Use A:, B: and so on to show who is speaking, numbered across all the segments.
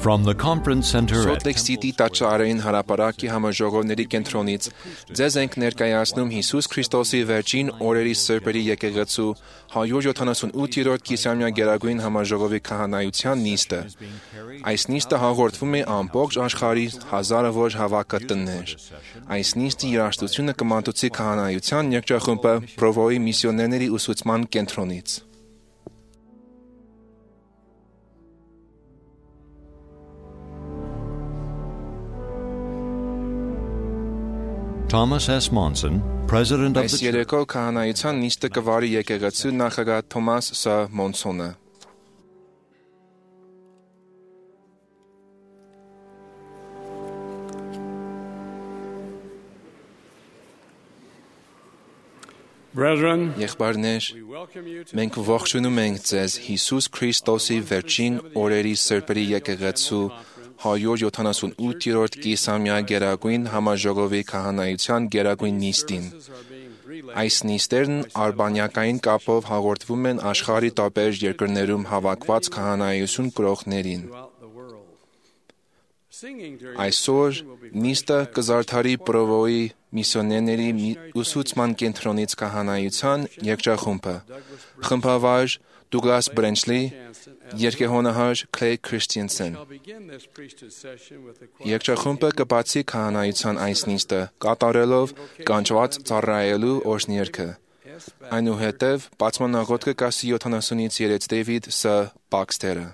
A: From the conference center at
B: Սոթ Լեյք Սիթի տաճարային հրապարակի համաժողովների կենտրոնից ձեզ ենք ներկայացնում Հիսուս Քրիստոսի վերջին օրերի սրբերի եկեղեցու 178-րդ կիսամյա գերագույն համաժողովի քահանայության նիստը։ Այս նիստը հաղորդվում է ամբողջ աշխարհի հազարավոր հավաքատներ։ Այս նիստի երաժշտությունը կմատուցի քահանայության երգչախումբը Պրովոյի միսիոներների ուսուցման կենտրոնից։
A: Thomas S. Monson, president of
B: Այս
A: the
B: երեկո քահանայության նիստը կվարի եկեղեցու նախագահ Թոմաս Ս. Մոնսոնը։
C: Brethren,
B: Եղբայրներ,
C: we welcome you to
B: մենք ողջունում ենք ձեզ Հիսուս Քրիստոսի վերջին օրերի սրբերի եկեղեցու 178-րդ կիսամյա գերագույն համաժողովի քահանայության գերագույն նիստին։ Այս նիստերն արբանյակային կապով հաղորդվում են աշխարհի տարբեր երկրներում հավաքված քահանայություն կրողներին։ Այսօր նիստը կզարդարի Պրովոյի միսիոներների ուսուցման կենտրոնից քահանայության երգչախումբը, խմբավար Դուգլաս Բրենչլի, երգեհոնահար Քլեյ Քրիստինսեն։ Երգչախումբը կբացի քահանայության այս նիստը կատարելով կանչված ծառայելու օրհներգը։ Այնուհետև բացմանաղոթքը կասի 70-ից 3 Դեյվիդ Ս. Բաքսթերը։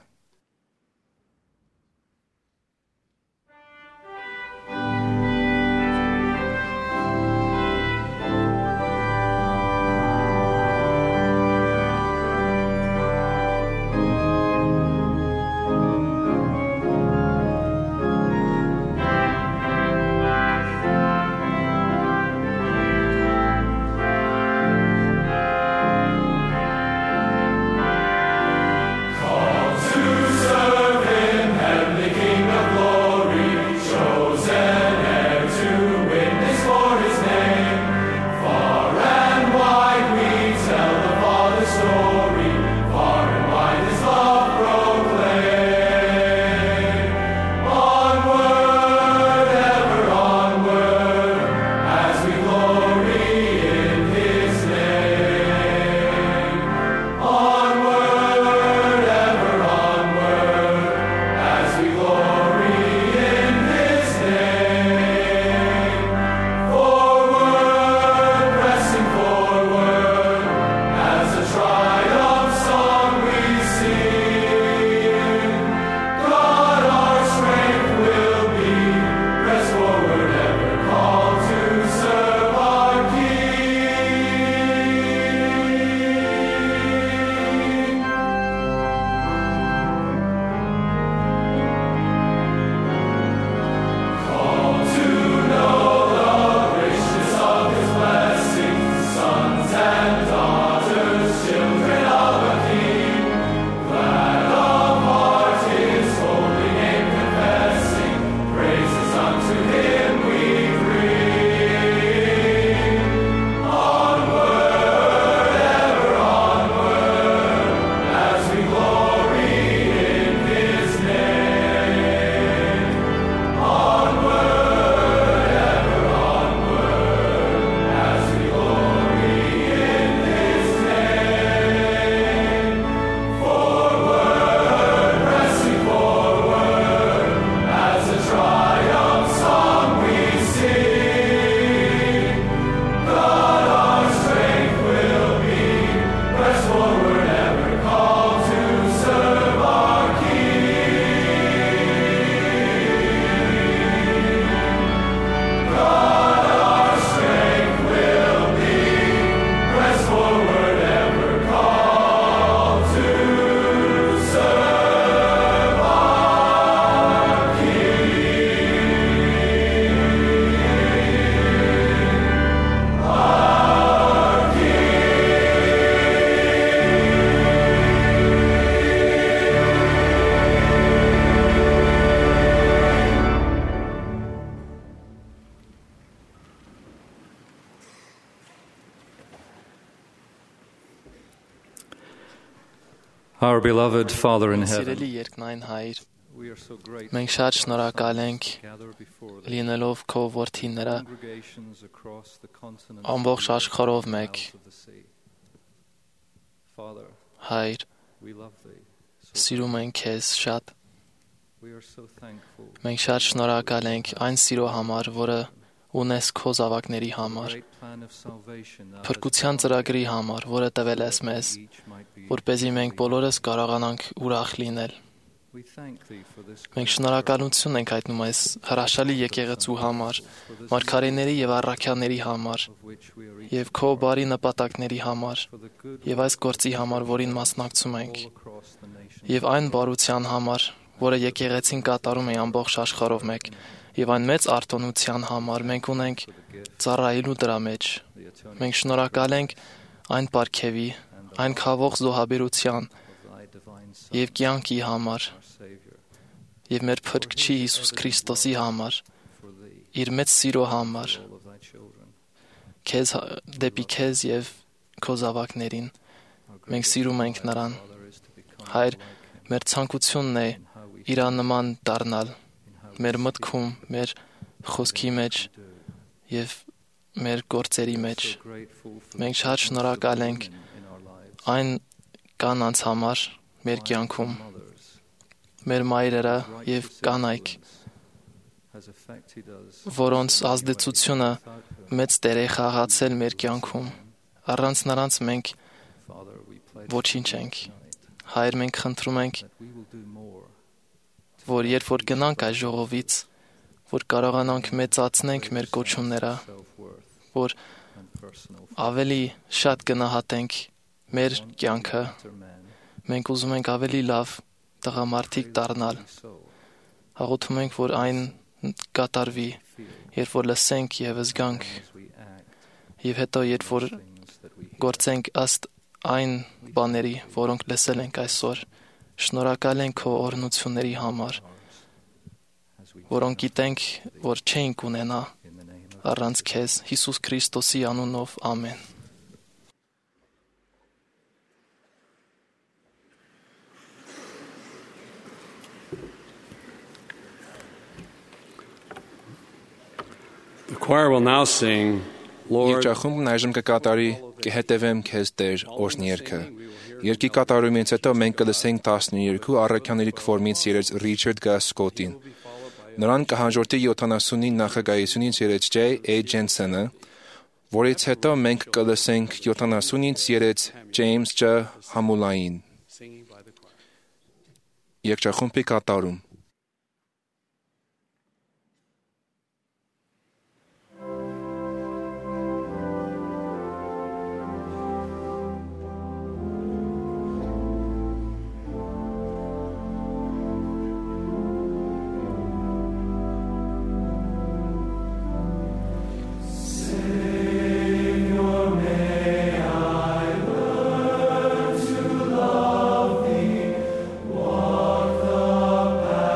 D: Our beloved Father in heaven,
E: Սիրելի երկնային Հայր,
D: Մենք շատ շնորհակալ ենք լինելով քո որդիները ամբողջ աշխարհով մեկ։ Հայր, սիրում ենք քեզ շատ։ Մենք շատ շնորհակալ ենք այն սիրո համար, որը ունես քո զավակների համար, փրկության ծրագրի համար, որը տվել ես մեզ, որպեսզի մենք բոլորս կարողանանք ուրախ լինել։ Մենք շնորհակալություն ենք հայտնում այս հրաշալի եկեղեցու համար, մարգարեների եւ առաքյալների համար, եւ քո բարի նպատակների համար, եւ այս գործի համար, որին մասնակցում ենք, եւ այն բարության համար, որը եկեղեցին կատարում է ամբողջ աշխարհով մեկ, եւ այն մեծ արտոնության համար մենք ունենք ծառայելու դրա մեջ։ Մենք շնորհակալ ենք այն պարգևի, այն խաղող զոհաբերության եւ կյանքի համար, եւ մեր Փրկչի Հիսուս Քրիստոսի համար, իր մեծ սիրո համար, դեպի քեզ եւ քո զավակներին։ Մենք սիրում ենք նրան։ Հայր, մեր ցանկությունն է իրանման դառնալ մեր մտքում, մեր խոսքի մեջ եւ մեր գործերի մեջ։ Մենք շատ շնորհակալ ենք այն կանանց համար մեր կյանքում, մեր մայրերը եւ կանայք, որոնց ազդեցությունը մեծ դեր է խաղացել մեր կյանքում։ Առանց նրանց մենք ոչինչ ենք։ Հայր, մենք խնդրում ենք, որ երբ որ գնանք այս ժողովից, որ կարողանանք մեծացնենք մեր կոչումները, որ ավելի շատ գնահատենք մեր կյանքը, մենք ուզում ենք ավելի լավ տղամարդիկ դառնալ։ Հաղորդում ենք, որ այն կատարվի, երբ որ լսենք եւ զգանք, եւ հետո երբ որ գործենք ըստ այն բաների, որոնք լսել ենք այսօր։ Շնորհակալ ենք քո օրհնությունների համար, որոնք գիտենք, որ չենք ունենա առանց քեզ, Հիսուս Քրիստոսի անունով, ամեն։
C: The choir will now sing, Lord,
B: Երգչախումբն այժմ կկատարի «Կհետևեմ քեզ Տեր» օրհներգը։ Երգի կատարումից հետո մենք կլսենք 12 առաքյալների քվորմից երեկ Ռիչարդ Գասկոտին։ Նրան կհաջորդի 70-ի նախագահությունից երեկ J.A. Ջենսենը, որից հետո մենք կլսենք 70-ից երեկ Ջեյմս Ջ. Համուլային։ Երգչախումբի կատարում։
E: Walk the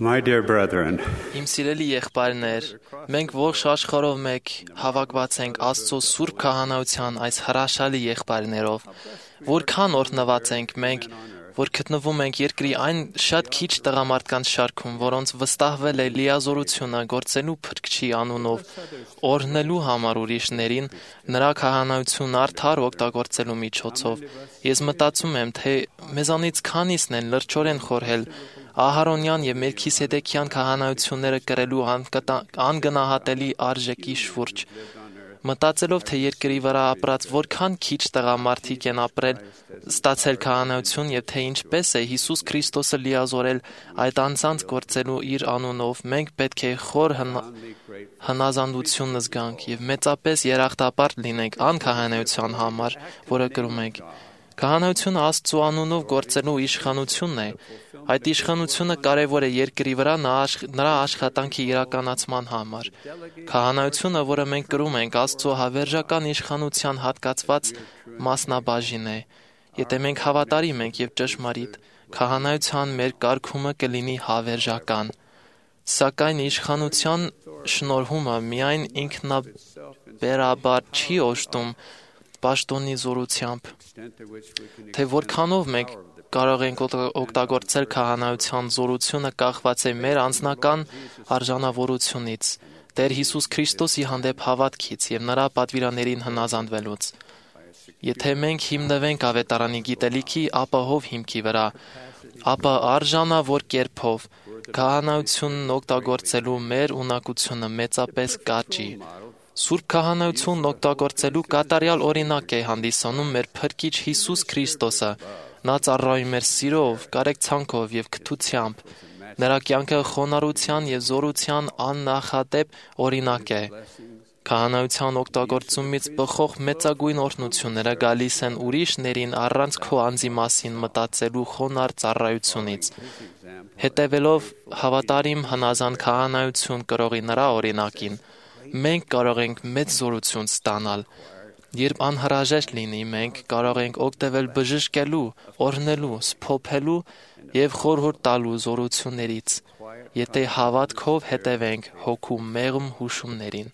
E: My dear brethren,
D: Իմ սիրելի եղբայրներ, մենք ողջ աշխարհով մեկ հավաքված ենք Աստծո Սուրբ Քահանայության այս հրաշալի եղբայրներով, որքան օրհնված ենք մենք, որ գտնվում ենք երկրի այն շատ քիչ տղամարդկանց շարքում, որոնց վստահվել է լիազորությունը գործելու Փրկչի անունով, օրհնելու համար ուրիշներին, նրա քահանայությունն արդար օգտագործելու միջոցով։ Ես մտածում եմ, թե մեզանից քանիսն են լրջորեն խորհել Ահարոնյան եւ Մելքիսեդեկյան քահանայությունները կրելու անգնահատելի արժեքի շուրջ, մտածելով, թե երկրի վրա ապրած որքան քիչ տղամարդիկ են ապրել, ստացել քահանայություն եւ թե ինչպես է Հիսուս Քրիստոսը լիազորել այդ անձանց գործելու իր անունով, մենք պետք է խոր հնազանդություն զգանք եւ մեծապես երախտապարտ լինենք անքահանայության համար, որը կրում ենք։ Քահանայությունը Աստծո անունով գործելու իշխանությունն է։ Այդ իշխանությունը կարևոր է երկրի վրա նրա աշխատանքի իրականացման համար։ Քահանայությունը, որը մենք կրում ենք, Աստծո հավերժական իշխանության հատկացված մասնաբաժին է։ Եթե մենք հավատարիմ ենք եւ ճշմարիտ, քահանայության մեր կարգումը կլինի հավերժական։ Սակայն իշխանության շնորհումը միայն ինքնաբերաբար չի օժտում պաշտոնի զորությամբ, թե որքանով մենք կարող ենք օգտագործել քահանայության զորությունը կախված է մեր անձնական արժանավորությունից, Տեր Հիսուս Քրիստոսի հանդեպ հավատքից եւ նրա պատվիրաններին հնազանդվելուց։ Եթե մենք հիմնվենք ավետարանի գիտելիքի ապահով հիմքի վրա, ապա արժանավոր կերպով քահանայությունն օգտագործելու մեր ունակությունը մեծապես կաճի։ Սուրբ քահանայությունն օգտագործելու կատարյալ օրինակ է հանդիսանում մեր Փրկիչ Հիսուս Քրիստոսը։ Նա ծառայում էր սիրով, կարեկցանքով եւ քթությամբ։ Նրա կյանքը խոնարհության եւ զորության աննախադեպ օրինակ է։ Քահանայության օգտագործումից բխող մեծագույն օրհնությունները գալիս են ուրիշներին առանց քո անձի մասին մտածելու խոնարհ ծառայությունից։ Հետևելով հավատարիմ հնազանդ քահանայություն կրողի նրա օրինակին, մենք կարող ենք մեծ զորություն ստանալ։ Երբ անհրաժեշտ լինի, մենք կարող ենք օգտվել բժշկելու, օրհնելու, սփոփելու եւ խորհուրդ տալու զորություններից, եթե հավատքով հետևենք հոգու մեղմ հուշումներին։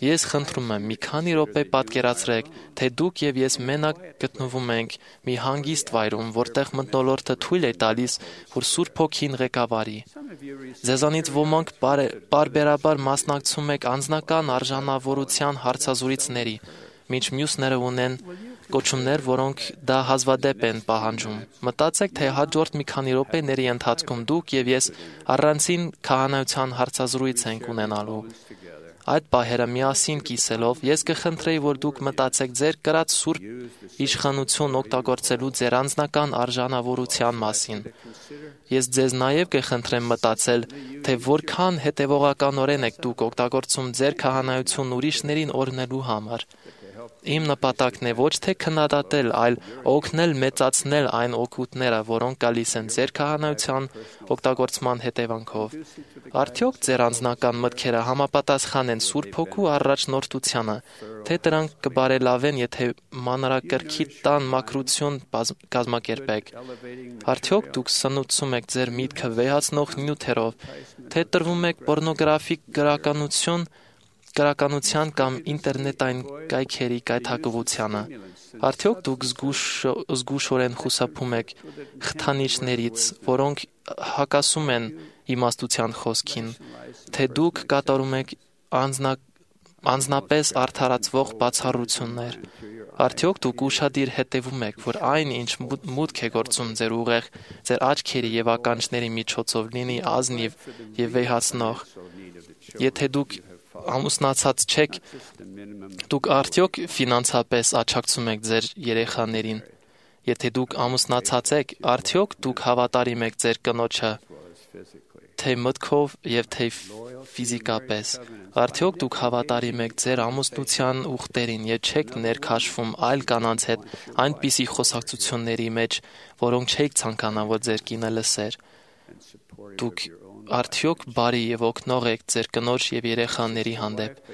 D: Ես խնդրում եմ, մի քանի րոպե պատկերացրեք, թե դուք եւ ես մենակ գտնվում ենք մի հանգիստ վայրում, որտեղ մթնոլորտը թույլ է տալիս, որ Սուրբ Հոգին ղեկավարի։ Ձեզանից ոմանք պարբերաբար մասնակցում եք անձնական արժանավորության հարցազրույցների, մինչ մյուսները ունեն կոչումներ, որոնք դա հազվադեպ են պահանջում։ Մտածեք, թե հաջորդ մի քանի րոպեների ընթացքում դուք եւ ես առանցին քահանայության հարցազրույց ենք ունենալու։ Այդ պահերը միասին կիսելով, ես կխնդրեի, որ դուք մտածեք ձեր կրած սուրբ իշխանություն օգտագործելու ձեր անձնական արժանավորության մասին։ Ես ձեզ նաև կխնդրեմ մտածել, թե որքան հետևողականորեն եք դուք օգտագործում ձեր քահանայությունն ուրիշներին օրհնելու համար։ Իմ նպատակն է ոչ թե քննադատել, այլ օգնել մեծացնել այն օգուտները, որոնք գալիս են ձեր քահանայության օգտագործման հետևանքով։ Արդյոք ձեր անձնական մտքերը համապատասխան են Սուրբ Հոգու առաջնորդությանը, թե դրանք կբարելավեն, եթե մանրակրքի տան մաքրություն կազմակերպեք։ Արդյոք դուք սնուցում եք ձեր միտքը վեհացնող նյութերով, թե տրվում եք պոռնոգրաֆիկ գրականության կամ ինտերնետային կայքերի կայթակղությանը։ Արդյոք դուք զգուշորեն խուսափում եք խթանիչներից, որոնք հակասում են իմաստության խոսքին, թե դուք կատարում եք անձնապես արդարացվող բացառություններ։ Արդյոք դուք ուշադիր հետևում եք, որ այն, ինչ մուտք է գործում ձեր ուղեղ, ձեր աչքերի եւ ականջների միջոցով լինի ազնիվ եւ վեհացնող։ Եթե դուք ամուսնացած չեք, դուք արդյոք ֆինանսապես աջակցում եք ձեր երեխաներին։ Եթե դուք ամուսնացած եք, արդյոք դուք հավատարիմ եք ձեր կնոջը, թե մտքով եւ թե ֆիզիկապես։ Արդյոք դուք հավատարիմ եք ձեր ամուսնության ուխտերին եւ չեք ներքաշվում այլ կանանց հետ այնպիսի խոսակցությունների մեջ, որոնք չեք ցանկանա, որ ձեր կինը լսեր։ Դուք արդյոք բարի եւ օգնող եք ձեր կնոջ եւ երեխաների հանդեպ։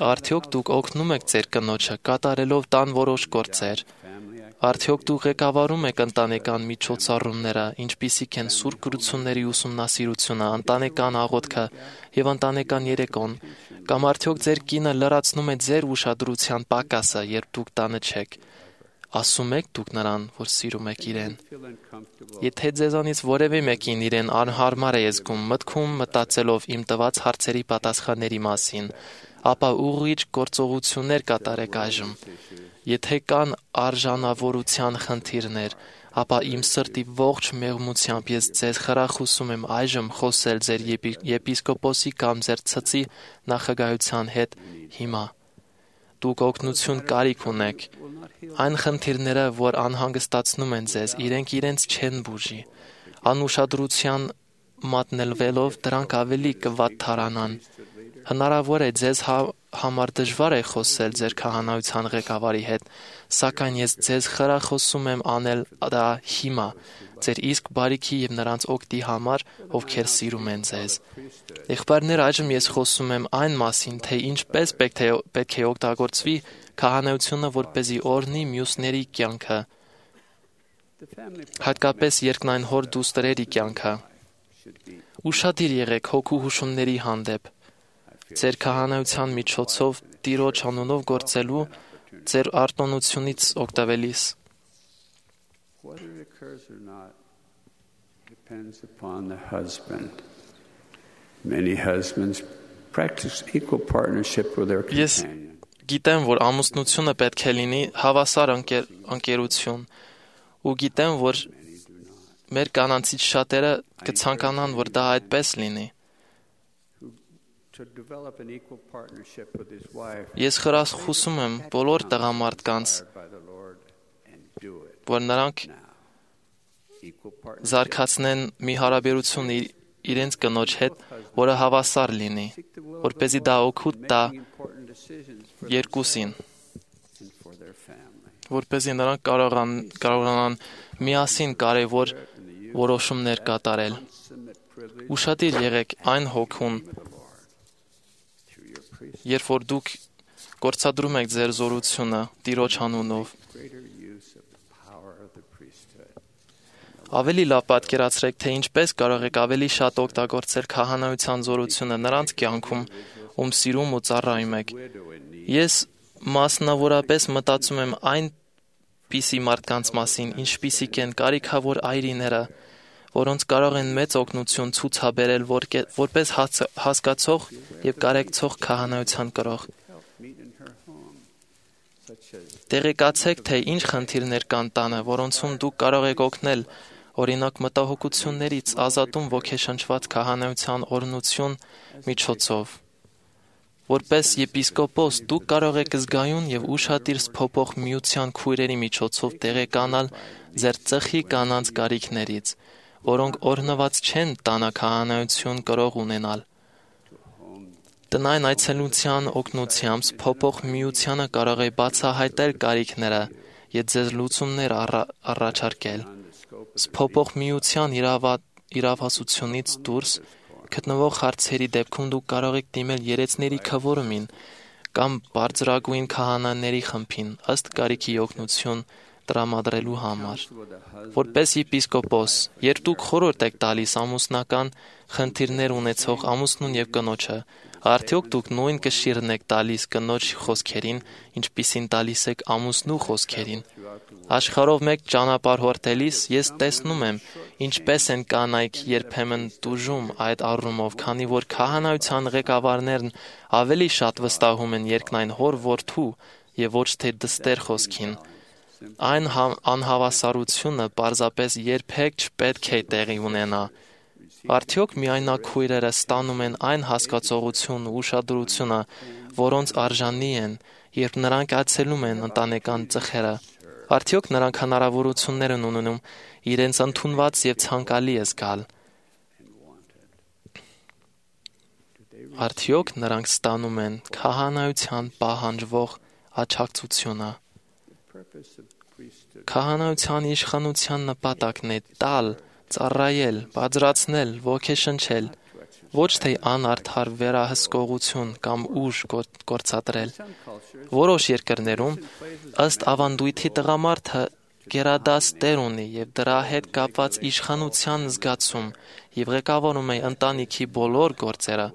D: Արդյոք դուք օգնում եք ձեր կնոջը կատարելով տան որոշ գործեր։ Արդյոք դու ղեկավարում եք ընտանեկան միջոցառումները, ինչպիսիք են սուրբ գրությունների ուսումնասիրությունը, ընտանեկան աղոթքը եւ ընտանեկան երեկոն, կամ արդյոք ձեր կինը լրացնում է ձեր ուշադրության պակասը, երբ դուք տանը չեք։ Ասում եք դուք նրան, որ սիրում եք իրեն։ Եթե ձեզանից որևէ մեկին իրեն անհարմար է զգում մտքում մտածելով իմ տված հարցերի պատասխանների մասին, ապա ուղղիչ գործողություններ կատարեք այժմ։ Եթե կան արժանավորության խնդիրներ, ապա իմ սրտի ողջ մեղմությամբ ես ձեզ խրախուսում եմ այժմ խոսել ձեր եպիսկոպոսի կամ ձեր ցծի նախագահության հետ հիմա։ Դուք օգնություն կարիք ունեք։ Այն խնդիրները, որ անհանգստացնում են ձեզ, իրենք իրենց չեն բուժի։ Անուշադրության մատնելվելով դրանք ավելի կվատթարանան։ Հնարավոր է ձեզ համար դժվար է խոսել ձեր քահանայության ղեկավարի հետ, սակայն ես ձեզ խրախուսում եմ անել դա հիմա, ձեր իսկ բարիքի եւ նրանց օգտի համար, ովքեր սիրում են ձեզ։ Եղբայրներ, այժմ ես խոսում եմ այն մասին, թե ինչպես պետք է օգտագործվի քահանայությունը, որպեսզի օրհնի մյուսների կյանքը, հատկապես երկնային հոր դուստրերի կյանքը։ Ուշադիր եղեք հոգու հուշումների հանդեպ։ Ձեր քահանայության միջոցով Տիրոջ անունով գործելու ձեր արտոնությունից օգտվելիս։ Ես գիտեմ, որ ամուսնությունը պետք է լինի հավասար ընկերություն, ու գիտեմ, որ մեր կանանցից շատերը կցանկանան, որ դա այդպես լինի։ Ես խրախուսում եմ բոլոր տղամարդկանց, որ նրանք զարգացնեն մի հարաբերություն իրենց կնոջ հետ, որը հավասար լինի, որպեսզի դա օգուտ տա երկուսին, որպեսզի նրանք կարողանան միասին կարևոր որոշումներ կատարել։ Ուշադիր եղեք այն հոգուն, երբ որ դուք գործադրում եք ձեր զորությունը Տիրոջ անունով։ Ավելի լավ պատկերացրեք, թե ինչպես կարող եք ավելի շատ օգտագործել քահանայության զորությունը նրանց կյանքում, ում սիրում ու ծառայում եք։ Ես մասնավորապես մտածում եմ այնպիսի մարդկանց մասին, ինչպիսիք են կարիքավոր այրիները, որոնց կարող են մեծ օգնություն ցուցաբերել որպես հասկացող եւ կարեկցող քահանայության կրող։ Տեղեկացեք, թե ինչ խնդիրներ կան տանը, որոնցում դուք կարող եք օգնել, օրինակ մտահոգություններից ազատում ոգեշնչված քահանայության օրհնություն միջոցով։ Որպես եպիսկոպոս դուք կարող եք զգայուն եւ ուշադիր փոփոխ միության քույրերի միջոցով տեղեկանալ ձեր ծխի կանանց կարիքներից, որոնք օրհնված չեն տանաքահանայություն կրող ունենալ։ Տնային այցելության օգնությամբ փոփոխ միությանը կարող է բացահայտել կարիքները եւ ձեզ լուծումներ առաջարկել։ Փոփոխ միության իրավասությունից դուրս գտնվող հարցերի դեպքում դուք կարող եք դիմել երեցների քվորումին կամ բարձրագույն քահանաների խմբին ըստ կարիքի օգնություն տրամադրելու համար։ Որպես եպիսկոպոս, երբ դուք խորհուրդ եք տալիս ամուսնական խնդիրներ ունեցող ամուսնուն եւ կնոջը, արդյոք դուք նույն կշիռն եք տալիս կնոջ խոսքերին, ինչպիսին տալիս եք ամուսնու խոսքերին։ Աշխարհով մեկ ճանապարհորդելիս ես տեսնում եմ, ինչպես են կանայք երբեմն տուժում այդ առումով, քանի որ քահանայության ղեկավարներն ավելի շատ վստահում են երկնային հոր որդու եւ ոչ թե դստեր խոսքին։ Այն անհավասարությունը պարզապես երբեք չպետք է տեղի ունենա։ Արդյոք միայնակ քույրերը ստանում են այն հասկացողությունն ու ուշադրությունը, որոնց արժանի են, երբ նրանք այցելում են ընտանեկան ծխերը։ Արդյոք նրանք հնարավորություններ են ունենում իրենց ընդունված եւ ցանկալի զգալ։ Արդյոք նրանք ստանում են քահանայության պահանջվող աջակցությունը։ Քահանայության իշխանության նպատակն է տալ, ծառայել, բարձրացնել, ոգեշնչել, ոչ թե անարդար վերահսկողություն կամ ուժ գործադրել։ Որոշ երկրներում ըստ ավանդույթի տղամարդը գերադաս տեր ունի եւ դրա հետ կապված իշխանության զգացում եւ ղեկավարում է ընտանիքի բոլոր գործերը,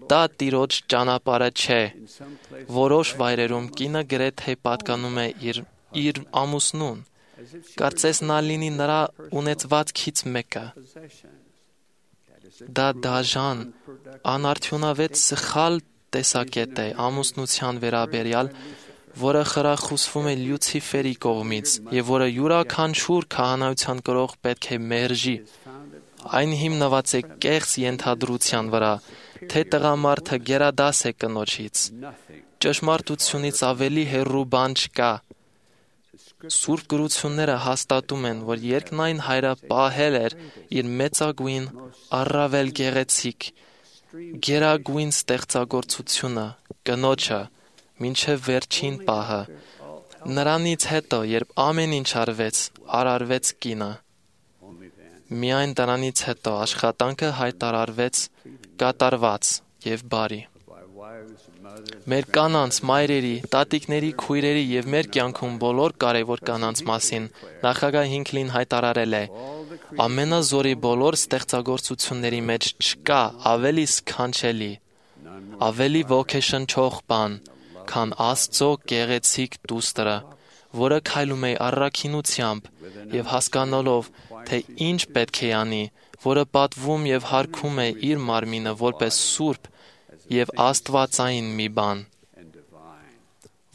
D: դա Տիրոջ ճանապարհը չէ։ Որոշ վայրերում կինը գրեթե պատկանում է իր ամուսնուն, կարծես նա լինի նրա ունեցվածքից մեկը։ Դա դաժան, անարդյունավետ սխալ տեսակետ է ամուսնության վերաբերյալ, որը խրախուսվում է Լյուցիֆերի կողմից եւ որը յուրաքանչյուր քահանայության կրող պետք է մերժի։ Այն հիմնված է կեղծ ենթադրության վրա, թե տղամարդը գերադաս է կնոջից։ Ճշմարտությունից ավելի հեռու բան չկա։ Սուրբ գրությունները հաստատում են, որ երկնային հայրը պահել էր իր մեծագույն, առավել գեղեցիկ, գերագույն ստեղծագործությունը, կնոջը, մինչև վերջին պահը։ Նրանից հետո, երբ ամեն ինչ արարվեց կինը, միայն դրանից հետո աշխատանքը հայտարարվեց կատարված եւ բարի։ Մեր կանանց, մայրերի, տատիկների, քույրերի եւ մեր կյանքում բոլոր կարևոր կանանց մասին Նախագահ Հինքլին հայտարարել է. ամենազորի բոլոր ստեղծագործությունների մեջ չկա ավելի սքանչելի, ավելի ոգեշնչող բան, քան Աստծո գեղեցիկ դուստրը, որը քայլում է առաքինությամբ եւ հասկանալով, թե ինչ պետք է անի, որը պատվում եւ հարգում է իր մարմինը որպես սուրբ եւ աստվածային մի բան,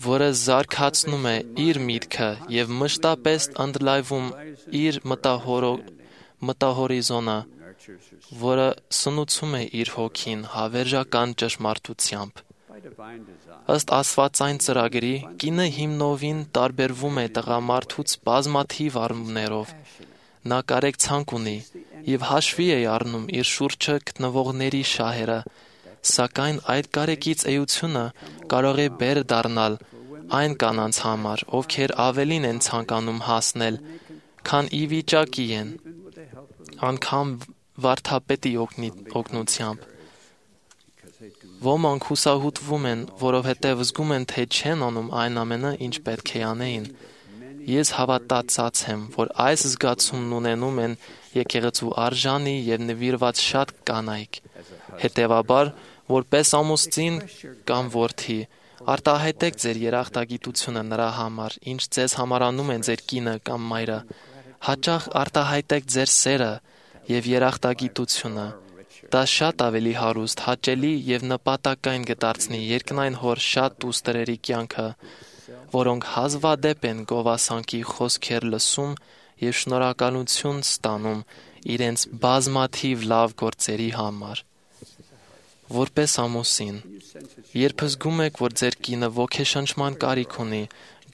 D: որը զարգացնում է իր միտքը եւ մշտապես ընդլայնվում իր մտահորիզոնը, որը սնուցում է իր հոգին հավերժական ճշմարտությամբ։ Ըստ աստվածային ծրագրի, կինը հիմնովին տարբերվում է տղամարդուց բազմաթիվ առումներով։ Նա կարեկցանք ունի եւ հաշվի է առնում իր շուրջը գտնվողների շահերը, սակայն այդ կարեկից էությունը կարող է բեր դառնալ այն կանանց համար, ովքեր ավելին են ցանկանում հասնել, քան ի վիճակի են, անգամ վարդապետի օգնությամբ։ Ոմանք հուսահուտվում են, որովհետև զգում են, թե չեն անում այն ամենը, ինչ պետք է անեին։ Ես հավատացած եմ, որ այս զգացումն ունենում են եկեղեցու արժանի եւ նվիրված շատ կանայք։ Հետևաբար, որպես ամուսին կամ որդի, արտահայտեք ձեր երախտագիտությունը նրա համար, ինչ ձեզ համարանում են ձեր կինը կամ մայրը։ Հաճախ արտահայտեք ձեր սերը եւ երախտագիտությունը։ Դա շատ ավելի հարուստ, հաճելի եւ նպատակային կդարձնի երկնային հոր շատ դուստրերի կյանքը, որոնք հազվադեպ են գովասանքի խոսքեր լսում եւ շնորհակալություն ստանում իրենց բազմաթիվ լավ գործերի համար։ Որպես ամուսին, երբ զգում եք, որ ձեր կինը ոգեշնչման կարիք ունի,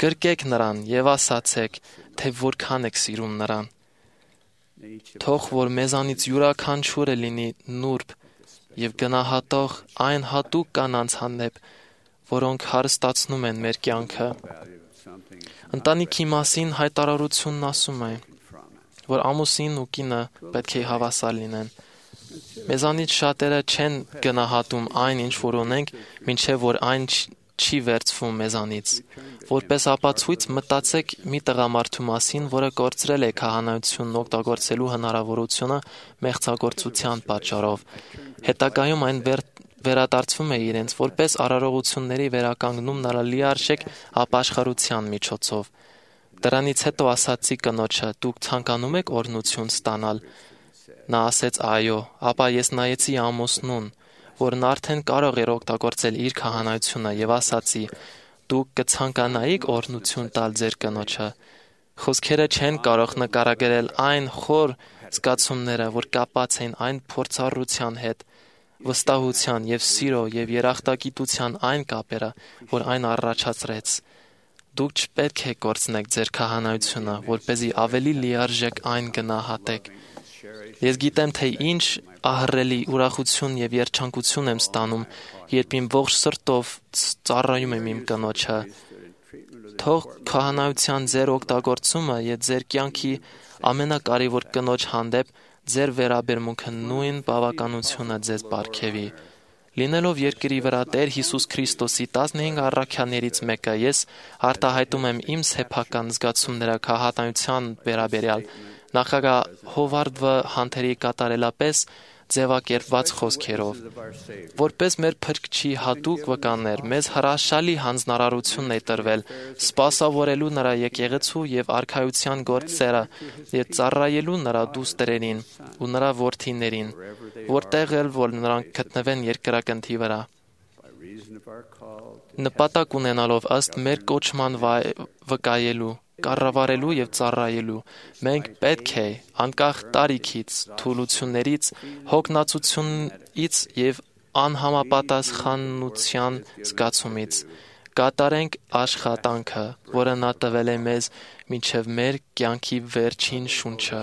D: գրկեք նրան եւ ասացեք, թե որքան եք սիրում նրան։ Թող որ մեզանից յուրաքանչյուրը լինի նուրբ եւ գնահատող այն հատուկ կանանց հանդեպ, որոնք հարստացնում են մեր կյանքը։ Ընտանիքի մասին հայտարարությունն ասում է, որ ամուսին ու կինը պետք է հավասար լինեն։ Մեզանից շատերը չեն գնահատում այն, ինչ որ ունենք, մինչև որ այն չի վերցվում մեզանից։ Որպես ապացույց մտածեք մի տղամարդու մասին, որը կորցրել է քահանայությունն օգտագործելու հնարավորությունը մեղձագործության պատճառով։ Հետագայում այն վերադարձվում է իրենց որպես արարողությունների վերականգնում նրա լիարժեք ապաշխարության միջոցով։ Դրանից հետո ասացի կնոջը. «Դուք ցանկանում եք օրհնություն ստանալ»։ Նա ասեց. «Այո», ապա ես նայեցի ամուսնուն, որն արդեն կարող էր օգտագործել իր քահանայությունը եւ ասացի. «Դուք կցանկանայիք օրհնություն տալ ձեր կնոջը»։ Խոսքերը չեն կարող նկարագրել այն խոր զգացումները, որ կապված են այն փորձառության հետ, վստահության եւ սիրո եւ երախտագիտության այն կապերը, որ այն առաջացրեց։ Դուք չպետք է կորցնեք ձեր քահանայությունը, որպեսզի ավելի լիարժեք այն գնահատեք։ Ես գիտեմ, թե ինչ ահռելի ուրախություն եւ երջանկություն եմ ստանում, երբ իմ ողջ սրտով ծառայում եմ իմ կնոջը։ Թող քահանայության ձեր օգտագործումը եւ ձեր կյանքի ամենակարևոր կնոջ հանդեպ ձեր վերաբերմունքը նույն բավականությունը ձեզ պարգևի։ Լինելով երկրի վրա Տեր Հիսուս Քրիստոսի 15 առաքյալներից մեկը, ես արտահայտում եմ իմ սեփական զգացումները քահանայության վերաբերյալ նախագահ Հովարդ Վ. Հանթերի կատարելապես ձևակերպված խոսքերով, որպես մեր Փրկչի հատուկ վկաներ, մեզ հրաշալի հանձնարարություն է տրվել սպասավորելու նրա եկեղեցու եւ արքայության գործերը եւ ծառայելու նրա դուստրերին ու նրա որդիներին, որտեղ էլ որ նրանք գտնվեն երկրագնդի վրա։ Նպատակ ունենալով ըստ մեր կոչման վկայելու, կառավարելու եւ ծառայելու, մենք պետք է անկախ տարիքից, թուլություններից, հոգնածությունից եւ անհամապատասխանության զգացումից կատարենք աշխատանքը, որը նա տվել է մեզ մինչև մեր կյանքի վերջին շունչը։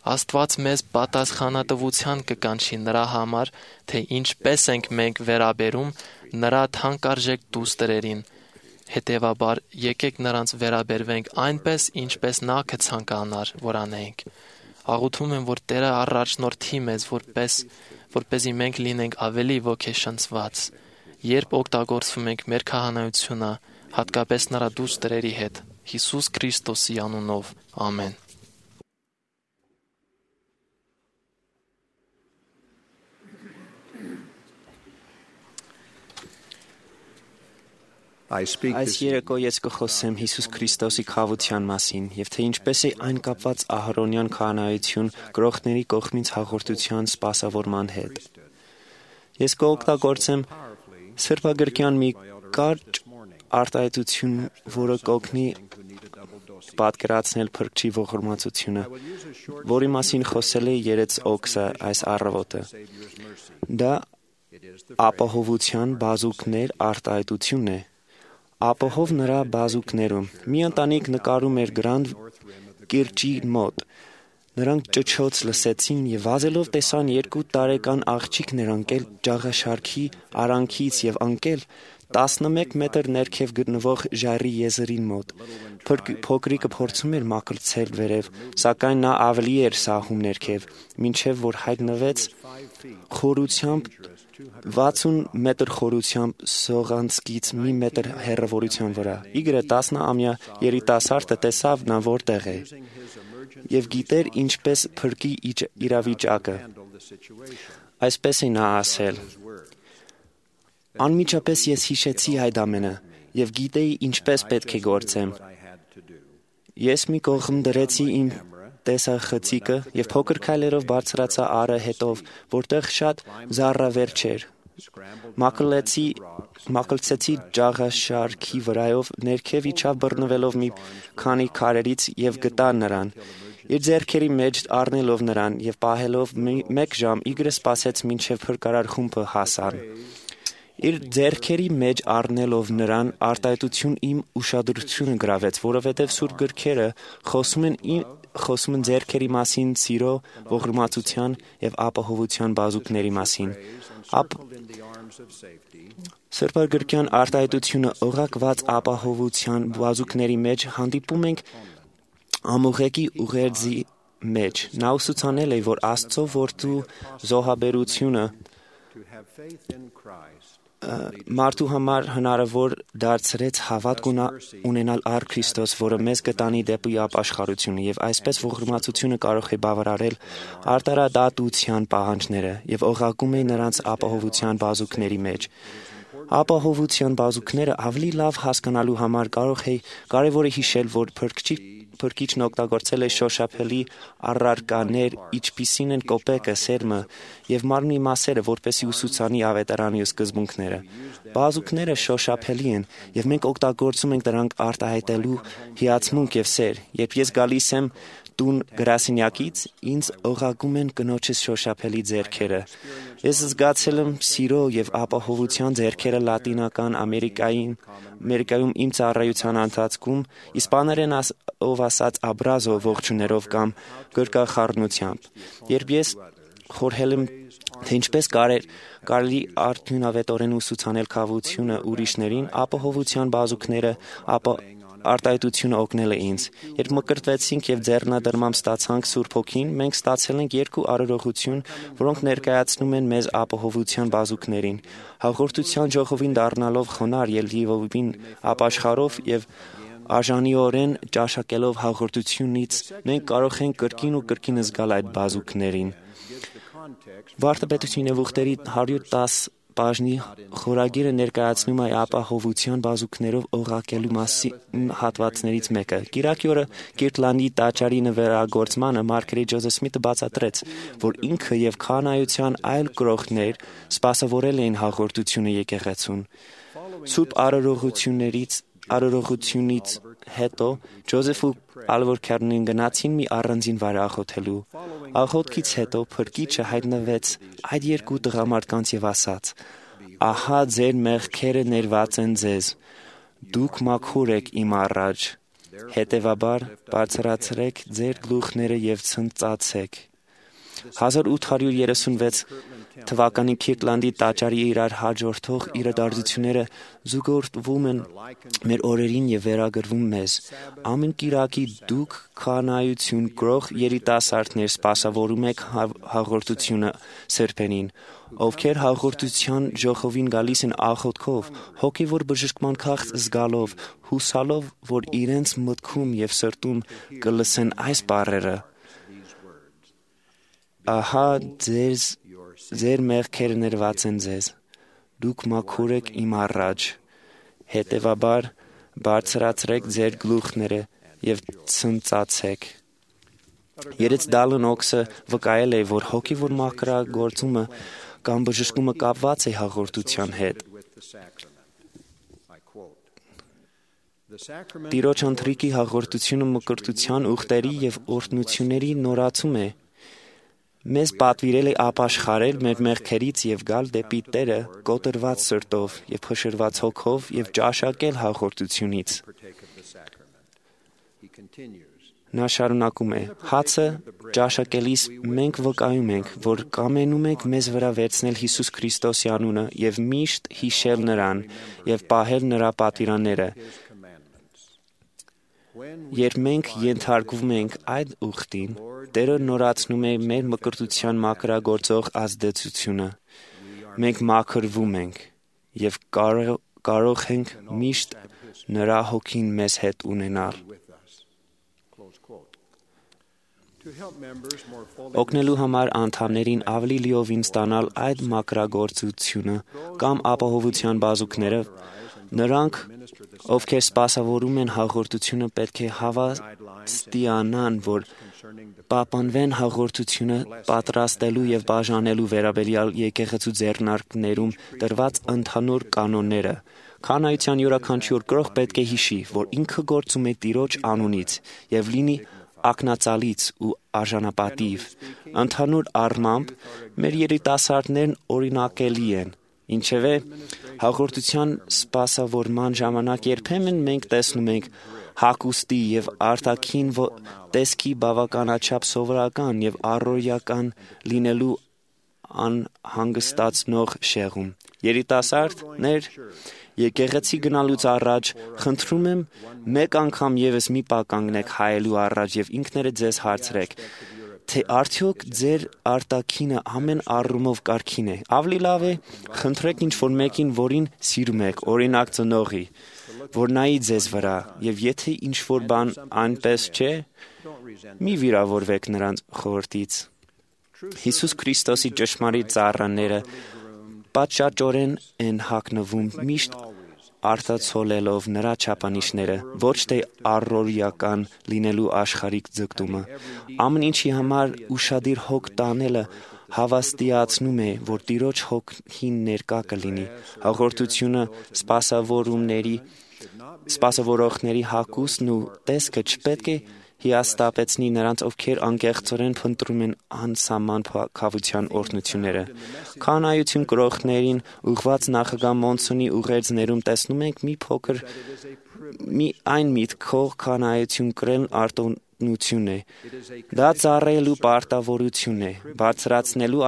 D: Աստված մեզ պատասխանատվության կկանչի նրա համար, թե ինչպես ենք մենք վերաբերում նրա թանկարժեք դուստրերին։ Հետևաբար, եկեք նրանց վերաբերվենք այնպես, ինչպես նա կցանկանար, որ անենք։ Աղոթում եմ, որ Տերը առաջնորդի մեզ, որպեսզի մենք լինենք ավելի ոգեշնչված, երբ օգտագործվում ենք մեր քահանայությունը, հատկապես նրա դուստրերի հետ, Հիսուս Քրիստոսի անունով։ Ամեն։
E: Այս երեկո ես կխոսեմ Հիսուս Քրիստոսի քավության մասին եւ թե ինչպես է այն կապված Ահարոնյան քահանայություն գրողների կողմից հաղորդության սպասավորման հետ։ Ես կօգտագործեմ սրբագրքյան մի կարճ արտահայտություն, որը կօգնի պատկերացնել Փրկչի ողորմածությունը, որի մասին խոսել է Երեց Օքսը այս առավոտը։ Դա ապահովության բազուկներ արտահայտությունն է։ Ապահով նրա բազուկներում մի ընտանիք նկարում էր Գրանդ կիրճի մոտ։ Նրանք ճչոց լսեցին եւ վազելով տեսան 2 տարեկան աղջիկներ ընկել ջաղաշարքի արանքից եւ ընկել 11 մետր ներքև գտնվող ժայռի եզրին մոտ։ Փոքրիկը փորձում էր մաքրցել վերև, սակայն նա ավելի էր սահում ներքև, մինչև որ հայտնվեց խորությամբ 60 մետր խորությամբ սողանցքից մի մետր հեռավորության վրա։ Իգրը 10-ամյա երիտասարդը տեսավ նա որտեղ է եւ գիտեր ինչպես փրկի իրավիճակը։ Այսպես է նա ասել. Անմիջապես ես հիշեցի այդ ամենը եւ գիտեի ինչպես պետք է գործեմ։ Ես մի կողմ դրեցի իմ տեսախցիկը եւ փոքր քայլերով բարձրացա ары հետով, որտեղ շատ զառավեր չէր։ Մաքրեցի ջաղաշարքի վրայով, ներքև իջավ բռնվելով մի քանի քարերից եւ գտա նրան։ Իր ձեռքերի մեջ առնելով նրան եւ պահելով 1 ժամ իգրը սպասեց մինչեւ փրկարար խումբը հասան։ Իր ձեռքերի մեջ առնելով նրան արտահայտություն իմ ուշադրությունը գրավեց, որովհետև սուրբ գրքերը խոսում են ձեռքերի մասին, սիրո, ողորմածության եւ ապահովության բազուկների մասին։ Սրբագրքյան արտահայտությունը օղակված ապահովության բազուկների մեջ հանդիպում ենք ամուղեկի ուղերձի մեջ։ Նա ուսուցանել է, որ Աստծո որդու զոհաբերությունը մարդու համար հնարավոր դարձրեց հավատք ունենալ առ Քրիստոս, որը մեզ կտանի դեպի ապաշխարությունը, եւ այսպես ողորմածությունը կարող է բավարարել արտարադատության պահանջները եւ օղակում է նրանց ապահովության բազուկների մեջ։ Ապահովության բազուկները ավելի լավ հասկանալու համար կարևոր է հիշել, որ Փրկիչն օգտագործել է շոշափելի առարկաներ, ինչպիսին են կոպեկը, սերմը եւ մարմնի մասերը, որպեսզի ուսուցանի ավետարանի սկզբունքները։ Բազուկները շոշափելի են եւ մենք օգտագործում ենք դրանք արտահայտելու հիացմունք եւ սեր։ Երբ ես գալիս եմ տուն գրասենյակից, ինձ օղակում են կնոջս շոշափելի ձեռքերը։ Ես զգացել եմ սիրո եւ ապահովության ձեռքերը Լատինական Ամերիկայում իմ ծառայության ընթացքում, իսպաներենով ասած աբրազո ողջուներով կամ գրկախառնությամբ։ Երբ ես խորհել եմ, թե ինչպես կարելի արդյունավետորեն ուսուցանել քավությունը ուրիշներին, ապահովության բազուկները արտահայտությունը օգնել է ինձ։ Երբ մկրտվեցինք եւ ձեռնադրմամբ ստացանք Սուրբ Հոգին, մենք ստացել ենք երկու արարողություն, որոնք ներկայացնում են մեզ ապահովության բազուկներին։ Հաղորդության ժողովին դառնալով խոնարհ եւ լիովին ապաշխարով եւ արժանիորեն ճաշակելով հաղորդությունից, մենք կարող ենք կրկին ու կրկին զգալ այդ բազուկներին։ Վարդապետության եւ ուխտերի 110 բաժնի խորագիրը ներկայացնում է ապահովության բազուկներով օղակելու մասին հատվածներից մեկը։ Կիրակի օրը Կիրտլանդի տաճարի նվերագործմանը Մարգարետ Ջոզեֆ Սմիթը բացատրեց, որ ինքը եւ քահանայության այլ գրողներ սպասավորել էին հաղորդությունը եկեղեցուն։ Սուրբ արարողությունից հետո Ջոզեֆը Ալվորքերնին գնացին մի առանձին վայր աղոթելու։ Աղոթքից հետո փրկիչը հայտնվեց այդ երկու տղամարդկանց եւ ասաց. «Ահա ձեր մեղքերը ներված են ձեզ, դուք մաքուր եք իմ առաջ, հետևաբար բարձրացրեք ձեր գլուխները եւ ցնծացեք»։ 1836 թվականի Քիրտլանդի տաճարի իրար հաջորդող իրադարձությունները զուգորդվում են մեր օրերին եւ վերագրվում մեզ։ Ամեն կիրակի դուք քահանայություն գրող երիտասարդներ սպասավորում եք հաղորդությունը սրբերին, ովքեր հաղորդության ժողովին գալիս են աղոթքով, հոգեվոր բժշկման քաղց զգալով, հուսալով, որ իրենց մտքում եւ սրտում կլսեն այս բառերը. «Ահա ձեր մեղքերը ներված են ձեզ, դուք մաքուր եք իմ առաջ, հետևաբար բարձրացրեք ձեր գլուխները եւ ցնծացեք»։ Երեց Դալն Օքսը վկայել է, որ հոգեվոր մաքրագործումը կամ բժշկումը կապված է հաղորդության հետ։ Տիրոջ ընթրիքի հաղորդությունը մկրտության, ուխտերի եւ օրհնությունների նորացում է։ Մեզ պատվիրել է ապաշխարել մեր մեղքերից եւ գալ դեպի Տերը կոտրված սրտով եւ փշրված հոգով եւ ճաշակել հաղորդությունից։ Նա շարունակում է. «Հացը ճաշակելիս մենք վկայում ենք, որ կամենում ենք մեզ վրա վերցնել Հիսուս Քրիստոսի անունը եւ միշտ հիշել նրան եւ պահել նրա պատվիրանները։ Երբ մենք ենթարկվում ենք այդ ուխտին, Տերը նորացնում է մեր մկրտության մաքրագործող ազդեցությունը։ Մենք մաքրվում ենք եւ կարող ենք միշտ նրա հոգին մեզ հետ ունենալ։ Օգնելու համար անդամներին ավելի լիովին ստանալ այդ մաքրագործությունը կամ ապահովության բազուկները, նրանք, ովքեր սպասավորում են հաղորդությունը, պետք է հավաստիանան, որ պահպանվեն հաղորդությունը պատրաստելու եւ բաժանելու վերաբերյալ եկեղեցու ձեռնարկներում տրված ընդհանուր կանոնները։ Քահանայության յուրաքանչյուր գրող պետք է հիշի, որ ինքը գործում է Տիրոջ անունից եւ լինի ակնածալից ու արժանապատիվ։ Ընդհանուր առմամբ մեր երիտասարդներն օրինակելի են, ինչևէ հաղորդության սպասավորման ժամանակ երբեմն մենք տեսնում ենք հագուստի եւ արտաքին տեսքի բավականաչափ սովորական եւ առօրյական լինելու անհանգստացնող շեղում։ Երիտասարդներ, եկեղեցի գնալուց առաջ խնդրում եմ մեկ անգամ եւս մի պահ կանգնեք հայելու առաջ եւ ինքներդ ձեզ հարցրեք, թե արդյոք ձեր արտաքինը ամեն առումով կարգին է։ Ավելի լավ է խնդրեք ինչ-որ մեկին, որին սիրում եք, օրինակ ծնողի, որ նայի ձեզ վրա, եւ եթե ինչ-որ բան այնպես չէ, մի վիրավորվեք նրանց խորհրդից։ Հիսուս Քրիստոսի ճշմարիտ ծառաները պատշաճորեն են հագնվում միշտ արտացոլելով նրա չափանիշները, ոչ թե առօրյական լինելու աշխարհիկ ձգտումը։ Ամեն ինչի համար ուշադիր հոգ տանելը հավաստիացնում է, որ Տիրոջ հոգին ներկա կլինի։ Հաղորդությունը սպասավորողների հագուստն ու տեսքը չպետք է հիասթափեցնի նրանց, ովքեր անկեղծորեն փնտրում են անսահման քավության օրհնությունները։ Քահանայություն գրողներին ուղղված նախագահ Մոնսոնի ուղերձներում տեսնում ենք մի փոքր այն միտքով քահանայություն կրել արտոնություն է։ Դա ծառայելու պարտավորություն է, բարձրացնելու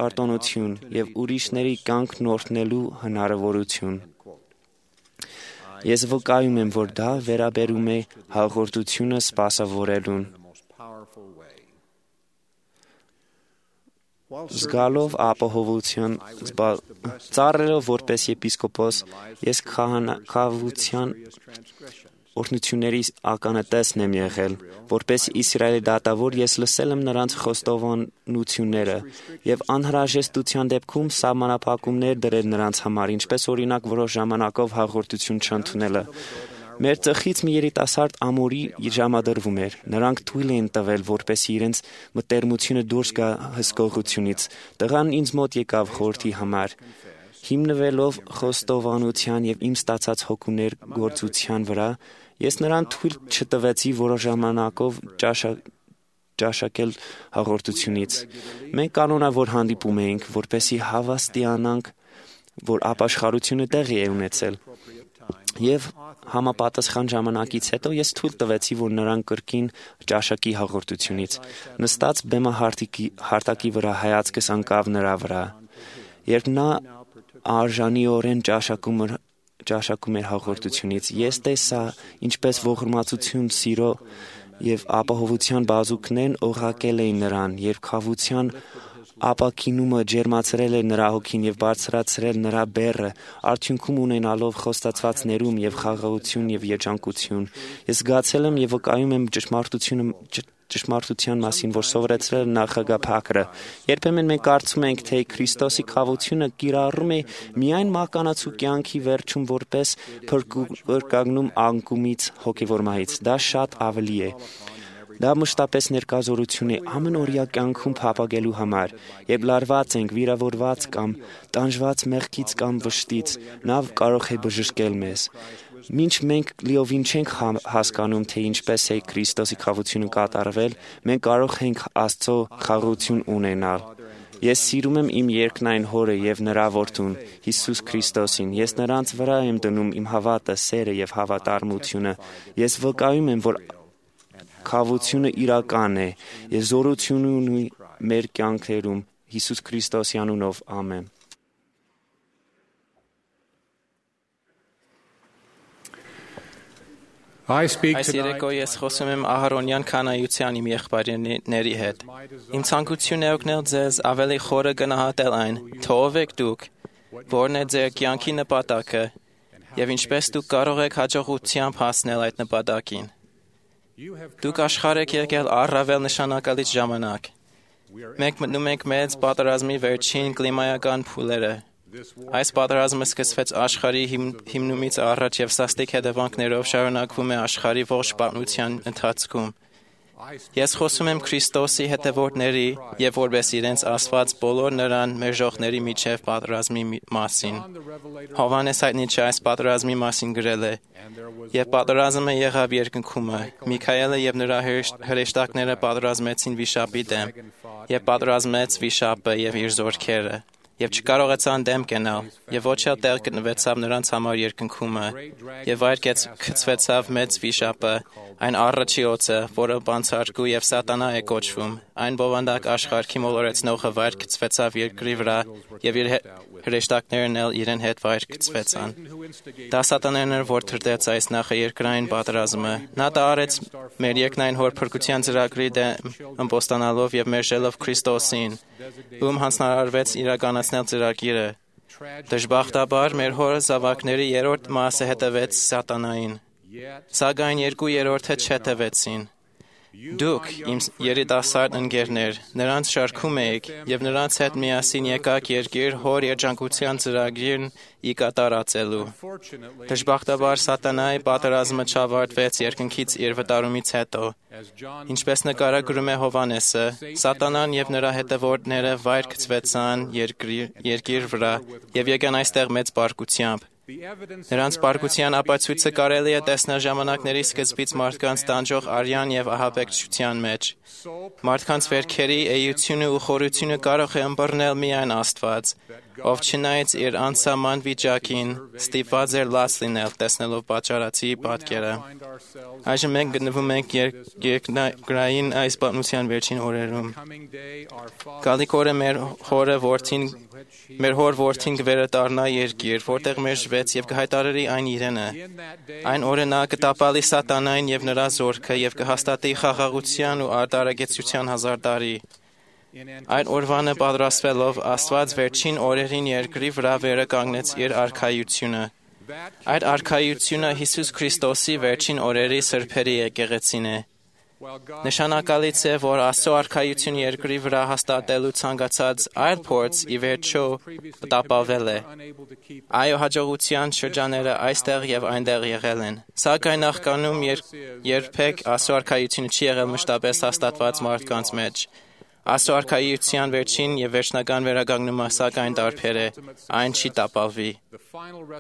E: արտոնություն եւ ուրիշների կյանքն օրհնելու հնարավորություն։ Ես վկայում եմ, որ դա վերաբերում է հաղորդությունը սպասավորելուն։ Զգալով ապահովության ծառայելով որպես եպիսկոպոս, ես քահանայության օրհնությունների ականատեսն եմ եղել, որպես Իսրայելի դատավոր ես լսել եմ նրանց խոստովանությունները եւ անհրաժեշտության դեպքում սահմանափակումներ դրել նրանց համար, ինչպես օրինակ որոշ ժամանակով հաղորդություն չընդունելը։ Մեր ծխից մի երիտասարդ ամորի ժամադրվում էր։ Նրանք թույլ էին տվել, որպեսզի իրենց մտերմությունը դուրս գա հսկողությունից։ Տղան ինձ մոտ եկավ խորհրդի համար։ Հիմնվելով խոստովանության եւ իմ ստացած հոգուներ գործության վրա, ես նրան թույլ չտվեցի որոշ ժամանակով ճաշակել հաղորդությունից։ Մենք կանոնավոր հանդիպում էինք, որպեսզի հավաստիանանք, որ ապաշխարությունը տեղի է ունեցել։ Եվ համապատասխան ժամանակից հետո ես թույլ տվեցի, որ նրան կրկին ճաշակի հաղորդությունից։ Նստած բեմահարտակի վրա հայացքս ընկավ նրա վրա։ Երբ նա արժանիորեն ճաշակում էր հաղորդությունից, ես տեսա, ինչպես ողորմածություն, սիրո եւ ապահովության բազուկներն օղակել էին նրան, երբ քավության ապակինումը ջերմացրել էր նրա հոգին եւ բարձրացրել նրա բեռը, արդյունքում ունենալով խոստացված ներում եւ խաղաղություն եւ երջանկություն։ Ես զգացել եմ եւ վկայում եմ ճշմարտության մասին, որ սովորեցրել է նախագահ Փակրը։ Երբեմն մենք կարծում ենք, թե Քրիստոսի խաղությունը կիրառում է միայն մականացու կյանքի վերջում որպես փրկագնում անկումից հոգևոր մահից։ Դա շատ ավելի է։ Դա մշտապես ներկազորություն է ամենօրյա կյանքում փափագելու համար, երբ լարված ենք, վիրավորված կամ տանջված մեղքից կամ վշտից, նա կարող է բժշկել մեզ։ Մինչ մենք լիովին չենք հասկանում, թե ինչպես է Քրիստոսի խաղությունը կատարվել, մենք կարող ենք Աստծո խաղաղություն ունենալ։ Ես սիրում եմ իմ երկնային Հորը եւ նրա Որդուն, Հիսուս Քրիստոսին։ Ես նրանց վրա եմ դնում իմ հավատը, սերը եւ հավատարմությունը։ Ես վկայում եմ, որ խաղությունը իրական է, եւ զորություն ունի մեր կյանքերում Հիսուս Քրիստոսի անունով, ամեն։
D: Այս երեկո ես խոսում եմ Ահարոնյան քանայության իմ եղբայրների հետ։ Իմ ցանկությունն է օգնել ձեզ ավելի խորը գնահատել այն, թե ով եք դուք, որն է ձեր կյանքի նպատակը, եւ ինչպես դուք կարող եք հաջողությամբ հասնել այդ նպատակին։ Դուք աշխարհ եք եկել առավել նշանակալից ժամանակ։ Մենք մտնում ենք մեծ պատերազմի վերջին կլիմայական փուլերը։ Այս պատերազմը սկսվեց աշխարհի հիմնումից առաջ եւ սաստիկ հետևանքներով շարունակվում է աշխարհի ողջ պատմության ընթացքում։ Ես խոսում եմ Քրիստոսի հետևորդների եւ որպես իրենց ասված բոլոր նրան մերժողների միջև պատերազմի մասին։ Հովհաննես հայտնիչը այս պատերազմի մասին գրել է. «Եվ պատերազմը եղավ երկնքումը, Միքայելը եւ նրա հրեշտակները պատերազմեցին վիշապի դեմ, եւ պատերազմեց վիշապը եւ իր զորքերը, եւ չկարողացան դեմ կենալ, եւ ոչ էլ տեղ գտնվեցավ նրանց համար երկնքումը, եւ վայր գցվեցավ մեծ վիշապը, այն առաջի օծը, որը բանցարկու եւ սատանա է կոչվում, այն բովանդակ աշխարհի մոլորեցնողը վայր գցվեցավ երկրի վրա, եւ իր հրեշտակներն էլ իրեն հետ վայր գցվեցան։ Դա սատանան էր, որ թրտեց այս նախաերկրային պատերազմը։ Նա դա արեց մեր երկնային Հոր փրկության ծրագրի դեմ ըմբոստանալով եւ մերժելով Քրիստոսին, ում հանձնարարվեց իրականացնել ծրագիրը։ Դժբախտաբար մեր Հորը զավակների երրորդ մասը հետևեց սատանային, սակայն 2/3-ը չհետևեցին։ Դուք, իմ երիտասարդ ընկերներ, նրանց շարքում եք եւ նրանց հետ միասին եկաք երկիր Հոր երջանկության ծրագիրն ի կատարածելու։ Դժբախտաբար սատանայի պատերազմը չավարտվեց երկնքից իր վտարումից հետո։ Ինչպես նկարագրում է Հովհաննեսը, սատանան եւ նրա հետևորդները վայր գցվեցան երկիր վրա եւ եկան այստեղ մեծ բարկությամբ։ Նրանց բարկության ապացույցը կարելի է տեսնել ժամանակների սկզբից մարդկանց տանջող արյան եւ ահաբեկչության մեջ։ Մարդկանց վերքերի էությունը ու խորությունը կարող է ըմբռնել միայն Աստված։
F: ով չնայած իր անսահման վիճակին ստիպված էր լաց լինել տեսնելով պատճառացի պատկերը։ Այժմ մենք գտնվում ենք երկրային այս պատմության վերջին օրերում։ Գալիք օրը մեր հոր որդին կվերադառնա երկիր, որտեղ մերժվեց եւ կհայտարարի այն իրենը։ Այն օրը նա կտապալի սատանային եւ նրա զորքը եւ կհաստատի խաղաղության ու արդարագեցության 1000 տարի։ Այդ օրվանը պատրաստվելով Աստված վերջին օրերին երկրի վրա վերականգնեց իր արքայությունը։ Այդ արքայությունը Հիսուս Քրիստոսի վերջին օրերի սրբերի եկեղեցին է։ Նշանակալից է, որ Աստծո արքայությունը երկրի վրա հաստատելու ցանկացած այլ փորձ ի վերջո տապալվել է։ Այո, հաջողության շրջանները այստեղ եւ այնտեղ եղել են։ Սակայն նախկանում երբեք Աստծո արքայությունը չի եղել մշտապես հաստատված մարդկանց մեջ։ Աստծո արքայության վերջին եւ վերջնական վերականգնումը սակայն տարբեր է, այն չի տապալվի։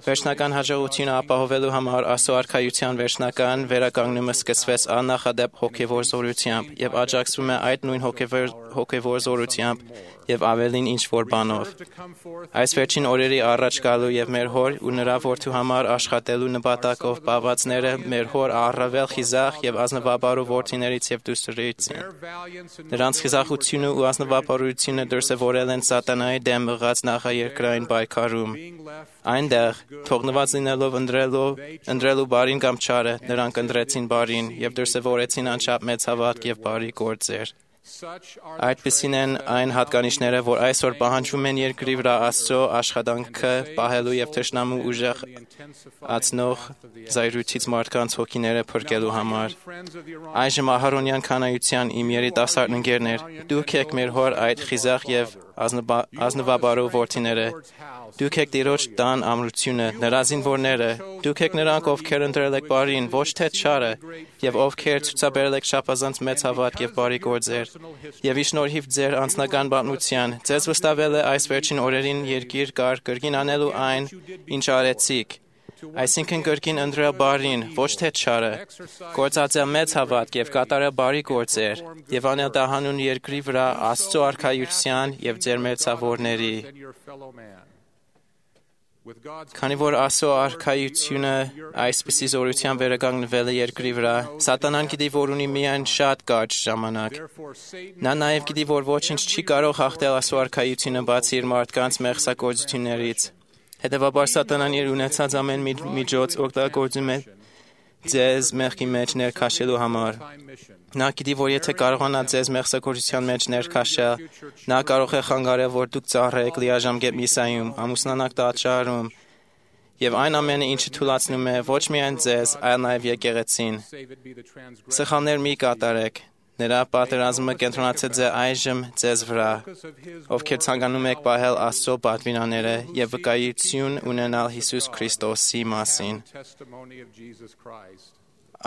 F: Վերջնական հաջողությունը ապահովելու համար Աստծո արքայության վերջնական վերականգնումը սկսվեց աննախադեպ հոգևոր զորությամբ եւ աջակցվում է այդ նույն հոգևոր զորությամբ եւ ավելին ինչ որ բանով։ Այս վերջին օրերի առաջ գալու եւ մեր հոր ու նրա որդու համար աշխատելու նպատակով բավածները մեր հոր առավել խիզախ եւ ազնվաբարու որդիներից եւ դուստրից են։ Նրանց խիզախությունը ու ազնվաբարությունը դրսևորել են սատանայի դեմ մղած նախաերկրային պայքարում։ Այնտեղ թողնված լինելով ընտրելու բարին կամ չարը, նրանք ընտրեցին բարին եւ դրսևորեցին անչափ մեծ հավատք եւ բարի գործեր։ Այդպիսին են այն հատկանիշները, որ այսօր պահանջվում են երկրի վրա Աստծո աշխատանքը պահելու եւ թշնամու ուժեղ ածնող զայրույթից մարդկանց հոգիները փրկելու համար։ Այժմ Ահարոնյան քանայության իմ երիտասարդ ընկերներ, դուք եք մեր հոր այդ խիզախ եւ ազնվաբարու որդիները։ Դուք եք Տիրոջ տան ամրությունը, նրա զինվորները, դուք եք նրանք, ովքեր ընտրել եք բարին, ոչ թե չարը, եւ ովքեր ցուցաբերել եք շապազանց մեծ հավատք եւ բարի գործեր։ Եվ ի շնորհիվ ձեր անձնական պատմության, ձեզ վստահվել է այս վերջին օրերին երկիր կար կրկին անելու այն, ինչ արեցիք։ Այսինքն կրկին ընտրել բարին, ոչ թե չարը, գործածել մեծ հավատք եւ կատարել բարի գործեր, եւ անել դա հանուն երկրի վրա Աստծո արքայության եւ ձեր մերձավորների։ Քանի որ Աստծո արքայությունը այսպիսի զորությամբ վերականգնվել է երկրի վրա, սատանան գիտի, որ ունի միայն շատ կարճ ժամանակ։ Նա նաև գիտի, որ ոչինչ չի կարող հաղթել Աստծո արքայությունը բացի իր մարդկանց մեղսագործություններից։ Հետևաբար սատանան իր ունեցած ամեն միջոց օգտագործում է ձեզ մեղքի մեջ ներքաշելու համար։ Նա գիտի, որ եթե կարողանա ձեզ մեղսագործության մեջ ներքաշել, նա կարող է խանգարել, որ դուք ծառայեք լիաժամկետ միսիայում, ամուսնանաք տաճարում, եւ այն ամենը, ինչը թույլատնում է ոչ միայն ձեզ, այլ նաեւ եկեղեցին։ Սխալներ մի կատարեք։ Նրա պատերազմը կենտրոնացած է այժմ ձեզ վրա, ովքեր ցանկանում եք պահել Աստծո պատվիրանները եւ վկայություն ունենալ Հիսուս Քրիստոսի մասին։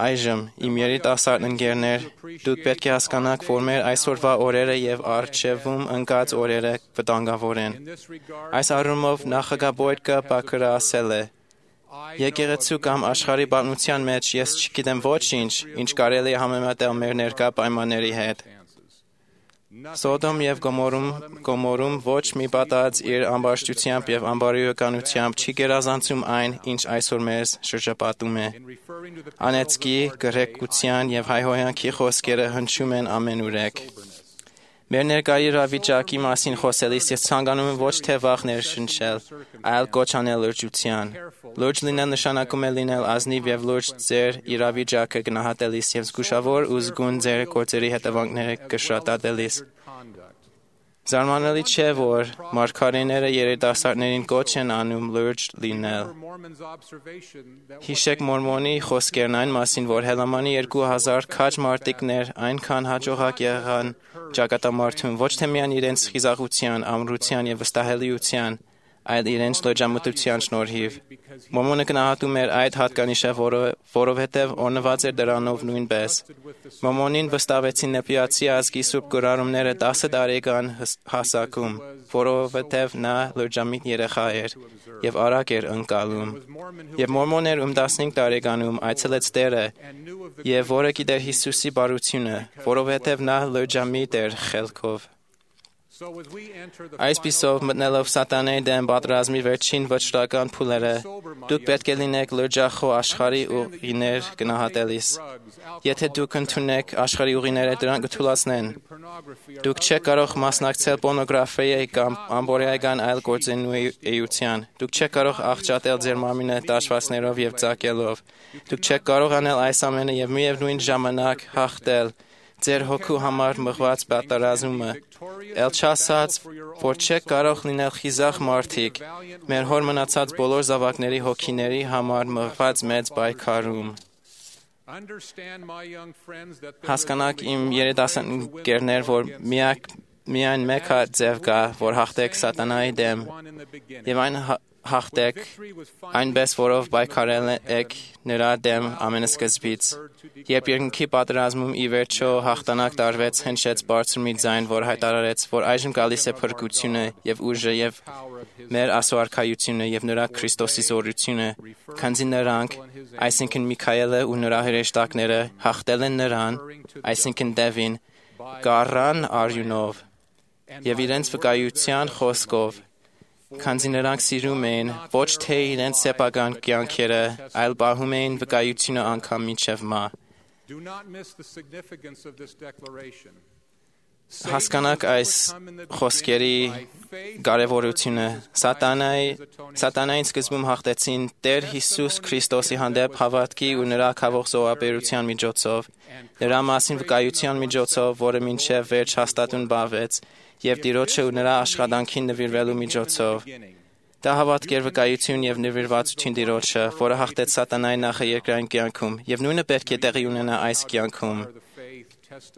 F: Այժմ, իմ երիտասարդ ընկերներ, դուք պետք է հասկանաք, որ մեր այսօրվա օրերը եւ առջևում ընկած օրերը վտանգավոր են։ Այս առումով նախագահ Բաքրը ասել է. Եկեղեցու կամ աշխարհի պատմության մեջ ես չգիտեմ ոչինչ, ինչ կարելի է համեմատել մեր ներկա պայմանների հետ։ Սոդոմ եւ Գոմորում ոչ մի պատած իր ամբարշտությամբ եւ ամբարիականությամբ չի գերազանցում այն, ինչ այսօր մեզ շրջապատում է։ Անեծքի, գրեգության եւ հայհոյանքի խոսքերը հնչում են ամենուրեք։ Մեր ներկայ իրավիճակի մասին խոսելիս ես ցանկանում եմ ոչ թե վախ ներշնչել, այլ կոչ անել լրջության։ Լուրջ լինել նշանակում է լինել ազնիվ եւ լուրջ ձեր իրավիճակը գնահատելիս եւ զգուշավոր ու զգուն ձեր գործերի հետևանքները կշտատելիս։ Զարմանալի չէ, որ մարգարեները երիտասարդներին կոչ են անում լուրջ լինել։ Հիշեք Մորմոնի խոսքերն այն մասին, որ Հելամանի 2000 քաջ մարտիկներ այնքան հաջողակ եղան ճակատամարտում ոչ թե միայն իրենց խիզախության, ամրության եւ վստահելիության, այլ իրենց լրջամտության շնորհիվ։ Մորմոնը գնահատում էր այդ հատկանիշը, որովհետև օրնված էր դրանով նույնպես։ Մորմոնին վստահվեցին նեպիացի ազգի սուրբ գրառումները 10 տարեկան հասակում, որովհետև նա լրջամիտ երեխա էր եւ արագ էր ընկալում։ Եվ Մորմոներ 15 տարեկանում այցելեց Տերը, եւ որը գիտեր Հիսուսի բարությունը, որովհետև նա լրջամիտ էր խելքով։ Այսպիսով մտնելով սատանայի դեմ պատերազմի վերջին վճռական փուլերը, դուք պետք է լինեք լրջախոհ աշխարհի ուղիներ գնահատելիս։ Եթե դուք ընդունեք աշխարհի ուղիները, դրանք կթուլացնեն։ Դուք չեք կարող մասնակցել պորնոգրաֆիայի կամ ամբողջական այլ գործունեության։ Դուք չեք կարող աղճատել ձեր մարմինը դաշվածներով եւ ծակելով։ Դուք չեք կարող անել այս ամենը եւ միևնույն ժամանակ հաղթել ձեր հոգու համար մղված պատերազմը։ Էլ չասած, որ չեք կարող լինել խիզախ մարդիկ մեր հոր մնացած բոլոր զավակների հոգիների համար մղված մեծ պայքարում։ Հասկանաք իմ երիտասարդներ, որ միայն մեկ ձև կա, որ հաղթեք սատանայի դեմ, եւ այն հաղթեք այնպես, որով պայքարել եք նրա դեմ ամենասկզբից։ Երբ երկնքի պատերազմում ի վերջո հաղթանակ տարվեց, հնչեց բարձր մի ձայն, որ հայտարարեց, որ այժմ գալիս է փրկությունը եւ ուժը եւ մեր ասոարքայությունը եւ նրա Քրիստոսի զորությունը, քանզի նրանք, այսինքն Միքայելը ու նրա հրեշտակները հաղթել են նրան, այսինքն Դևին, գառան արյունով եւ իրենց վկայության խոսքով, քանզի նրանք սիրում էին ոչ թե իրենց սեփական կյանքերը, այլ պահում էին վկայությունը անգամ մինչև մահ։ Հասկանաք այս խոսքերի կարևորությունը։ Սատանային սկզբում հաղթեցին Տեր Հիսուս Քրիստոսի հանդեպ հավատքի ու նրա քավող զոհաբերության միջոցով, նրա մասին վկայության միջոցով, որը մինչև վերջ հաստատուն բավեց, եւ Տիրոջը ու նրա աշխատանքին նվիրվելու միջոցով։ Դա հավատք էր վկայություն եւ նվիրվածություն Տիրոջը, որը հաղթեց սատանայի նախաերկրային կյանքում, եւ նույնը պետք է տեղի ունենա այս կյանքում։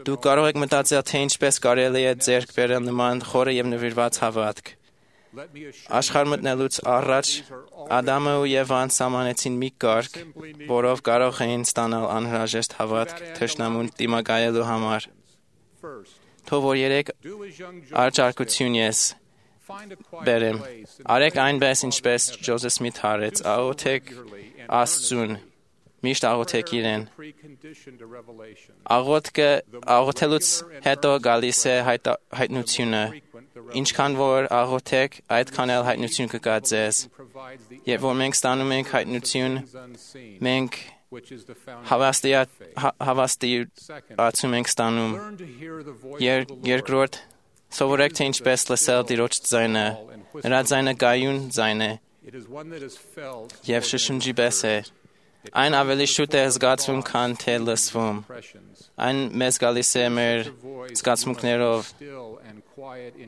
F: Դուք կարող եք մտածել, թե ինչպես կարելի է ձեռք բերել նման խորը եւ նվիրված հավատք։ Աշխարհ մտնելուց առաջ Ադամը ու Եվան սահմանեցին մի կարգ, որով կարող էին ստանալ անհրաժեշտ հավատք թշնամուն դիմակայելու համար։ Թող որ երեք արջարկություն ես բերեմ։ Արեք այնպես, ինչպես Ջոզեֆ Սմիթ արեց, աղոթեք Աստծուն, միշտ աղոթեք իրեն։ Աղոթելուց հետո գալիս է հայտնությունը։ Ինչքան որ աղոթեք, այդքան էլ հայտնություն կգա ձեզ։ Երբ որ մենք ստանում ենք հայտնություն, մենք հավաստիացում ենք ստանում։ Երկրորդ, սովորեք թե ինչպես լսել Տիրոջ ձայնը։ Նրա ձայնը գայուն ձայն է եւ շշնջի պես է։ Այն ավելի շուտ է զգացվում, քան թե լսվում։ Այն մեզ գալիս է մեր զգացմունքներով։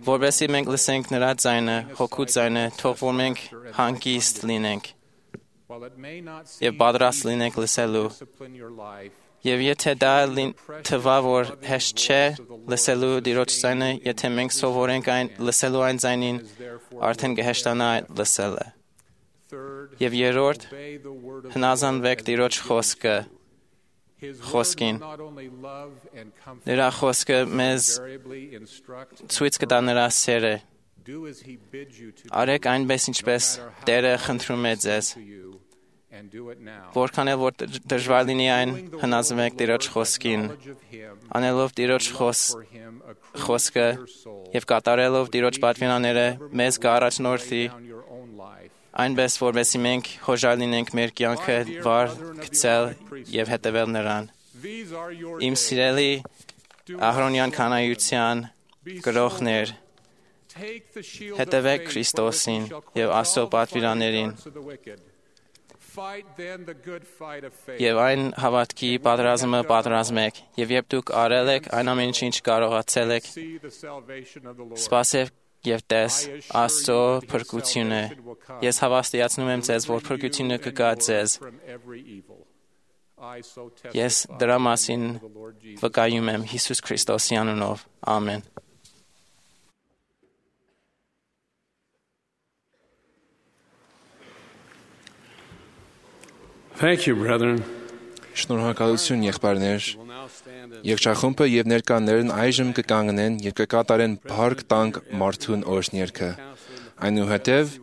F: Որովհետեւ մենք լսենք նրա ձայնը, հոգու ձայնը, թող որ մենք հանգիստ լինենք եւ պատրաստ լինենք լսելու։ Եվ եթե դա թվա, որ հեշտ չէ լսելու Տիրոջ ձայնը, եթե մենք սովորենք լսելու այն ձայնին, արդեն կհեշտանա լսելը։ Եվ երրորդ, հնազանդվեք Տիրոջ խոսքին։ Նրա խոսքը մեզ ցույց կտա նրա սերը։ Արեք այնպես, ինչպես Տերը խնդրում է ձեզ։ Որքան էլ որ դժվար լինի այն, հնազանդվեք Տիրոջ խոսքին։ Անելով Տիրոջ խոսքը եւ կատարելով Տիրոջ պատվիրանները, մեզ կառաջնորդի այնպես, որովհետեւ մենք հոժար լինենք մեր կյանքը վար գցել եւ հետևել նրան։ Իմ սիրելի Ահրոնյան կանայության գրողներ, հետևեք Քրիստոսին եւ Աստծո պատվիրաններին եւ այն հավատքի պատերազմը պատրաստեք, եւ երբ դուք արել եք այն ամենը, ինչ կարողացել եք, սպասեք եւ տես Աստծո փրկությունը։ Ես հավաստիացնում եմ ձեզ, որ փրկությունը կգա ձեզ։ Ես դրա մասին վկայում եմ Հիսուս Քրիստոսի անունով։ Ամեն։
C: Thank you, brethren.
B: Շնորհակալություն, եղբայրներ։ Եղջախումբը եւ ներկաներն այժմ կկանգնեն եւ կկատարեն փառք տանք մարդուն օրհներքը։ Այնուհետև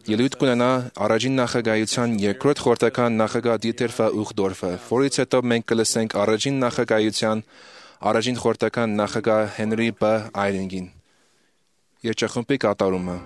B: ելույթ կունենա առաջին նախագահության երկրորդ խորհրդական նախագահ Դիտեր Ուխդորֆը, որից հետո մենք կլսենք առաջին նախագահության առաջին խորհրդական նախագահ Հենրի Բ. Այրինգին։ Երջախմբի կատարումը։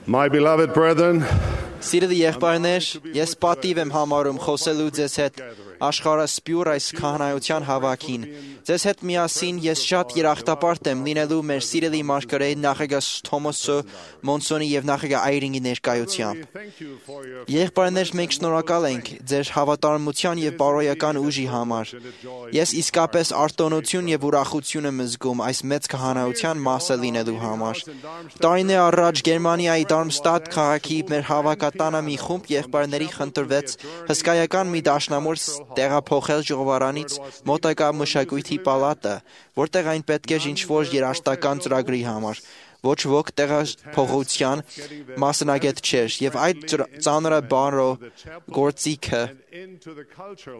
G: My beloved brethren,
F: Սիրելի եղբայրներ, ես պատիվ եմ համարում խոսելու ձեզ հետ աշխարհասփյուռ այս քահանայության հավաքին։ Ձեզ հետ միասին ես շատ երախտապարտ եմ լինելու մեր սիրելի մարգարեի նախագահ Թոմասը Մոնսոնի եւ նախագահ Այրինգի ներկայությամբ։ Եղբայրներ, մենք շնորհակալ ենք ձեր հավատարմության եւ բարոյական ուժի համար։ Ես իսկապես արտոնություն եւ ուրախություն եմ զգում այս մեծ քահանայության մասը լինելու համար։ Տարիներ առաջ Գերմանիայի Դարմստադտ քաղաքի մեր հավաքատանը մի խումբ եղբայրների խնդրվեց հսկայական մի դաշնամուր տեղափոխել ժողովարանից մոտակա մշակույթի պալատը, որտեղ այն պետք էր ինչ-որ երաժշտական ծրագրի համար։ ոչ ոք տեղափոխության մասնագետ չէր, եւ այդ ծանրը բառո գործիքը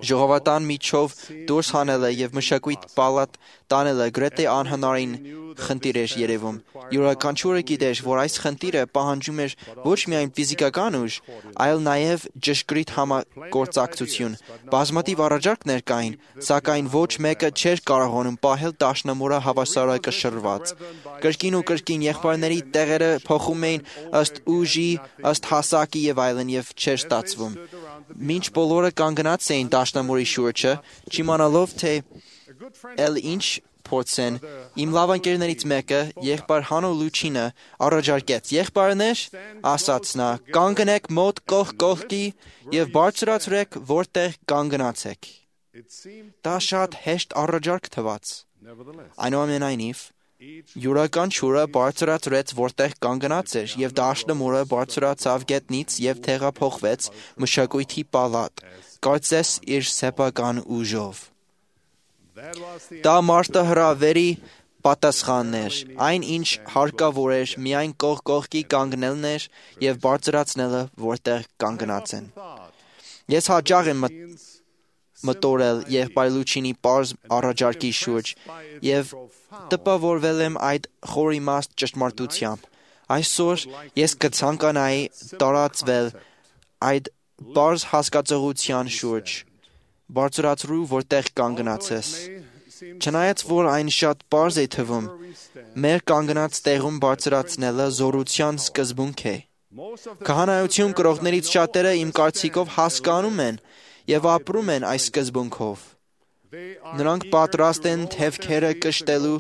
F: ժողովրդան միջով դուրս հանելը եւ մշակույթ պալատ տանելը գրեթե անհնարին խնդիր էր երևում։ Յուրաքանչյուրը գիտեր, որ այս խնդիրը պահանջում էր ոչ միայն ֆիզիկական ուժ, այլ նաեւ ճշգրիտ համագործակցություն։ Բազմաթիվ առաջարկներ կային, սակայն ոչ մեկը չէր կարողանում պահել դաշնամուրը հավասարակշռված։ Կրկին ու կրկին եղբայրների տեղերը փոխում էին ըստ ուժի, ըստ հասակի եւ այլն եւ չէր ստացվում։ Մինչ բոլորը կանգնած էին դաշնամուրի շուրջը, չիմանալով թե էլ ինչ փորձեն, իմ լավ ընկերներից մեկը, եղբայր Հանո Լուչինը, առաջարկեց. «Եղբայրներ, ասաց նա, կանգնեք մոտ կողք կողքի եւ բարձրացրեք, որտեղ կանգնացեք»։ Դա շատ հեշտ առաջարկ թվաց։ Այնուամենայնիվ, յուրաքանչյուրը բարձրացրեց, որտեղ կանգնած էր, եւ դաշնամուրը բարձրացավ գետնից եւ տեղափոխվեց մշակույթի պալատ, կարծես իր սեփական ուժով։ Դա մարտահրավերի պատասխանն էր, այն ինչ հարկավոր էր միայն կողք կողքի կանգնելն էր եւ բարձրացնելը, որտեղ կանգնած են։ Ես հաճախ եմ մտորել եղբայր Լուչինի պարզ առաջարկի շուրջ եւ տպավորվել եմ այդ խորիմաստ ճշմարտությամբ։ Այսօր ես կցանկանայի տարածվել այդ պարզ հասկացողության շուրջ, բարձրացրու, որտեղ կանգնած ես։ Չնայած որ այն շատ պարզ է թվում, մեր կանգնած տեղում բարձրացնելը զորության սկզբունք է։ Քահանայություն կրողներից շատերը իմ կարծիքով հասկանում են եւ ապրում են այս սկզբունքով։ Նրանք պատրաստ են թևքերը կշտելու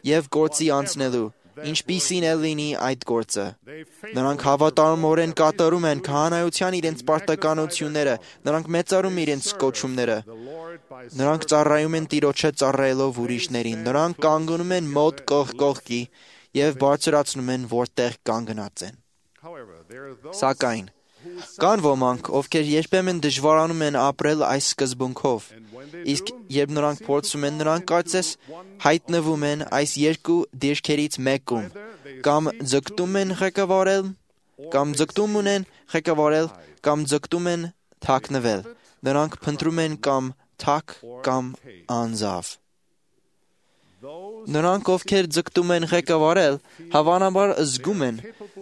F: եւ գործի անցնելու, ինչպիսին է լինի այդ գործը։ Նրանք հավատարմորեն կատարում են քահանայության իրենց պարտականությունները, նրանք մեծարում իրենց կոչումները։ Նրանք ծառայում են Տիրոջը ծառայելով ուրիշներին, նրանք կանգնում են մոտ կողք կողքի եւ բարձրացնում են, որտեղ կանգնած են։ Սակայն կան ոմանք, ովքեր երբեմն դժվարանում են ապրել այս սկզբունքով, իսկ երբ նրանք փորձում են, նրանք կարծես հայտնվում են այս երկու դիրքերից մեկում, կամ ձգտում են ղեկավարել, կամ ձգտում ունեն ղեկավարել, կամ ձգտում են թաքնվել։ Նրանք փնտրում են կամ թակ, կամ անձավ։ Նրանք, ովքեր ձգտում են ղեկավարել, հավանաբար զգում են,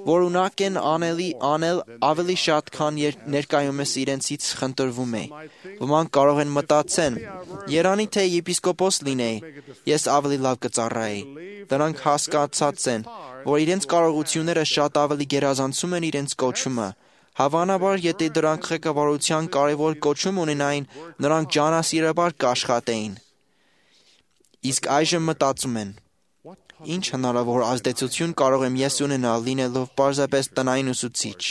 F: որ ունակ են անել ավելի շատ, քան ներկայումս իրենցից խնդրվում է։ Ոմանք կարող են մտածեն. «Երանի թե եպիսկոպոս լինեի, ես ավելի լավ կծառայեի»։ Նրանք հասկացած են, որ իրենց կարողությունները շատ ավելի գերազանցում են իրենց կոչումը։ Հավանաբար, եթե դրանք ղեկավարության կարևոր կոչում ունենային, նրանք ջանասիրաբար կաշխատեին։ Իսկ այժմ մտածում են. «Ինչ հնարավոր ազդեցություն կարող եմ ես ունենալ լինելով պարզապես տնային ուսուցիչ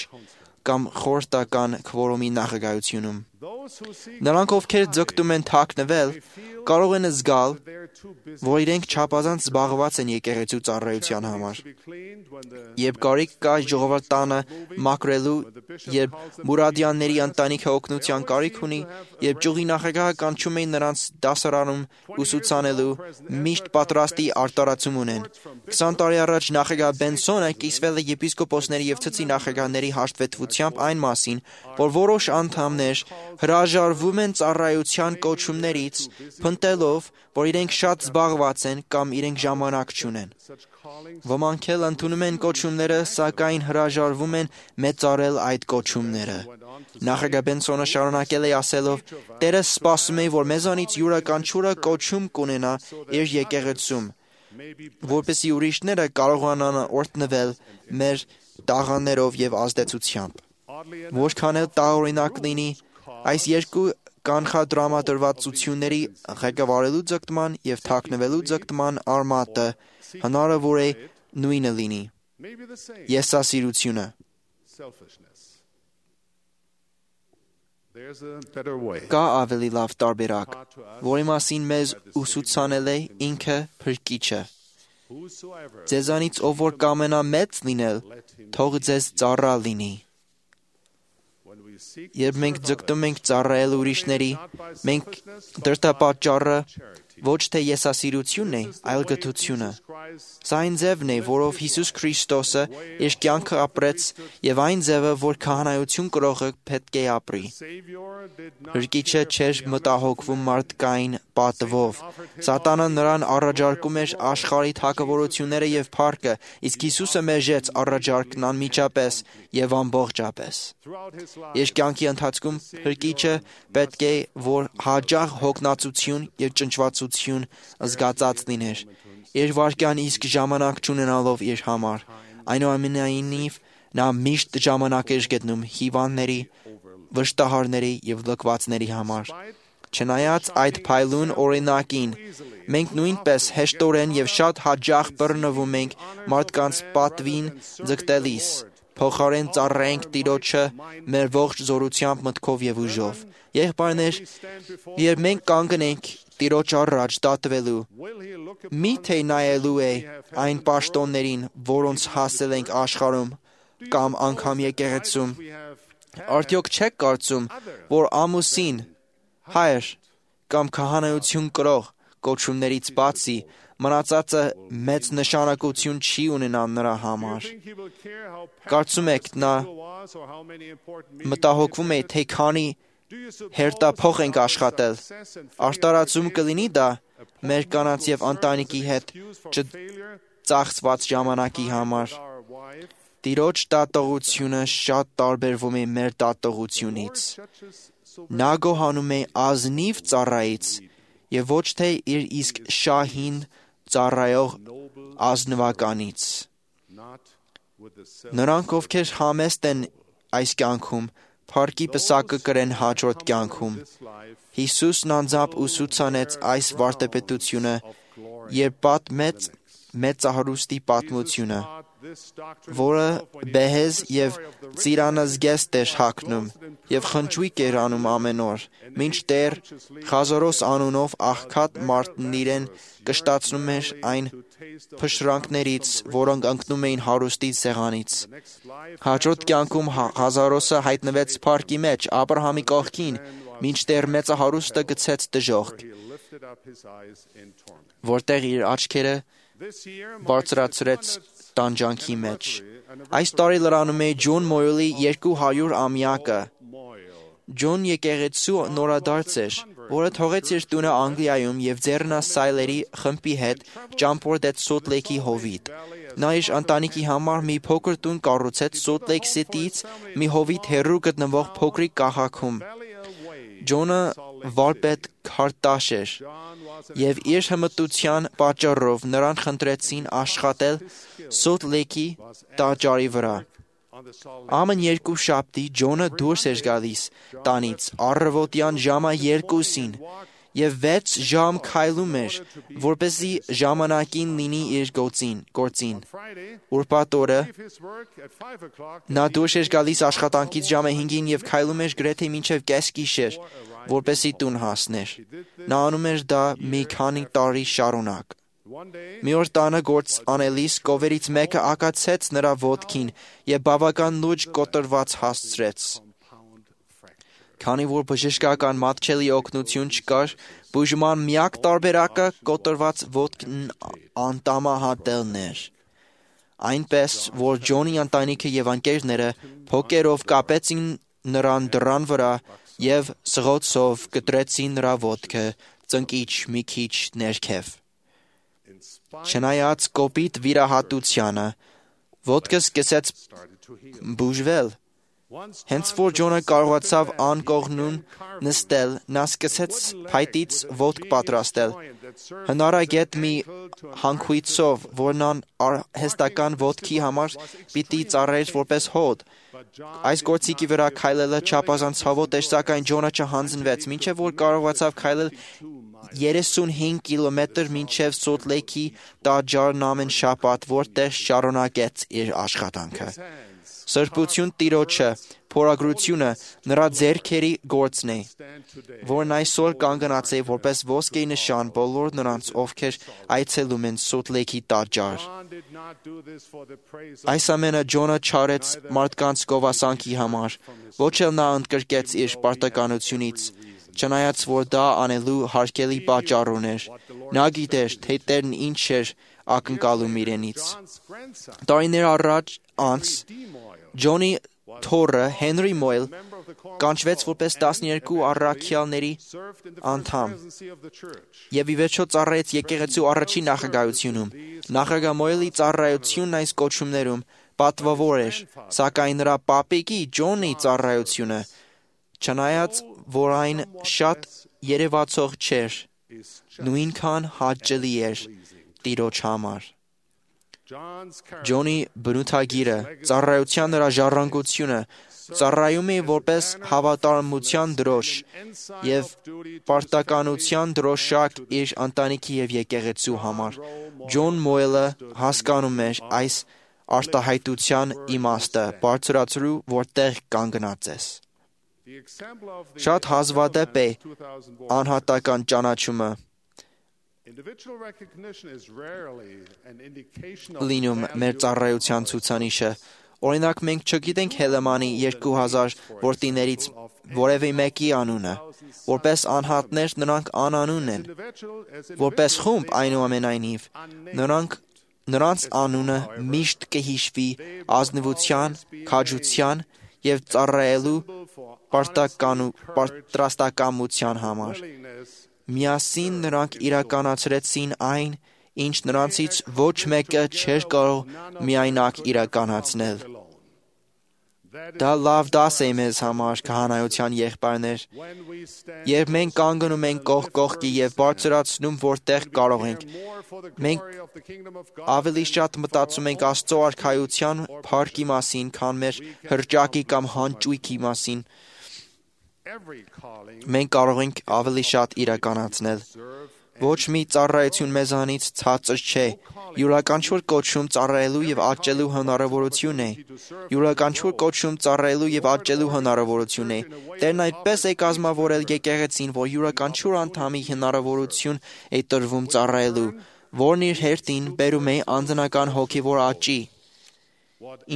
F: կամ խորհրդական քվորոմի նախագահությունում»։ Նրանք, ովքեր ձգտում են թաքնվել, կարող են զգալ, որ իրենք չափազանց զբաղված են եկեղեցու ծառայության համար։ Երբ կարիք կա ժողովրդանը մաքրելու, երբ Մուրադյանների ընտանիքը օգնության կարիք ունի, երբ ճյուղի նախագահը կանչում է նրանց դասարանում ուսուցանելու, միշտ պատրաստի արտարացում ունեն։ 20 տարի առաջ նախագահ Բենսոնը կիսվել է եպիսկոպոսների եւ ցցի նախագահների հաշտվետվությամբ այն մասին, որ որոշ անդամներ հրաժարվում են ծառայության կոչումներից, փնտելով, որ իրենք շատ զբաղված են կամ իրենք ժամանակ չունեն։ Ոմանք էլ ընդունում են կոչումները, սակայն հրաժարվում են մեծարել այդ կոչումները։ Նախագահ Բենսոնը շարունակել է ասելով. «Տերը սպասում է, որ մեզանից յուրաքանչյուրը կոչում կունենա իր եկեղեցում, որպեսզի ուրիշները կարողանան օրհնվել մեր տաղանդներով եւ ազդեցությամբ»։ Որքան էլ տարօրինակ լինի, այս երկու կանխադրամադրվածությունների ղեկավարելու ձգտման եւ թաքնվելու ձգտման արմատը հնարավոր է նույնը լինի՝ եսասիրությունը։ Կա ավելի լավ տարբերակ, որի մասին մեզ ուսուցանել է ինքը Փրկիչը։ Ձեզանից ով որ կամենա մեծ լինել, թող ձեզ ծառա լինի։ Երբ մենք ձգտում ենք ծառայել ուրիշների, մենք դրդապատճառը ոչ թե եսասիրությունն է, այլ գթությունը։ Սա այն ձևն է, որով Հիսուս Քրիստոսը իր կյանքը ապրեց եւ այն ձևը, որ քահանայություն կրողը պետք է ապրի։ Հրկիչը չէր մտահոգվում մարդկային պատվով։ Սատանան նրան առաջարկում էր աշխարհի թագավորությունները եւ փառքը, իսկ Հիսուսը մեժեց առաջարկն անմիջապես եւ ամբողջապես։ Իր կյանքի ընթացքում հրկիչը պետք է որ հաճախ հոգնածություն եւ ճնճվածություն զգացած լիներ։ Իր վարկյան իսկ ժամանակ չունենալով իր համար, այնուամենայնիվ նա միշտ ժամանակ էր գտնում հիվանդների, վշտահարների եւ լքվածների համար։ Չնայած այդ փայլուն օրինակին, մենք նույնպես հեշտորեն եւ շատ հաճախ բռնվում ենք մարդկանց պատվին ձգտելիս, փոխարեն ծառայենք Տիրոջը մեր ողջ զորությամբ, մտքով եւ ուժով։ Եղբայրներ, երբ մենք կանգնենք Տիրոջ առաջ դատվելու, միթե նայելու է այն պաշտոններին, որոնց հասել ենք աշխարհում կամ անգամ եկեղեցում, արդյոք չեք կարծում, որ ամուսին, հայր կամ քահանայություն կրող կոչումներից բացի մնացածը մեծ նշանակություն չի ունենա նրա համար։ Կարծում եք նա մտահոգվում է, թե քանի հերթափոխ ենք աշխատել։ Արտարացում կլինի դա մեր կանանց եւ ընտանիքի հետ չծախսված ժամանակի համար։ Տիրոջ դատողությունը շատ տարբերվում է մեր դատողությունից։ Նա գոհանում է ազնիվ ծառայից եւ ոչ թե իր իսկ շահին ծառայող ազնվականից։ Նրանք, ովքեր համեստ են այս կյանքում, փառքի պսակը կրեն հաջորդ կյանքում։ Հիսուսն անձամբ ուսուցանեց այս վարդապետությունը, երբ պատմեց մեծահարուստի պատմությունը, որը բեհեզ եւ ծիրանազգեստ էր հագնում եւ խնճույք էր անում ամեն օր, մինչդեռ Խազարոս անունով աղքատ մարդն իրեն կշտացնում էր այն փշրանքներից, որոնք ընկնում էին հարուստի սեղանից։ Հաջորդ կյանքում Խազարոսը հայտնվեց փառքի մեջ Աբրահամի կողքին, մինչդեռ մեծահարուստը գցեց դժոխք, որտեղ իր աչքերը բարձրացրեց տանջանքի մեջ։ Այս տարի լրանում է Ջոն Մոյլի 200-ամյակը։ Ջոն եկեղեցու նորադարձ էր, որը թողեց իր տունը Անգլիայում եւ ձեռնասայլերի խմբի հետ ճամփորդեց Սոլտ Լեյքի հովիտ։ Նա իր ընտանիքի համար մի փոքր տուն կառուցեց Սոլտ Լեյք Սիթիից մի հովիտ հեռու գտնվող փոքրիկ քաղաքում։ Ջոնը վարպետ քարտաշ էր, եւ իր հմտության պատճառով նրան խնդրեցին աշխատել Սոլտ Լեյքի տաճարի վրա։ Ամեն երկուշաբթի Ջոնը դուրս էր գալիս տանից առավոտյան ժամը 2-ին եւ 6 ժամ քայլում էր, որպեսզի ժամանակին լինի իր գործին։ Ուրբաթ օրը նա դուրս էր գալիս աշխատանքից ժամը 5-ին եւ քայլում էր գրեթե մինչեւ կեսգիշեր, որպեսզի տուն հասներ։ Նա անում էր դա մի քանի տարի շարունակ։ Մի օր տանը գործ անելիս կովերից մեկը ակացեց նրա ոտքին եւ բավական լուրջ կոտրված հասցրեց։ Քանի որ բժշկական մատչելի օգնություն չկար, բուժման միակ տարբերակը կոտրված ոտքն անտամահատելն էր։ Այնպես, որ Ջոնի ընտանիքը եւ ընկերները փոկերով կապեցին նրան դռան վրա եւ սղոցով կտրեցին նրա ոտքը ծնկիչ մի քիչ ներքև։ Չնայած կոպիտ վիրահատությանը, ոտքը սկսեց բուժվել։ Հենց որ Ջոնը կարողացավ անկողնուն նստել, նա սկսեց փայտից ոտք պատրաստել։ Հնարագետ մի հանքույցով, որն արհեստական ոտքի համար պիտի ծառայեր որպես հոդ։ Այս գործիքի վրա քայլելը չափազանց ցավոտ էր, սակայն Ջոնը չհանձնվեց, մինչև որ կարողացավ քայլել 35 կիլոմետր մինչև Սոլտ Լեյքի տաճարն ամեն շաբաթ, որտեղ շարունակեց իր աշխատանքը։ Սրբություն Տիրոջը, փորագրությունը նրա ձեռքերի գործն է, որն այսօր կանգնած է որպես ոսկե նշան բոլոր նրանց, ովքեր այցելում են Սոլտ Լեյքի տաճար։ Այս ամենը Ջոնը չարեց մարդկանց գովասանքի համար, ոչ էլ նա ընդգրկեց իր պարտականությունից, չնայած որ դա անելու հարկելի պատճառ ուներ։ Նա գիտեր, թե Տերն ինչ էր ակնկալում իրենից։ Տարիներ անց Ջոնի թոռը Հենրի Մոյլ կանչվեց որպես 12 առաքյալների անդամ եւ ի վերջո ծառայեց եկեղեցու առաջին նախագահությունում։ Նախագահ Մոյլի ծառայությունն այս կոչումներում պատվավոր էր, սակայն նրա պապիկի Ջոնի ծառայությունը, չնայած որ այն շատ երևացող չէր, նույնքան հաճելի էր Տիրոջ համար։ Ջոնի բնութագիրը, ծառայության նրա ժառանգությունը, ծառայում է որպես հավատարմության դրոշ եւ պարտականության դրոշակ իր ընտանիքի եւ եկեղեցու համար։ Ջոն Մոյլը հասկանում էր այս արտահայտության իմաստը, բարձրացրու, որտեղ կանգնած ես։ Շատ հազվադեպ է անհատական ճանաչումը լինում մեր ծառայության ցուցանիշը։ Օրինակ, մենք չգիտենք Հելեմանի 2000 որդիներից որևէ մեկի անունը։ Որպես անհատներ նրանք անանուն են։ Որպես խումբ, այնուամենայնիվ, նրանց անունը միշտ կհիշվի ազնվության, քաջության եւ ծառայելու պատրաստակամության համար։ Միասին նրանք իրականացրեցին այն, ինչ նրանցից ոչ մեկը չէր կարող միայնակ իրականացնել։ Դա լավ դաս է մեզ համար, քահանայության եղբայրներ, երբ մենք կանգնում ենք կողք կողքի եւ բարձրացնում, որտեղ կարող ենք։ Մենք ավելի շատ մտածում ենք Աստծո արքայության փառքի մասին, քան մեր հրճակի կամ հաճույքի մասին։ Մենք կարող ենք ավելի շատ իրականացնել։ Ոչ մի ծառայություն մեզանից ցածր չէ։ Յուրաքանչյուր կոչում ծառայելու եւ աճելու հնարավորություն է։ Յուրաքանչյուր կոչում ծառայելու եւ աճելու հնարավորություն է։ Տերն այդպես է կազմավորել եկեղեցին, որ յուրաքանչյուր անդամի հնարավորություն է տրվում ծառայելու, որն իր հերթին բերում է անձնական հոգևոր աճի։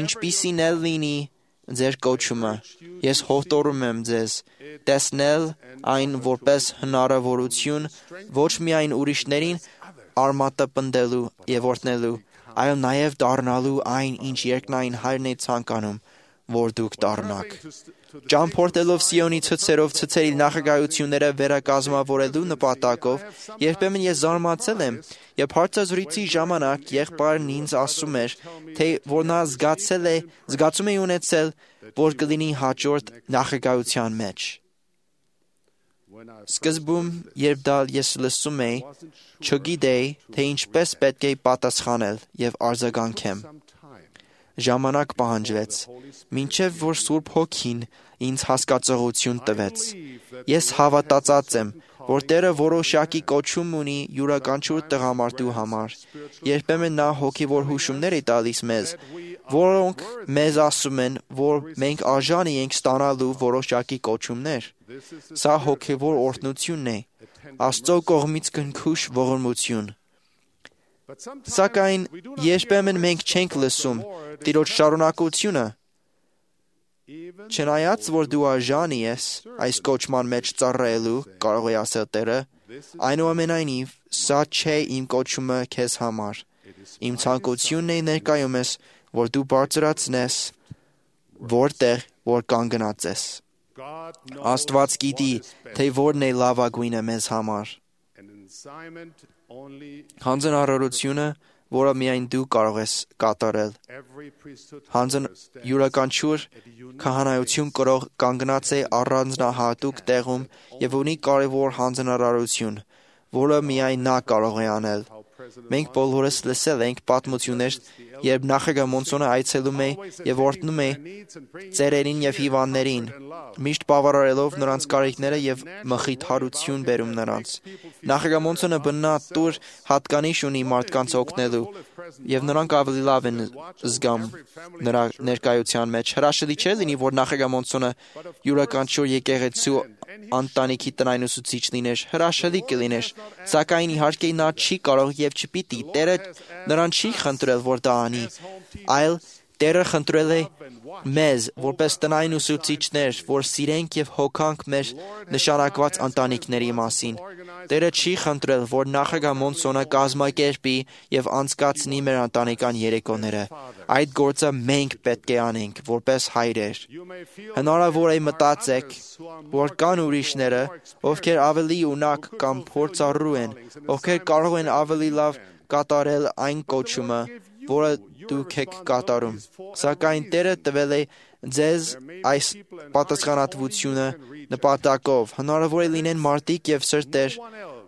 F: Ինչպիսին էլ լինի ձեր կոչումը, ես հորդորում եմ ձեզ տեսնել այն որպես հնարավորություն ոչ միայն ուրիշներին արմատապնդելու եւ օրհնելու, այլ նաեւ դառնալու այն, ինչ երկնային Հայրն է ցանկանում, որ դուք դառնաք։ Ճամփորդելով Սիոնի ցցերով ցցերի նախագահությունները վերակազմավորելու նպատակով, երբեմն ես զարմացել եմ, երբ հարցազրույցի ժամանակ եղբայրն ինձ ասում էր, թե որ նա զգացում է ունեցել, որ կլինի հաջորդ նախագահության մեջ։ Սկզբում, երբ դա ես լսում էի, չգիտեի, թե ինչպես պետք է պատասխանել եւ արձագանքեմ։ Ժամանակ պահանջվեց, մինչև որ Սուրբ Հոգին ինձ հասկացողություն տվեց։ Ես հավատացած եմ, որ Տերը որոշակի կոչում ունի յուրաքանչյուր տղամարդու համար։ Երբեմն նա հոգևոր հուշումներ է տալիս մեզ, որոնք մեզ ասում են, որ մենք արժանի ենք ստանալու որոշակի կոչումներ։ Սա հոգևոր օրհնությունն է, Աստծո կողմից քնքուշ ողորմություն։ Սակայն երբեմն մենք չենք լսում Տիրոջ շարունակությունը։ Չնայած որ դու արժանի ես այս կոչման մեջ ծառայելու, կարող է ասել Տերը, այնուամենայնիվ սա չէ իմ կոչումը քեզ համար։ Իմ ցանկությունն է ներկայումս, որ դու բարձրացնես որտեղ որ կանգնած ես։ Աստված գիտի, թե որն է լավագույնը մեզ համար։ Հանձնարարությունը, որը միայն դու կարող ես կատարել։ Յուրաքանչյուր քահանայություն կրող կանգնած է առանձնահատուկ տեղում եւ ունի կարևոր հանձնարարություն, որը միայն նա կարող է անել։ Մենք բոլորս լսել ենք պատմություններ, երբ նախագահ Մոնսոնը այցելում է եւ օրհնում է ծերերին եւ հիվանդներին, միշտ բավարարելով նրանց կարիքները եւ մխիթարություն բերում նրանց։ Նախագահ Մոնսոնը բնատուր հատկանիշ ունի մարդկանց օգնելու եւ նրանք ավելի լավ են զգամ նրա ներկայության մեջ։ Հրաշալի չէ լինի, որ նախագահ Մոնսոնը յուրաքանչյուր եկեղեցու ընտանիքի տնայնուսուցիչ լիներ, հրաշալի կլիներ, սակայն իհարկե նա չի կարող եւ չպիտի։ Տերը նրան չի խնդրել, որ դա անի, այլ Տերը խնդրել է
H: մեզ, որպես տնային ուսուցիչներ, որ սիրենք եւ հոգանք մեր նշանակված ընտանիքների մասին։ Տերը չի խնդրել, որ նախագահ Մոնսոնը կազմակերպի եւ անցկացնի մեր ընտանեկան երեկոները։ Այդ գործը մենք պետք է անենք, որպես հայրեր։ Հնարավոր է մտածեք, որ կան ուրիշները, ովքեր ավելի ունակ կամ փորձառու են, ովքեր կարող են ավելի լավ կատարել այն կոչումը, որը դուք եք կատարում։ Սակայն Տերը տվել է ձեզ այս պատասխանատվությունը նպատակով։ Հնարավոր է լինեն մարդիկ եւ սրտեր,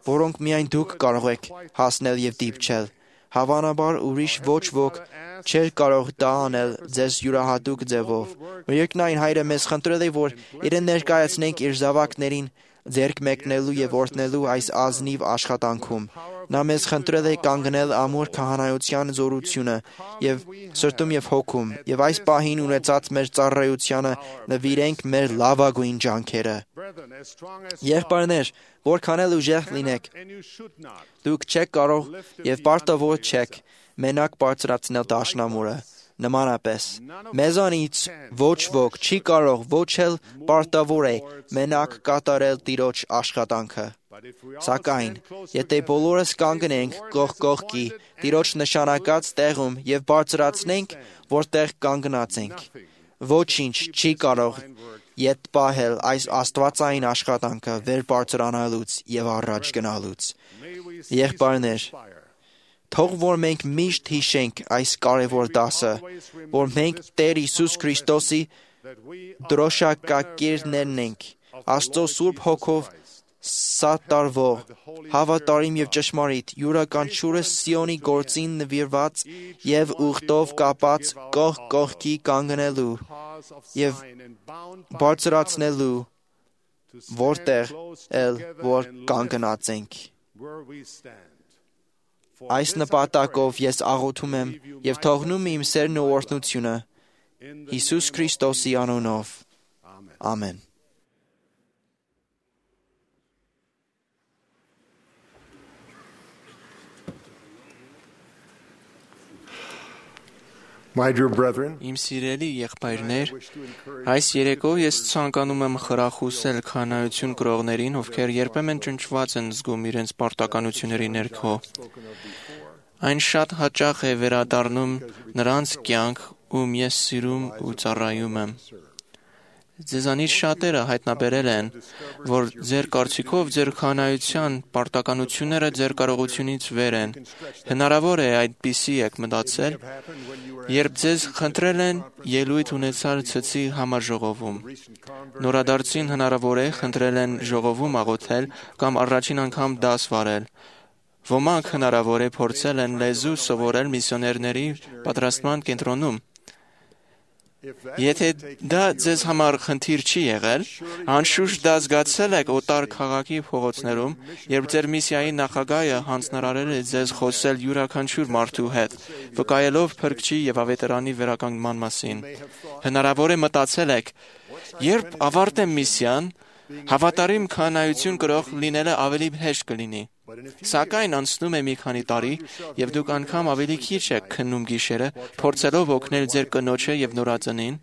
H: որոնք միայն դուք կարող եք հասնել եւ դիպչել։ Հավանաբար ուրիշ ոչ ոք չէր կարող դա անել ձեզ յուրահատուկ ձևով։ Երկնային Հայրը մեզ խնդրել է, որ իրեն ներկայացնենք իր զավակներին ձեռք մեկնելու եւ օրհնելու այս ազնիվ աշխատանքում։ Նա մեզ խնդրել է կանգնել ամուր քահանայության զորությունը եւ սրտում եւ հոգում, եւ այս պահին ունեցած մեր ծառայությանը նվիրենք մեր լավագույն ջանքերը։ Եղբայրներ, որքան էլ ուժեղ լինեք, դուք չեք կարող եւ պարտավոր չեք մենակ բարձրացնել դաշնամուրը։ Նմանապես, մեզանից ոչ ոք չի կարող ոչ էլ պարտավոր է մենակ կատարել Տիրոջ աշխատանքը։ Սակայն, եթե բոլորս կանգնենք կողք կողքի Տիրոջ նշանակած տեղում եւ բարձրացնենք, որտեղ կանգնած ենք, ոչինչ չի կարող ետ պահել այս աստվածային աշխատանքը վեր բարձրանալուց եւ առաջ գնալուց։ Եղբայրներ, թող որ մենք միշտ հիշենք այս կարևոր դասը, որ մենք Տեր Հիսուս Քրիստոսի դրոշակակիրներն ենք, Աստծո Սուրբ Հոգով սատարվող, հավատարիմ եւ ճշմարիտ, յուրաքանչյուրը Սիոնի գործին նվիրված եւ ուխտով կապած կողք կողքի կանգնելու եւ բարձրացնելու, որտեղ էլ որ կանգնած ենք։ Այս նպատակով ես աղոթում եմ եւ թողնում իմ սերն ու օրհնությունը Հիսուս Քրիստոսի անունով։ Ամեն։
G: My dear brethren,
I: Իմ սիրելի եղբայրներ, այս երեկո ես ցանկանում եմ խրախուսել քահանայություն կրողներին, ովքեր երբեմն ճնճված են զգում իրենց պարտականությունների ներքո։ Այն շատ հաճախ է վերադառնում նրանց կյանք, ում ես սիրում ու ծառայում եմ։ Ձեզանից շատերը հայտնաբերել են, որ ձեր կարծիքով ձեր քահանայության պարտականությունները ձեր կարողությունից վեր են։ Հնարավոր է այդպիսի եք մտածել, երբ ձեզ խնդրել են ելույթ ունեցալ ցցի համաժողովում։ Նորադարձին հնարավոր է խնդրել են ժողովում աղոթել կամ առաջին անգամ դաս վարել։ Ոմանք հնարավոր է փորձել են լեզու սովորել միսիոներների պատրաստման կենտրոնում։ Եթե դա ձեզ համար խնդիր չի եղել, անշուշտ դա զգացել եք օտար քաղաքի փողոցներում, երբ ձեր միսիայի նախագահը հանձնարարել է ձեզ խոսել յուրաքանչյուր մարդու հետ, վկայելով փրկչի եւ ավետարանի վերականգնման մասին։ Հնարավոր է մտածել եք, երբ ավարտեմ միսիան, հավատարիմ քահանայություն կրող լինելը ավելի հեշտ կլինի։ Սակայն անցնում է մի քանի տարի, եւ դուք անգամ ավելի քիչ եք քննում գիշերը, փորձելով օգնել ձեր կնոջը եւ նորածնին,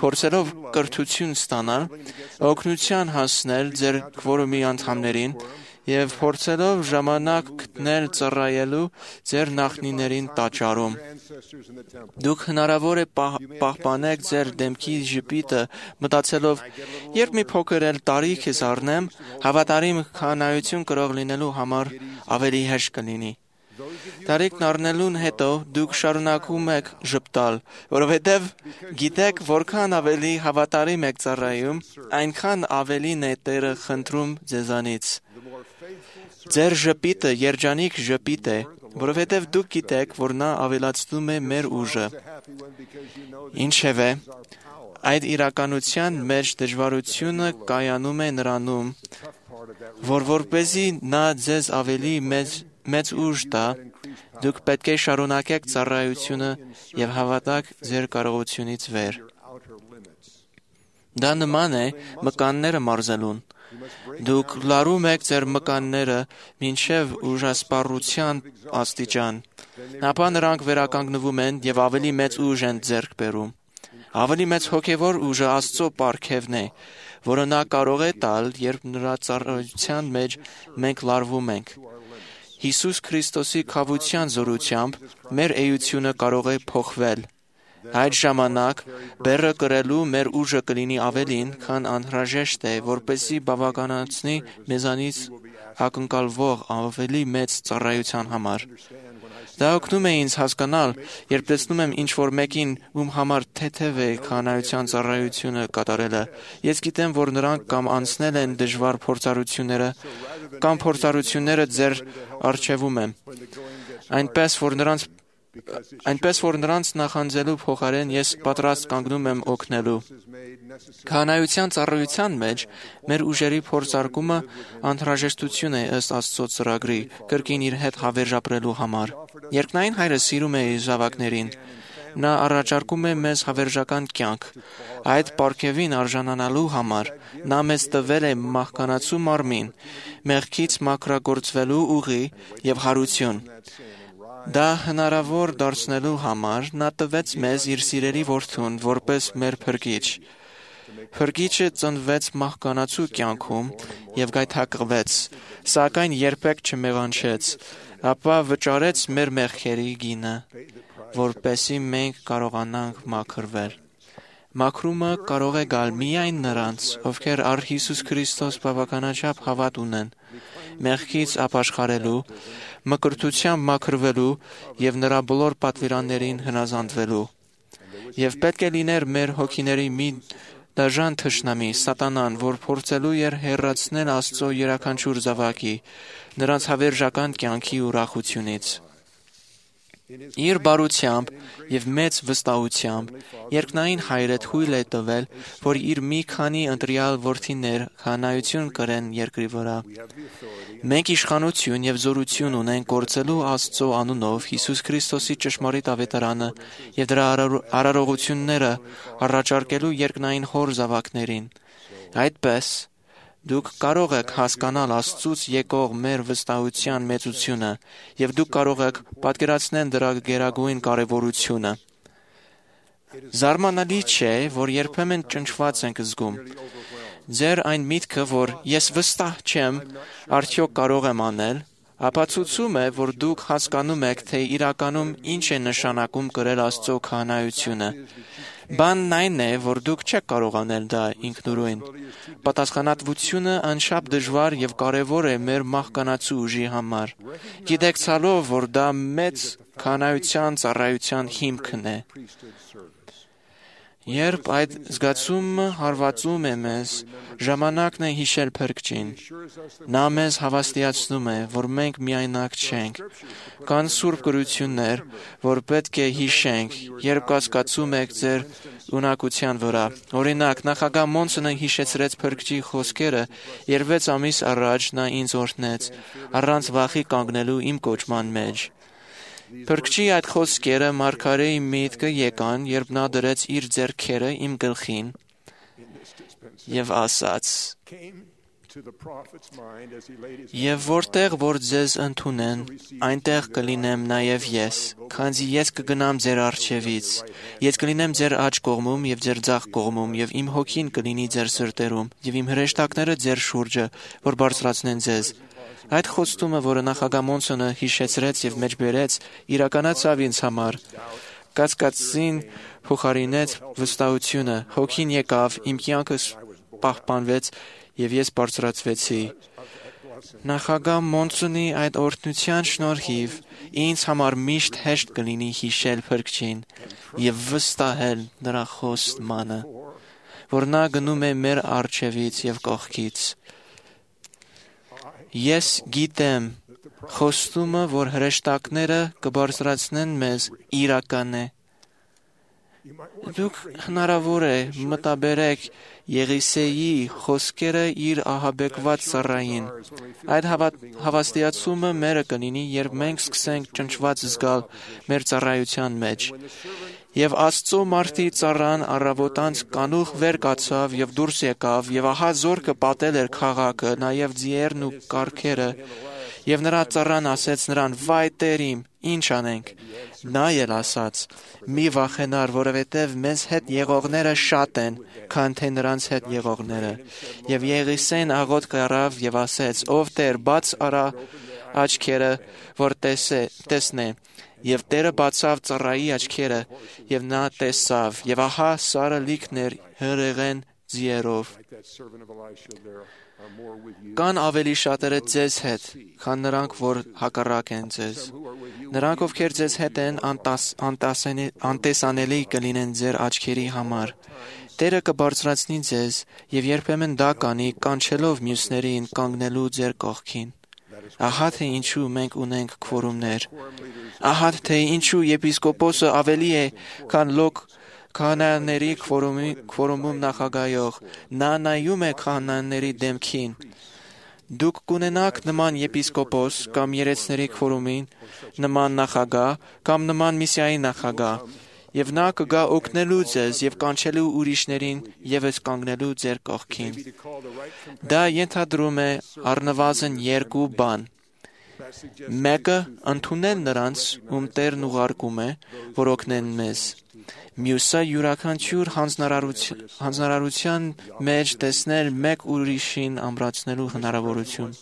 I: փորձելով կրթություն ստանալ, օգնության հասնել ձեր քվորումի անդամներին եւ փորձելով ժամանակ գտնել ծառայելու ձեր նախնիներին տաճարում։ Դուք հնարավոր է պահպանեք ձեր դեմքի ժպիտը, մտածելով, երբ մի փոքր էլ տարիք ես առնեմ, հավատարիմ քահանայություն կրող լինելու համար ավելի հեշտ կլինի։ Տարիքն առնելուն հետո դուք շարունակում եք ժպտալ, որովհետև գիտեք, որքան ավելի հավատարիմ եք ծառայում, այնքան ավելին է Տերը խնդրում ձեզանից։ Ձեր ժպիտը երջանիկ ժպիտ է, որովհետև դուք գիտեք, որ նա ավելացնում է մեր ուժը։ Ինչևէ, այդ իրականության մեջ դժվարությունը կայանում է նրանում, որ որպեսզի նա ձեզ ավելի մեծ ուժ տա, դուք պետք է շարունակեք ծառայությունը եւ հավատաք ձեր կարողությունից վեր։ Դա նման է մկանները մարզելուն։ Դուք լարում եք ձեր մկանները մինչև ուժասպառության աստիճան, ապա նրանք վերականգնվում են եւ ավելի մեծ ուժ են ձեռք բերում։ Ավելի մեծ հոգևոր ուժը Աստծո պարգևն է, որը նա կարող է տալ, երբ նրա ծառայության մեջ մենք լարվում ենք։ Հիսուս Քրիստոսի քավության զորությամբ մեր էությունը կարող է փոխվել։ Այդ ժամանակ բեռը կրելու մեր ուժը կլինի ավելին, քան անհրաժեշտ է, որպեսզի բավականացնի մեզանից ակնկալվող ավելի մեծ ծառայության համար։ Դա օգնում է ինձ հասկանալ, երբ տեսնում եմ ինչ-որ մեկին, ում համար թեթև է քահանայության ծառայությունը կատարելը։ Ես գիտեմ, որ նրանք կամ անցնել են դժվար փորձառությունները, կամ փորձառությունները ձեր առջևում են։ Այնպես որ նրանց նախանձելու փոխարեն ես պատրաստ կանգնում եմ օգնելու։ Քահանայության ծառայության մեջ մեր ուժերի փորձարկումը անհրաժեշտություն է ըստ Աստծո ծրագրի, կրկին իր հետ հավերժապրելու համար։ Երկնային Հայրը սիրում է իր զավակներին։ Նա առաջարկում է մեզ հավերժական կյանք։ Այդ պարգևին արժանանալու համար նա մեզ տվել է մահկանացու մարմին, մեղքից մաքրագործվելու ուղի եւ հարություն։ Դա հնարավոր դարձնելու համար նա տվեց մեզ իր սիրելի որդուն որպես մեր փրկիչ։ Փրկիչը ծնվեց մահկանացու կյանքում եւ գայթակղվեց, սակայն երբեք չմեղանչեց, ապա վճարեց մեր մեղքերի գինը, որպեսզի մենք կարողանանք մաքրվել։ Մաքրումը կարող է գալ միայն նրանց, ովքեր առ Հիսուս Քրիստոս բավականաչափ հավատ ունեն, մեղքից ապաշխարելու, մկրտությամբ մաքրվելու եւ նրա բոլոր պատվիրաններին հնազանդվելու։ Եվ պետք է լիներ մեր հոգիների մի դաժան թշնամի, սատանան, որ փորձելու էր հեռացնել Աստծո յուրաքանչյուր զավակի, նրանց հավերժական կյանքի ուրախությունից։ Իր բարությամբ եւ մեծ վստահությամբ երկնային Հայրը թույլ է տվել, որ իր մի քանի ընտրյալ որդիներ քահանայություն կրեն երկրի վրա։ Մենք իշխանություն եւ զորություն ունենք գործելու Աստծո անունով Հիսուս Քրիստոսի ճշմարիտ ավետարանը եւ դրա արարողությունները առաջարկելու երկնային Հոր զավակներին։ Այդպես դուք կարող եք հասկանալ Աստծուց եկող մեր վստահության մեծությունը եւ դուք կարող եք պատկերացնել դրա գերագույն կարեւորությունը։ Զարմանալի չէ, որ երբեմն ճնշված ենք զգում։ Ձեր այն միտքը, որ ես վստահ չեմ, արդյոք կարող եմ անել, ապացուցում է, որ դուք հասկանում եք, թե իրականում ինչ է նշանակում կրել Աստծո քահանայությունը։ Բանն այն է, որ դուք չեք կարող անել դա ինքնուրույն։ Պատասխանատվությունը անշապ դժվար եւ կարեւոր է մեր մահկանացու ուժի համար։ Գիտակցալով, որ դա մեծ քահանայության ծառայության հիմքն է։ Երբ այդ զգացումը հարվածում է մեզ, ժամանակն է հիշել Փրկչին։ Նա մեզ հավաստիացնում է, որ մենք միայնակ չենք։ Կան սուրբ գրություններ, որ պետք է հիշենք, երբ կասկածում եք ձեր ունակության վրա։ Օրինակ, նախագահ Մոնսոնը հիշեցրեց Փրկչի խոսքերը, երբ 6 ամիս առաջ նա ինձ օրհնեց, առանց վախի կանգնելու իմ կոչման մեջ։ Փրկչի այդ խոսքերը մարգարեի միտքը եկան, երբ նա դրեց իր ձեռքերը իմ գլխին եւ ասաց. «Եվ որտեղ որ ձեզ ընդունեն, այնտեղ կլինեմ նաև ես, քանզի ես կգնամ ձեր առջևից, ես կլինեմ ձեր աջ կողմում եւ ձեր ձախ կողմում, եւ իմ հոգին կլինի ձեր սրտերում, եւ իմ հրեշտակները ձեր շուրջը, որ բարձրացնեն ձեզ»։ Այդ խոստումը, որը նախագահ Մոնսոնը հիշեցրեց եւ մեջբերեց, իրականացավ ինձ համար։ Կասկածին փոխարինեց վստահությունը, հոգին եկավ, իմ կյանքը պահպանվեց եւ ես բարձրացվեցի։ Նախագահ Մոնսոնի այդ օրհնության շնորհիվ ինձ համար միշտ հեշտ կլինի հիշել Փրկչին եւ վստահել նրա խոստմանը, որ նա գնում է մեր առջևից եւ կողքից։ Ես գիտեմ, խոստումը, որ հրեշտակները կբարձրացնեն մեզ, իրական է։ Դուք հնարավոր է մտաբերեք Եղիսեի խոսքերը իր ահաբեկված ծառային։ Այդ հավաստիացումը մերը կլինի, երբ մենք սկսենք ճնշված զգալ մեր ծառայության մեջ։ Եվ Աստծո մարդի ծառան առավոտանց կանուխ վեր կացավ եւ դուրս եկավ, եւ ահա զորքը պատել էր քաղաքը, նաեւ ձիերն ու կառքերը, եւ նրա ծառան ասեց նրան. «Վայ Տեր իմ, ինչ անենք։ Նա էլ ասաց. մի վախենար, որովհետև մեզ հետ եղողները շատ են, քան թե նրանց հետ եղողները։ Եվ Եղիսեն աղոթք առավ եւ ասեց. ով Տեր, բաց արա աչքերը, որ տեսնե։ Եվ Տերը բացավ ծառայի աչքերը, եւ նա տեսավ, եւ ահա Սարը լիքն էր հրեղեն ձիերով։ Կան ավելի շատերը ձեզ հետ, քան նրանք, որ հակառակ են ձեզ։ Նրանք, ովքեր ձեզ հետ են, անտեսանելի կլինեն ձեր աչքերի համար։ Տերը կբարձրացնի ձեզ, եւ երբեմն դա կանի, կանչելով մյուսներին կանգնելու ձեր կողքին։ Ահա թե ինչու մենք ունենք քվորումներ։ Ահա թե ինչու եպիսկոպոսը ավելի է, քան լոկ քահանաների քվորումում նախագահող։ Նա նայում է քահանաների դեմքին։ Դուք կունենաք նման եպիսկոպոս կամ երեցների քվորումին, նման նախագահ կամ նման միսիայի նախագահ, եւ նա կգա օգնելու ձեզ եւ կանչելու ուրիշներին եւս կանգնելու ձեր կողքին։ Դա ենթադրում է առնվազն երկու բան։ Մեկը ընդունել նրանց, ում Տերն ուղարկում է, որ օգնեն մեզ։ Մյուսը յուրաքանչյուր հանձնարարության մեջ տեսնել մեկ ուրիշին ամրացնելու հնարավորություն։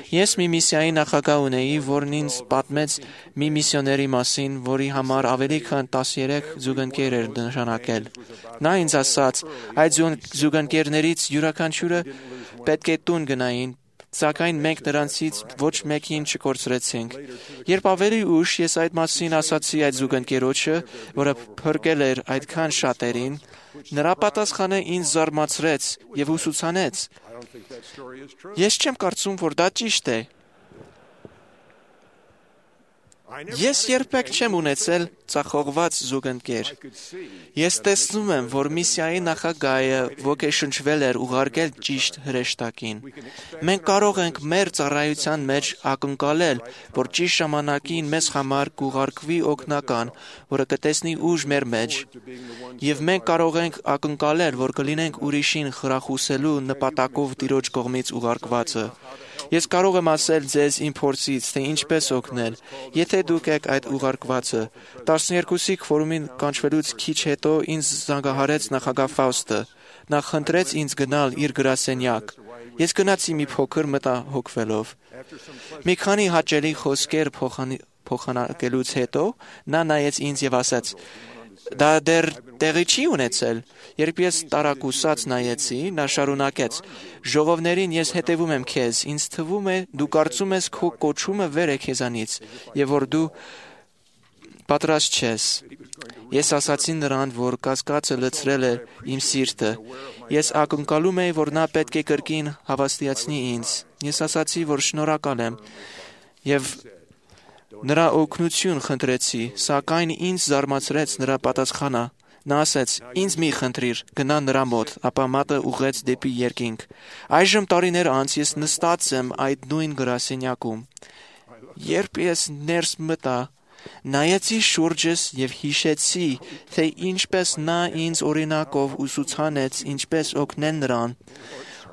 I: Ես մի միսիայի նախագահ ունեի, որն ինձ պատմեց մի միսիոների մասին, որի համար ավելի քան 13 զուգընկեր էր նշանակել։ Նա ինձ ասաց, այդ զուգընկերներից յուրաքանչյուրը պետք է տուն գնային, սակայն մենք նրանցից ոչ մեկին չկորցրեցինք։ Երբ ավելի ուշ ես այդ մասին ասացի այդ զուգընկերոջը, որը փրկել էր այդքան շատերին, նրա պատասխանը ինձ զարմացրեց եւ ուսուցանեց։ Ես չեմ կարծում, որ դա ճիշտ է։ Ես երբեք չեմ ունեցել ծախողված զուգընկեր։ Ես տեսնում եմ, որ միսիայի նախագահը ոգեշնչվել էր ուղարկել ճիշտ հրեշտակին։ Մենք կարող ենք մեր ծառայության մեջ ակնկալել, որ ճիշտ ժամանակին մեզ համար կուղարկվի օգնական, որը կտեսնի ուժ մեր մեջ, եւ մենք կարող ենք ակնկալել, որ կլինենք ուրիշին խրախուսելու նպատակով Տիրոջ կողմից ուղարկվածը։ Ես կարող եմ ասել ձեզ իմ փորձից, թե ինչպես օգնել, եթե դուք եք այդ ուղարկվածը։ 12-ի քվորումին կանչվելուց քիչ հետո ինձ զանգահարեց նախագահ Ֆաուստը։ Նա խնդրեց ինձ գնալ իր գրասենյակ։ Ես գնացի մի փոքր մտահոգվելով։ Մի քանի հաճելի խոսքեր փոխանակելուց հետո նա նայեց ինձ եւ ասաց. դա դեռ տեղի չի ունեցել։ Երբ ես տարակուսած նայեցի, նա շարունակեց. ժողովներին ես հետևում եմ քեզ, ինձ թվում է դու կարծում ես քո կոչումը վեր է քեզանից եւ որ դու պատրաստ չես։ Ես ասացի նրան, որ կասկածը լցրել է իմ սիրտը։ Ես ակնկալում էի, որ նա պետք է կրկին հավաստիացնի ինձ։ Ես ասացի, որ շնորհակալ եմ եւ նրա օգնություն խնդրեցի, սակայն ինձ զարմացրեց նրա պատասխանը։ Նա ասեց. ինձ մի խնդրիր, գնա նրա մոտ, ապա մատը ուղղեց դեպի երկինք։ Այժմ տարիներ անց ես նստած եմ այդ նույն գրասենյակում։ Երբ ես ներս մտա, նայեցի շուրջս եւ հիշեցի, թե ինչպես նա ինձ օրինակով ուսուցանեց ինչպես օգնել նրան,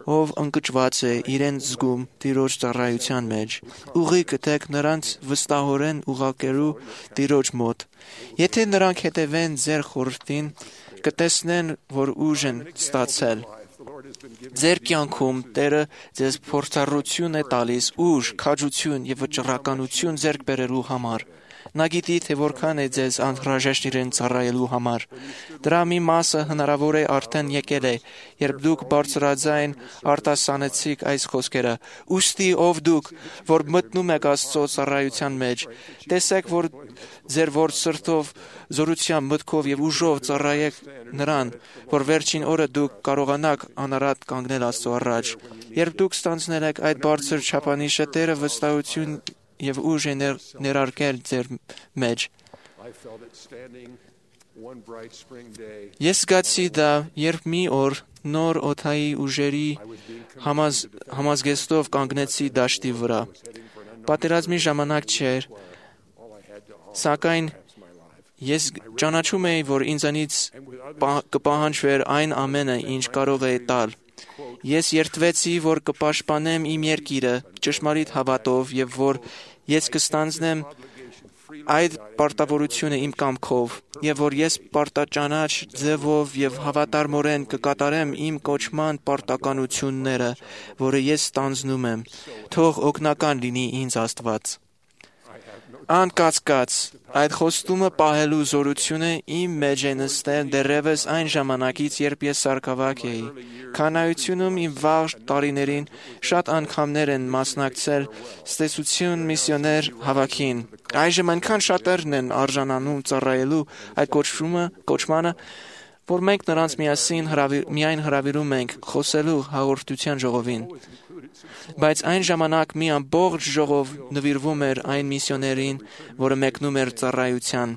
I: ով ընկճված է իրեն զգում Տիրոջ ծառայության մեջ։ Ուղի գտեք նրանց վստահորեն ուղարկելու Տիրոջ մոտ։ Եթե նրանք հետևեն ձեր խորհրդին, կտեսնեն, որ ուժ են ստացել։ Ձեր կյանքում Տերը ձեզ փորձառություն է տալիս ուժ, քաջություն եւ վճռականություն ձեռք բերելու համար։ Նա գիտի, թե որքան է ձեզ անհրաժեշտ իրեն ծառայելու համար։ Դրա մի մասը հնարավոր է արդեն եկել է, երբ դուք բարձրաձայն արտասանեցիք այս խոսքերը. «Ուստի ով դուք, որ մտնում եք Աստծո ծառայության մեջ, տեսեք, որ ձեր ворդ սրտով, զորությամբ, մտքով եւ ուժով ծառայեք նրան, որ վերջին օրը դուք կարողանաք անարատ կանգնել Աստծո առաջ։ Երբ դուք ստանձնել եք այդ բարձր չափանիշը, Տերը վստահություն եւ ուժ է ներարկել ձեր մեջ։ Ես զգացի դա, երբ մի օր նոր օդայի ուժերի համազգեստով կանգնեցի դաշտի վրա։ Պատերազմի ժամանակ չէր, սակայն ես ճանաչում էի, որ ինձանից կպահանջվեր այն ամենը, ինչ կարող է տալ։ Ես երդվեցի, որ կպաշտպանեմ իմ երկիրը ճշմարիտ հավատով եւ որ ես կստանձնեմ այդ պարտավորությունը իմ կամքով, եւ որ ես պարտաճանաչ ձևով եւ հավատարմորեն կկատարեմ իմ կոչման պարտականությունները, որը ես ստանձնում եմ, թող օգնական լինի ինձ Աստված։ Անկասկած, այդ խոստումը պահելու զորությունը իմ մեջ է նստել դեռևս այն ժամանակից, երբ ես սարքավակ էի։ Քանայությունում իմ վաղ տարիներին շատ անգամներ են մասնակցել ստեսություն միսիոներ հավաքին։ Այժմ այնքան շատերն են արժանանում ծառայելու այդ կոչմանը, որ մենք նրանց միայն հրավիրում ենք խոսելու հաղորդության ժողովին։ Բայց այն ժամանակ մի ամբողջ ժողով նվիրվում էր այն միսիոներին, որը մեկնում էր ծառայության։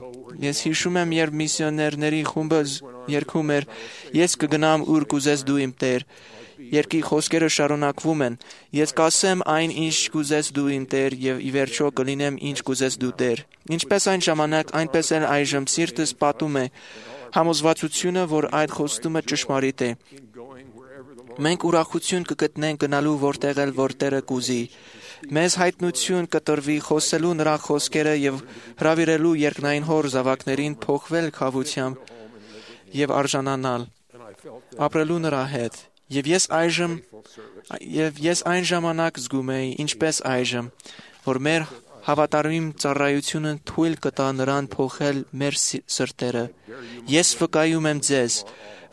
I: Ես հիշում եմ, երբ միսիոներների խումբը երգում էր. «Ես կգնամ ուր կուզես դու իմ Տեր»։ Երգի խոսքերը շարունակվում են. «Ես կասեմ այն, ինչ կուզես դու իմ Տեր, եւ ի վերջո կլինեմ ինչ կուզես դու Տեր»։ Ինչպես այն ժամանակ, այնպես էլ այժմ սիրտս պատում է համոզվածությունը, որ այդ խոստումը ճշմարիտ է։ Մենք ուրախություն կգտնենք գնալու որտեղ էլ որ Տերը կուզի։ Մեզ հայտնություն կտրվի խոսելու նրա խոսքերը եւ հրավիրելու երկնային հոր զավակներին փոխվել քավությամբ եւ արժանանալ ապրելու նրա հետ։ Եվ ես այն ժամանակ զգում էի, ինչպես այժմ, որ մեր հավատարիմ ծառայությունը թույլ կտա նրան փոխել մեր սրտերը։ Ես վկայում եմ ձեզ,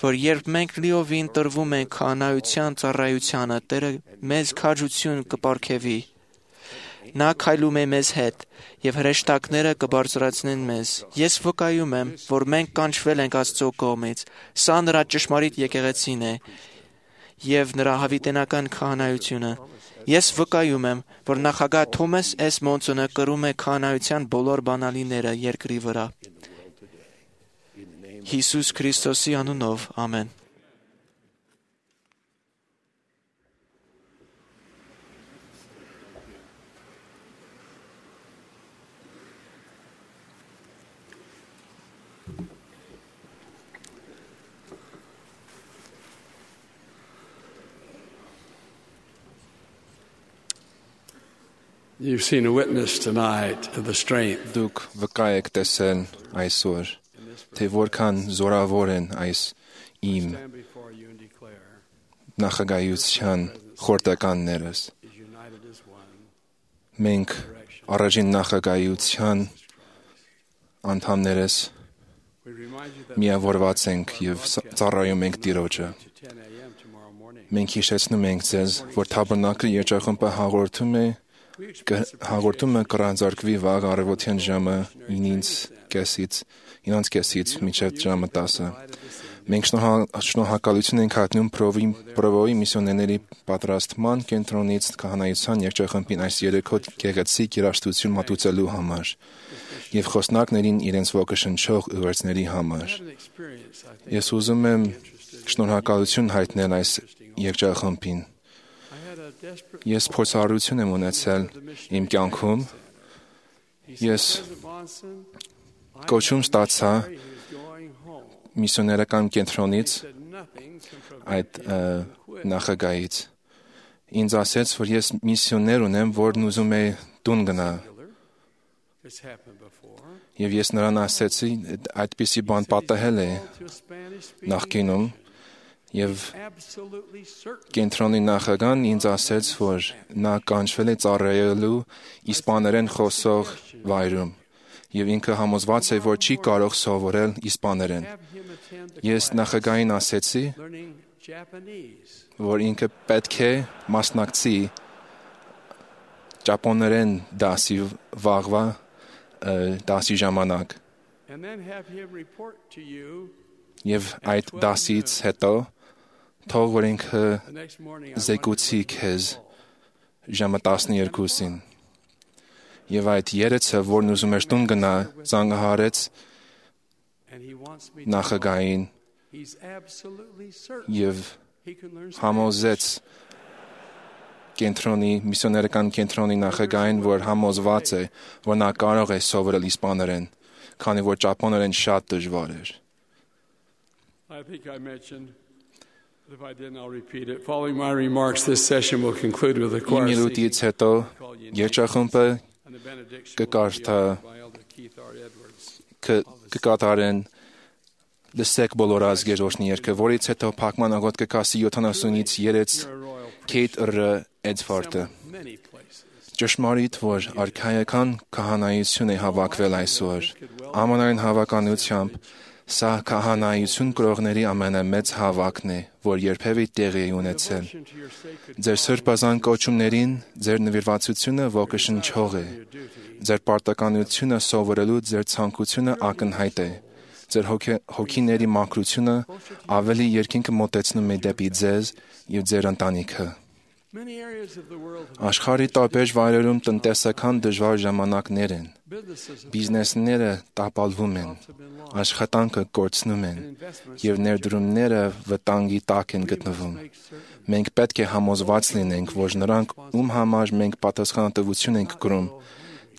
I: որ երբ մենք լիովին տրվում ենք քահանայության ծառայությանը, Տերը մեզ քաջություն կպարգևի։ Նա քայլում է մեզ հետ, եւ հրեշտակները կբարձրացնեն մեզ։ Ես վկայում եմ, որ մենք կանչվել ենք Աստծո կողմից։ Սա նրա ճշմարիտ եկեղեցին է եւ նրա հավիտենական քահանայությունը։ Ես վկայում եմ, որ նախագահ Թոմաս Էս Մոնսոնը կրում է քահանայության բոլոր բանալիները երկրի վրա։ Հիսուս Քրիստոսի անունով, ամեն։
C: You've seen a witness tonight of the strength.
B: Դուք վկա եք տեսել այսօր, թե որքան զորավոր են այս իմ նախագահության խորհրդականներս։ Մենք առաջին նախագահության անդամներս միավորված ենք եւ ծառայում ենք Տիրոջը։ Մենք հիշեցնում ենք ձեզ, որ Թաբերնակլի երջախումբը հաղորդումը կրանձարկվի վաղ առավոտյան ժամը 9:30-ից մինչև ժամը 10։ Մենք շնորհակալություն ենք հայտնում Պրովոյի միսիոներների պատրաստման կենտրոնից քահանայության երջախմբին այս երեքոտ գեղեցիկ երաժշտություն մատուցելու համար եւ խոսնակներին իրենց ոգեշնչող ուղերձների համար։ Ես ուզում եմ շնորհակալություն հայտնել այս երջախմբին։ Ես փորձառություն եմ ունեցել իմ կյանքում։ Ես կոչում ստացա միսիոներական կենտրոնից այդ նախագահից։ Ինձ ասեց, որ ես միսիոներ ունեմ, որն ուզում է տուն գնա։ Եվ ես նրան ասեցի, այդպիսի բան պատահել է նախկինում։ Եվ կենտրոնի նախագահն ինձ ասեց, որ նա կանչվել է ծառայելու իսպաներեն խոսող վայրում, եւ ինքը համոզված է, որ չի կարող սովորել իսպաներեն։ Ես նախագահին ասեցի, որ ինքը պետք է մասնակցի ճապոներեն դասի վաղվա դասի ժամանակ։ Եվ այդ դասից հետո թող որ ինքը զեկուցի քեզ ժամը 12-ին։ Եվ այդ երեցը, որն ուզում էր տուն գնա, զանգահարեց նախագահին եւ համոզեց միսիոներական կենտրոնի նախագահին, որ համոզված է, որ նա կարող է սովորել իսպաներեն, քանի որ ճապոներեն շատ դժվար էր։
C: I think I mentioned, if I didn't, I'll repeat it. Following my remarks, this session will conclude with a choir
B: Minutից հետո երջախումբը կկարդա կկատարեն լսեք բոլոր ազգեր օրհնի երկը, որից հետո փակման աղոտ կկասի 70-ից 3 Քեյթ ռ Էդվարդը։ Ճշմարիտ, որ արքայական քահանայություն է հավաքվել այսօր, ամենայն հավականությամբ սա քահանայություն կրողների ամենամեծ հավաքն է, որ երբևէ տեղի է ունեցել։ Ձեր սրբազան կոչումներին ձեր նվիրվածությունը ոգեշնչող է, ձեր պարտականությունը սովորելու ձեր ցանկությունը ակնհայտ է, ձեր հոգիների մաքրությունը ավելի երկինքը մոտեցնում է դեպի ձեզ և ձեր ընտանիքը։ Աշխարհի տարբեր վայրերում տնտեսական դժվար ժամանակներ են, բիզնեսները տապալվում են, աշխատանքը կորցնում են, և ներդրումները վտանգի տակ են գտնվում։ Մենք պետք է համոզված լինենք, որ նրանք, ում համար մենք պատասխանատվություն ենք կրում,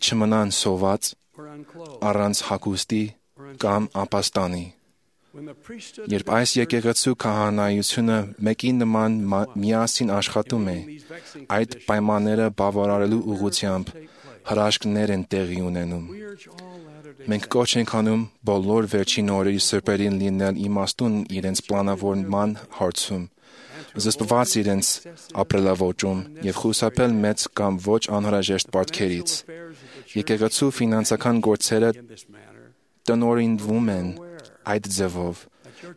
B: չմնան սոված, առանց հագուստի կամ ապաստանի։ Երբ այս եկեղեցու քահանայությունը մեկի նման միասին աշխատում է, այդ պայմանները բավարարելու ուղղությամբ հրաշքներ են տեղի ունենում։ Մենք կոչ ենք անում բոլոր վերջին օրերի սրբերին լինել իմաստուն իրենց պլանավորման հարցում, զսպված իրենց ապրելաոճում և խուսափել մեծ կամ ոչ անհրաժեշտ պարտքերից։ Եկեղեցու ֆինանսական գործերը տնօրինվում են այդ ձևով,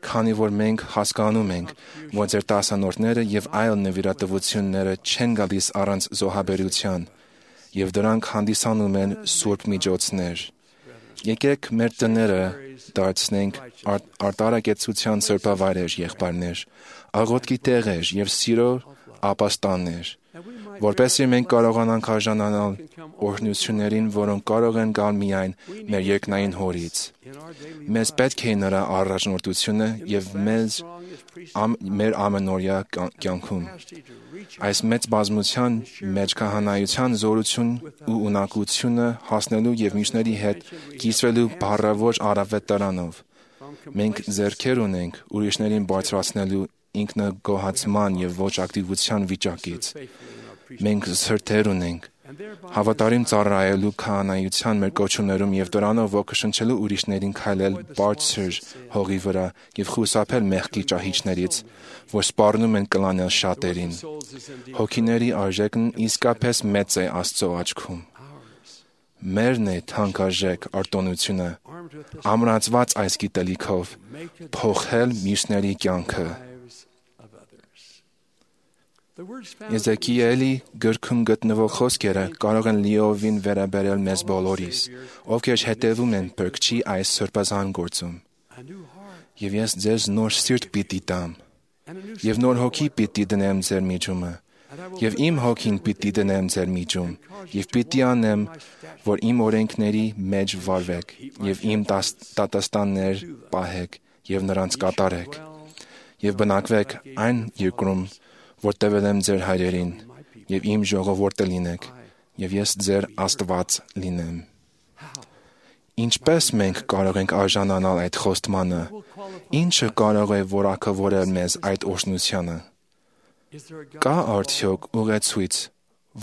B: քանի որ մենք հասկանում ենք, որ ձեր տասանորդները և այլ նվիրատվությունները չեն գալիս առանց զոհաբերության, և դրանք հանդիսանում են սուրբ միջոցներ։ Եկեք մեր տները դարձնենք արտարակեցության սրբավայրեր, եղբայրներ, աղոթքի տեղեր և սիրո ապաստաններ, որպեսզի մենք կարողանանք արժանանալ օրհնություններին, որոնք կարող են գալ միայն մեր երկնային Հորից։ Մեզ պետք է նրա առաջնորդությունը և մեր ամենօրյա կյանքում։ Այս մեծ բազմության մեջ քահանայության զորություն ու ունակությունը հասնելու և մյուսների հետ կիսվելու բառավոր առավետարանով։ Մենք ձեռքեր ունենք ուրիշներին բարձրացնելու ինքնագոհացման և ոչ ակտիվության վիճակից։ Մենք սրտեր ունենք հավատարիմ ծառայելու քահանայության մեր կոչումներում և դրանով ոգեշնչելու ուրիշներին քայլել բարձր հողի վրա և խուսափել մեղքի ճահիճներից, որ սպառնում են կլանել շատերին։ Հոգիների արժեքն իսկապես մեծ է Աստծո աչքում։ Մերն է թանկարժեք արտոնությունը, ամրացված այս գիտելիքով, փոխել մյուսների կյանքը։ Եզեկիելի գրքում գտնվող խոսքերը կարող են լիովին վերաբերել մեզ բոլորիս, ովքեր հետևում են Փրկչի այս սրբազան գործում։ Եվ ես ձեզ նոր սիրտ պիտի տամ, և նոր հոգի պիտի դնեմ ձեր միջումը, և իմ հոգին պիտի դնեմ ձեր միջում, և պիտի անեմ, որ իմ օրենքների մեջ վարվեք, և իմ դատաստաններ պահեք, և նրանց կատարեք, և բնակվեք այն երկրում, որ տվել եմ ձեր հայրերին, և իմ ժողովուրդը լինեք, և ես ձեր Աստված լինեմ։ Ինչպես մենք կարող ենք արժանանալ այդ խոստմանը, ինչը կարող է որակավորել մեզ այդ օրհնությանը։ Կա արդյոք ուղեցույց,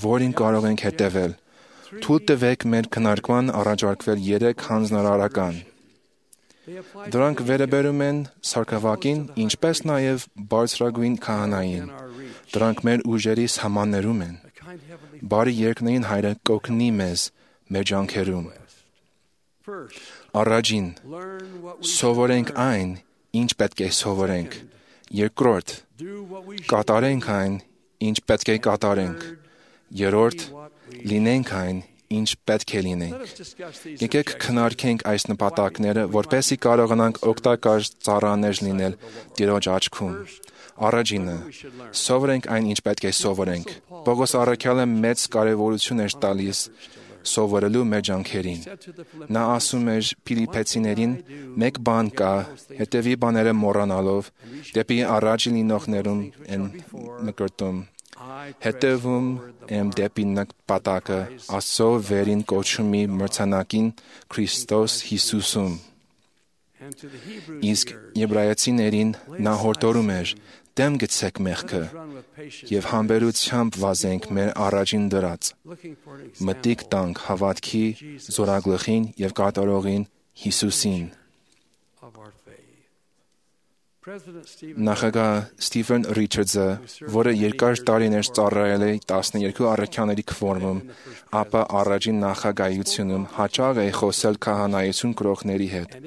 B: որին կարող ենք հետևել։ Թույլ տվեք մեր քննարկման առաջարկվել 3 հանձնարարական։ Դրանք վերաբերում են սարքավակին, ինչպես նաև բարձրագույն քահանային։ Դրանք մեր ուժերի սահմաններում են։ Բարի երկնային Հայրը կօգնի մեզ մեր ջանքերում։ Առաջին, սովորենք այն, ինչ պետք է սովորենք։ Երկրորդ, կատարենք այն, ինչ պետք է կատարենք։ Երրորդ, լինենք այն, ինչ պետք է լինենք։ Եկեք քննարկենք այս նպատակները, որպեսզի կարողանանք օգտակար ծառաներ լինել Տիրոջ աչքում։ Առաջինը, սովորենք այն, ինչ պետք է սովորենք։ Պողոս առաքյալը մեծ կարևորություն էր տալիս սովորելու մեր ջանքերին։ Նա ասում էր Փիլիպպեցիներին. «Մեկ բան կա, հետևի բաները մոռանալով, դեպի առաջ լինողներում են մկրտում, հետևում եմ դեպի նպատակը Աստծո վերին կոչումի մրցանակին Քրիստոս Հիսուսում»։ Իսկ Եբրայեցիներին նա հորդորում էր. «Դեմ գցեք մեղքը և համբերությամբ վազենք մեր առաջին դրած, մտիկ տանք հավատքի զորագլխին և կատարողին Հիսուսին։ Նախագահ Ստիվեն Ռիչարդսը, որը երկար տարիներ ծառայել է 12 առաքյաների քվորմում, ապա առաջին նախագահությունում հաճախ է խոսել քահանայություն կրողների հետ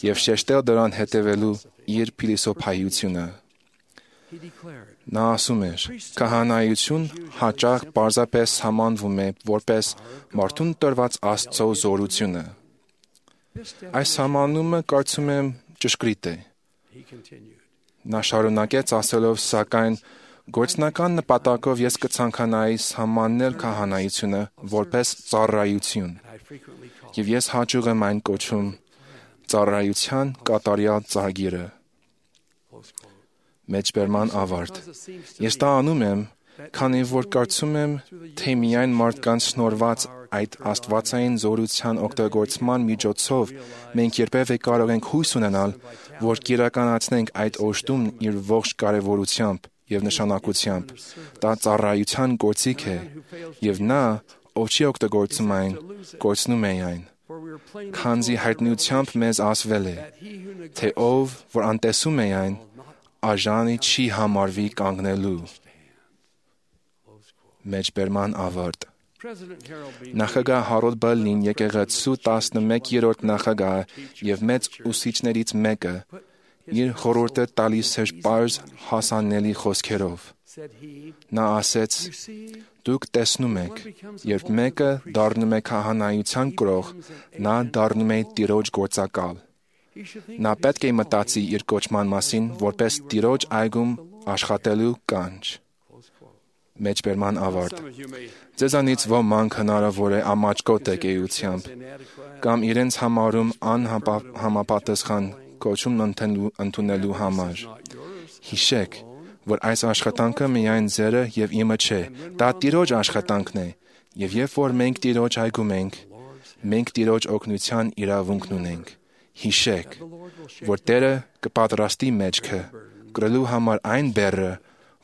B: եւ շեշտել դրան հետևելու իր փիլիսոփայությունը։ Նա ասում էր. «Քահանայություն հաճախ պարզապես համանվում է որպես մարդուն տրված Աստծո զորությունը։ Այս համանումը կարծում եմ ճշգրիտ է»։ Նա շարունակեց ասելով. «Սակայն գործնական նպատակով ես կցանկանայի սահմանել քահանայությունը որպես ծառայություն, եւ ես հաճախ եմ այն կոչում ծառայության կատարյալ ծագիրը»։ Մեջբերման ավարտ։ Ես դա անում եմ, քանի որ կարծում եմ, թե միայն մարդկանց շնորհված այդ աստվածային զորության օգտագործման միջոցով մենք երբևէ կարող ենք հույս ունենալ, որ կիրականացնենք այդ օժտումն իր ողջ կարևորությամբ եւ նշանակությամբ։ Դա ծառայության գործիք է, եւ նա, ով չի օգտագործում այն, կորցնում է այն։ Քանզի հայտնությամբ մեզ ասվել է, թե ով, որ անտեսում է այն, աժանի չի համարվի կանգնելու։ Մեջբերման ավարտ։ Նախագահ Հարոլդ Բալին եկեղեցու 11-րդ նախագահ եւ մեծ ուսուցիչներից մեկը իր խորհուրդը տալիս էր պարզ հասանելի խոսքերով։ Նա ասեց. «Դուք տեսնում եք, երբ մեկը դառնում է քահանայության կրող, նա դառնում է Տիրոջ գործակալ։ Նա պետք է մտածի իր կոչման մասին որպես Տիրոջ այգում աշխատելու կանչ»։ Մեջբերման ավարտ։ Ձեզանից ոմանք հնարավոր է ամաչկոտ եք էությամբ կամ իրենց համարում անհամապատասխան կոչումն ընդունելու համար։ Հիշեք, որ այս աշխատանքը միայն ձերը եւ իմը չէ, դա Տիրոջ աշխատանքն է, եւ երբ որ մենք Տիրոջ այգում ենք, մենք Տիրոջ օգնության իրավունքն ունենք։ Հիշեք, որ Տերը կպատրաստի մեջքը, կրելու համար այն բեռը,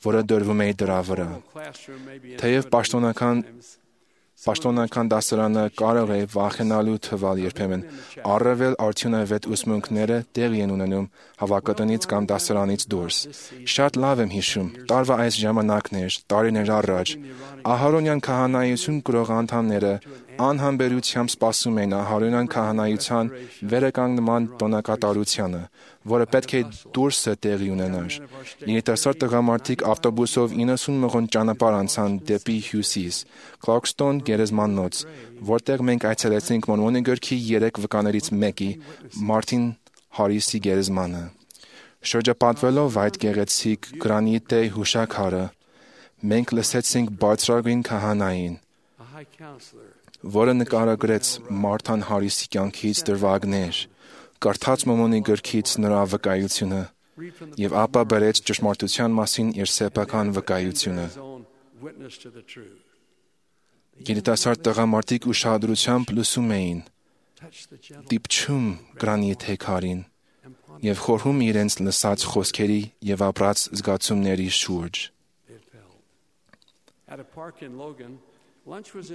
B: որը դրվում է դրա վրա։ Թեև պաշտոնական դասարանը կարող է վախենալու թվալ երբեմն, առավել արդյունավետ ուսմունքները տեղի են ունենում հավաքատնից կամ դասարանից դուրս։ Շատ լավ եմ հիշում, տարվա այս ժամանակներ, տարիներ առաջ, Ահարոնյան քահանայություն կրող անդամները անհամբերությամբ սպասում էին Ահարոնյան քահանայության վերականգնման տոնակատարությանը, որը պետք է դուրսը տեղի ունենար։ Երիտասարդ տղամարդիկ ավտոբուսով 90 մղոն ճանապարհ անցան դեպի հյուսիս, Clarkston գերեզմանոց, որտեղ մենք այցելեցինք Մորմոնի գրքի 3 վկաներից մեկի, Մարտին Հարիսի գերեզմանը։ Շրջապատվելով այդ գեղեցիկ գրանիտե հուշաքարը, մենք լսեցինք բարձրագույն քահանային, որը նկարագրեց Մարտան Հարիսի կյանքից դրվագներ, կարդաց Մորմոնի գրքից նրա վկայությունը եւ ապա բերեց ճշմարտության մասին իր սեփական վկայությունը։ Երիտասարդ տղամարդիկ ուշադրությամբ լսում էին, դիպչում գրանիթե քարին եւ խորհում իրենց լսած խոսքերի եւ ապրած զգացումների շուրջ։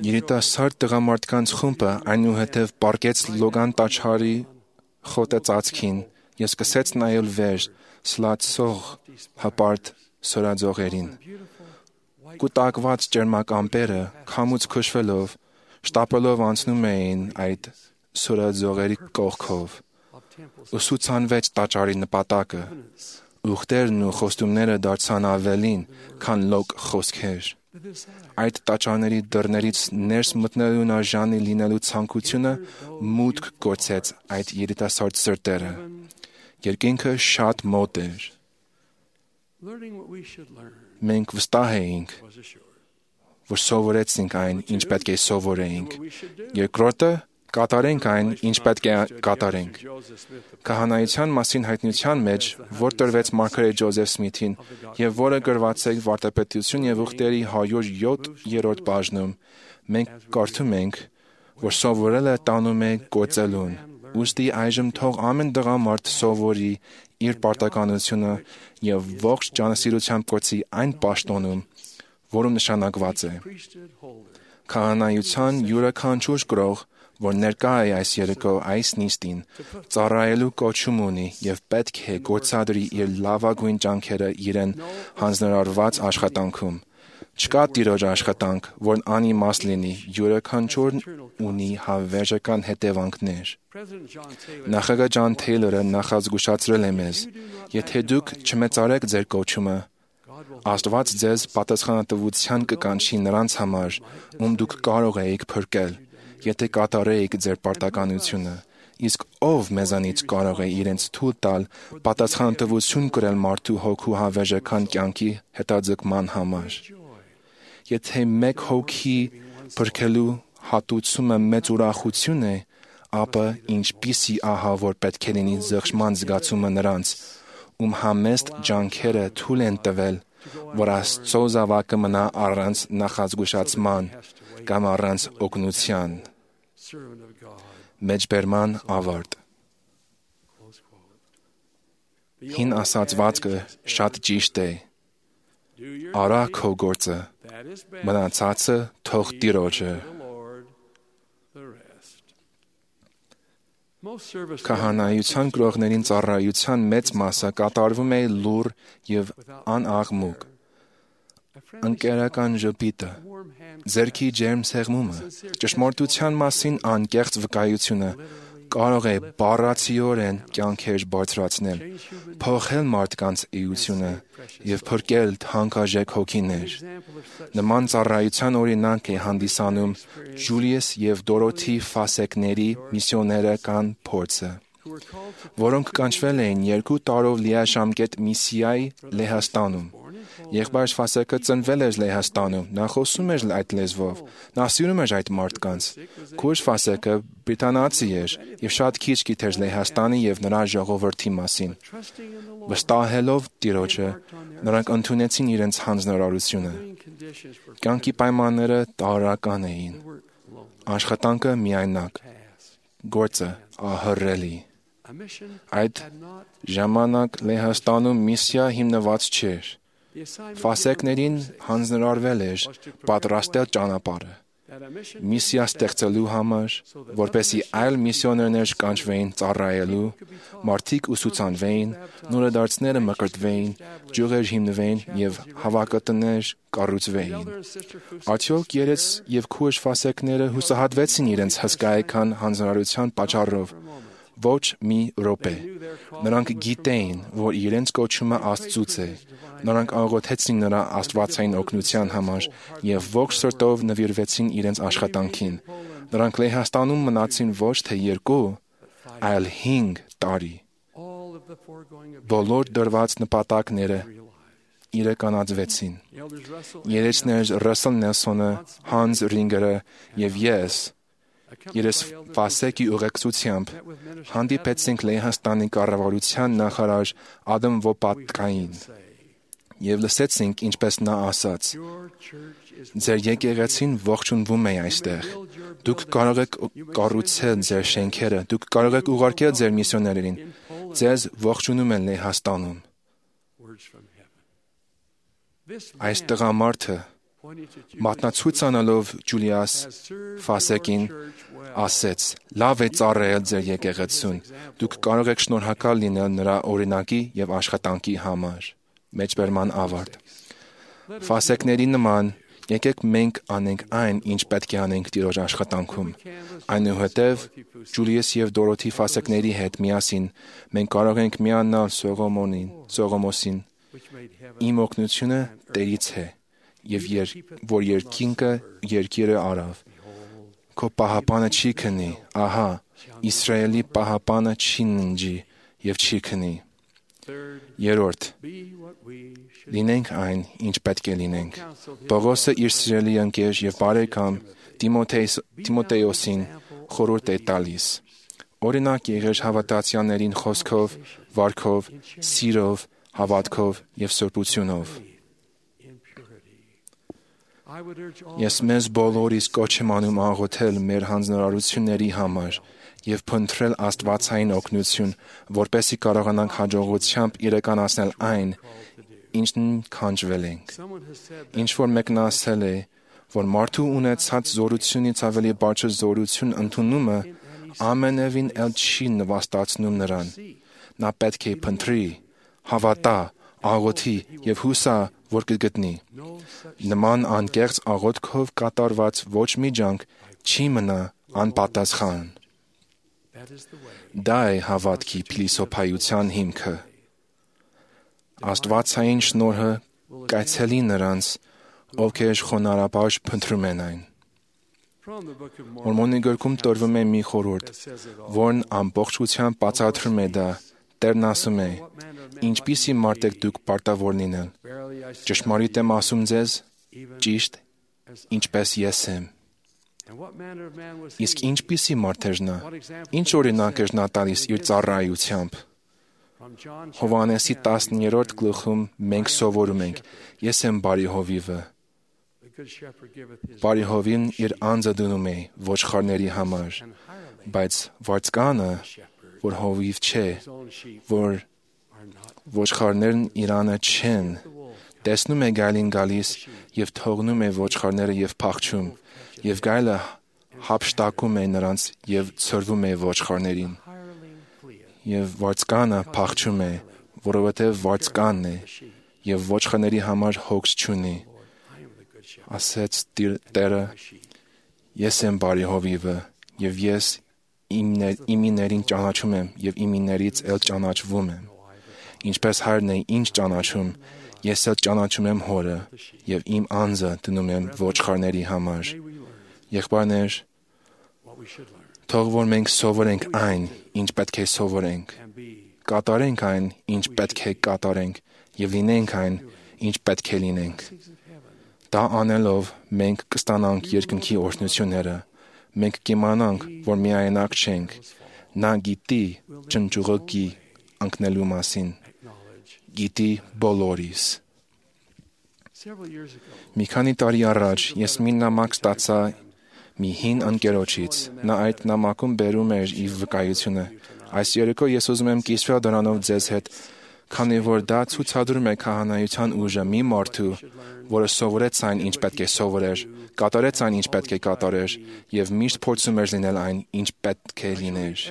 B: Երիտասարդ տղամարդկանց խումբը այնուհետև պառկեց Լոգան տաճարի խոտածածկին եւ սկսեց նայել վեր սլացող հպարտ սորաձողերին։ Կուտակված ջերմակ ամպերը քամուց քշվելով, շտապելով անցնում էին այդ սորաձողերի կողքով։ Ուսուցանվեց տաճարի նպատակը։ Ուխտերն ու խոստումները դարձան ավելին, քան լոկ խոսքեր։ Այդ տաճարների դռներից ներս մտնելուն արժանի լինելու ցանկությունը մուտք գործեց այդ երիտասարդ սրտերը։ Երկինքը շատ մոտ էր։ Մենք վստահ էինք, որ սովորեցինք այն, ինչ պետք է սովորեինք։ Երկրորդը կատարենք այն, ինչ պետք է կատարենք։ Քահանայության մասին հայտնության մեջ, որ տրվեց մարգարետ Ջոզեֆ Սմիթին եւ որը գրված է Վարդապետություն եւ ուխտերի 107-րդ բաժնում, մենք կարդում ենք, որ սովորելը տանում է կոծելուն։ Ուստի այժմ թող ամեն տղամարդ սովորի իր պարտականությունը եւ ողջ ջանասիրությամբ կոչի այն պաշտոնում, որում նշանակված է։ Քահանայության յուրաքանչյուր գրող որ ներկա է այս երեկո այս նիստին, ծառայելու կոչում ունի եւ պետք է գործադրի իր լավագույն ջանքերը իրեն հանձնարարված աշխատանքում։ Չկա տիրոջ աշխատանք, որն անիմաստ լինի, յուրաքանչյուրն ունի հավերժական հետևանքներ։ Նախագահ Ջոն Թեյլորը նախազգուշացրել է մեզ. եթե դուք չմեծարեք ձեր կոչումը, Աստված ձեզ պատասխանատվության կկանչի նրանց համար, ում դուք կարող էիք փրկել, եթե կատարեիք ձեր պարտականությունը, իսկ ով մեզանից կարող է իրենց թույլ տալ պատասխանատվություն կրել մարդու հոգու հավերժական կյանքի հետաձգման համար։ Եթե մեկ հոգի փրկելու հատուցումը մեծ ուրախություն է, ապա ինչպիսի ահավոր պետք է լինի զղջման զգացումը նրանց, ում համեստ ջանքերը թույլ են տվել, որ Աստծո զավակը մնա առանց նախազգուշացման կամ առանց օգնության։ Մեջբերման ավարտ։ Հին ասացվածքը շատ ճիշտ է. արա քո գործը, մնացածը թող Տիրոջը։ Քահանայության գրողներին ծառայության մեծ մասը կատարվում է լուռ եւ անաղմուկ։ Ընկերական ժպիտը, ձեռքի ջերմ սեղմումը, ճշմարտության մասին անկեղծ վկայությունը կարող է բառացիորեն կյանքեր բարձրացնել, փոխել մարդկանց էությունը եւ փրկել թանկարժեք հոգիներ։ Նման ծառայության օրինակ է հանդիսանում Ջուլիուս եւ Դորոթի Ֆասեկների միսիոներական փորձը, որոնք կանչվել էին 2 տարով լիաժամկետ միսիայի Լեհաստանում։ Եղբայր Ֆասեկը ծնվել էր Լեհաստանում, նա խոսում էր այդ լեզվով, նա սիրում էր այդ մարդկանց։ Քույր Ֆասեկը բրիտանացի էր եւ շատ քիչ գիտեր Լեհաստանի եւ նրա ժողովրդի մասին։ Վստահելով Տիրոջը, նրանք ընդունեցին իրենց հանձնարարությունը։ Կյանքի պայմանները տարրական էին։ Աշխատանքը միայնակ, գործը ահռելի։ Այդ ժամանակ Լեհաստանում միսիա հիմնված չէր։ Ֆասեկներին հանձնարարվել էր պատրաստել ճանապարհը միսիա ստեղծելու համար, որպեսզի այլ միսիոներներ կանչվեին ծառայելու, մարդիկ ուսուցանվեին, նորադարձները մկրտվեին, ջուղեր հիմնվեին եւ հավաքատներ կառուցվեին։ Արդյոք երես եւ քույր Ֆասեկները հուսահատվեցին իրենց հսկայական հանձնարարության պատճառով։ Ոչ մի րոպե։ Նրանք գիտեին, որ իրենց կոչումը Աստծուց է։ Նրանք աղոթեցին նրա աստվածային օգնության համար եւ ողջ սրտով նվիրվեցին իրենց աշխատանքին։ Նրանք Լեհաստանում մնացին ոչ թե 2, այլ 5 տարի։ Բոլոր դրված նպատակները իրականացվեցին։ Երեցներ Ռասել Նելսոնը, Հանս Ռինգերը եւ ես Ֆասեկի ուղեկցությամբ հանդիպեցինք Լեհաստանի կառավարության նախարար Ադամ Վոպատկային եւ լսեցինք, ինչպես նա ասաց. «Ձեր եկեղեցին ողջունվում է այստեղ։ Դուք կարող եք կառուցել ձեր շենքերը, դուք կարող եք ուղարկել ձեր միսիոներերին։ Ձեզ ողջունում են Լեհաստանում»։ Այս տղամարդը մատնացույց անելով Ջուլիուս Ֆասեկին ասեց. «Լավ է ծառայել ձեր եկեղեցուն, դուք կարող եք շնորհակալ լինել նրա օրինակի եւ աշխատանքի համար»։ Մեջբերման ավարտ։ Ֆասեկների նման եկեք մենք անենք այն, ինչ պետք է անենք Տիրոջ աշխատանքում։ Այնուհետև Ջուլիուս եւ Դորոթի Ֆասեկների հետ միասին մենք կարող ենք միանալ Սողոմոսին. «Իմ օգնությունը Տերից է, եւ որ երկիրը արավ։ Քո պահապանը չի քնի, ահա, Իսրայելի պահապանը չի ննջի եւ չի քնի»։ Երրորդ. լինենք այն, ինչ պետք է լինենք։ Պողոսը իր սիրելի ընկեր եւ բարեկամ Տիմոթեոսին խորհուրդ է տալիս. օրինակ եղեր հավատացյալներին խոսքով, վարքով, սիրով, հավատքով եւ սրբությունով։ Ես մեզ բոլորիս կոչ եմ անում աղոթել մեր հանձնարարությունների համար եւ փնտրել աստվածային օգնություն, որպեսզի կարողանանք հաջողությամբ իրականացնել այն, ինչն կանչվել ենք։ Ինչ որ մեկն ասել է, որ մարդու ունեցած զորությունից ավելի բարձր զորություն ընդունումը ամենևին էլ չի նվաստացնում նրան։ Նա պետք է փնտրի, հավատա, աղոթի եւ հուսա, որ կգտնի։ Նման անկեղծ աղոթքով կատարված ոչ մի ջանք չի մնա անպատասխան։ Դա է հավատքի փիլիսոփայության հիմքը։ Աստվածային շնորհը կայցելի նրանց, ովքեր խոնարհաբար փնտրում են այն։ Մորմոնի գրքում տրվում է մի խորհուրդ, որն ամբողջությամբ բացատրում է դա։ Տերն ասում է. «Ինչպիսի մարդ եք դուք պարտավոր լինել։ Ճշմարիտ եմ ասում ձեզ, ճիշտ, ինչպես ես եմ»։ Իսկ ինչպիսի մարդ էր նա։ Ինչ օրինակ էր նա տալիս իր ծառայությամբ։ Հովհաննեսի 10-րդ գլխում մենք սովորում ենք. «Ես եմ բարի հովիվը»։ Բարի հովին իր անձը դնում է ոչխարների համար, բայց վարձկանը, որ հովիվ չէ, որ ոչխարներն իրանը չեն, տեսնում է գայլին գալիս եւ թողնում է ոչխարները եւ փախչում, եւ գայլը հափշտակում է նրանց եւ ցրվում է ոչխարներին։ Եվ վարձկանը փախչում է, որովհետեւ վարձկանն է եւ ոչխարների համար հոգս չունի։ Ասեց Տերը. «Ես եմ բարի հովիվը, եւ ես իմիներին ճանաչում եմ եւ իմիներից էլ ճանաչվում եմ։ Ինչպես հայրն է ինձ ճանաչում, ես էլ ճանաչում եմ հորը եւ իմ անձը դնում եմ ոչխարների համար»։ Եղբայրներ, թող որ մենք սովորենք այն, ինչ պետք է սովորենք, կատարենք այն, ինչ պետք է կատարենք եւ լինենք այն, ինչ պետք է լինենք։ Դա անելով մենք կստանանք երկնքի օրհնությունները։ Մենք կիմանանք, որ միայնակ չենք։ Նա գիտի ճնճուղը ընկնելու մասին։ Գիտի բոլորիս։ Մի քանի տարի առաջ ես մի նամակ ստացա մի հին ընկերոջից։ Նա այդ նամակում բերում էր իր վկայությունը։ Այս երեկո ես ուզում եմ կիսվել դրանով ձեզ հետ, քանի որ դա ցուցադրում է քահանայության ուժը մի մարդու, որը սովորեց այն, ինչ պետք է սովորեր, կատարեց այն, ինչ պետք է կատարեր, եւ միշտ փորձում էր լինել այն, ինչ պետք է լիներ։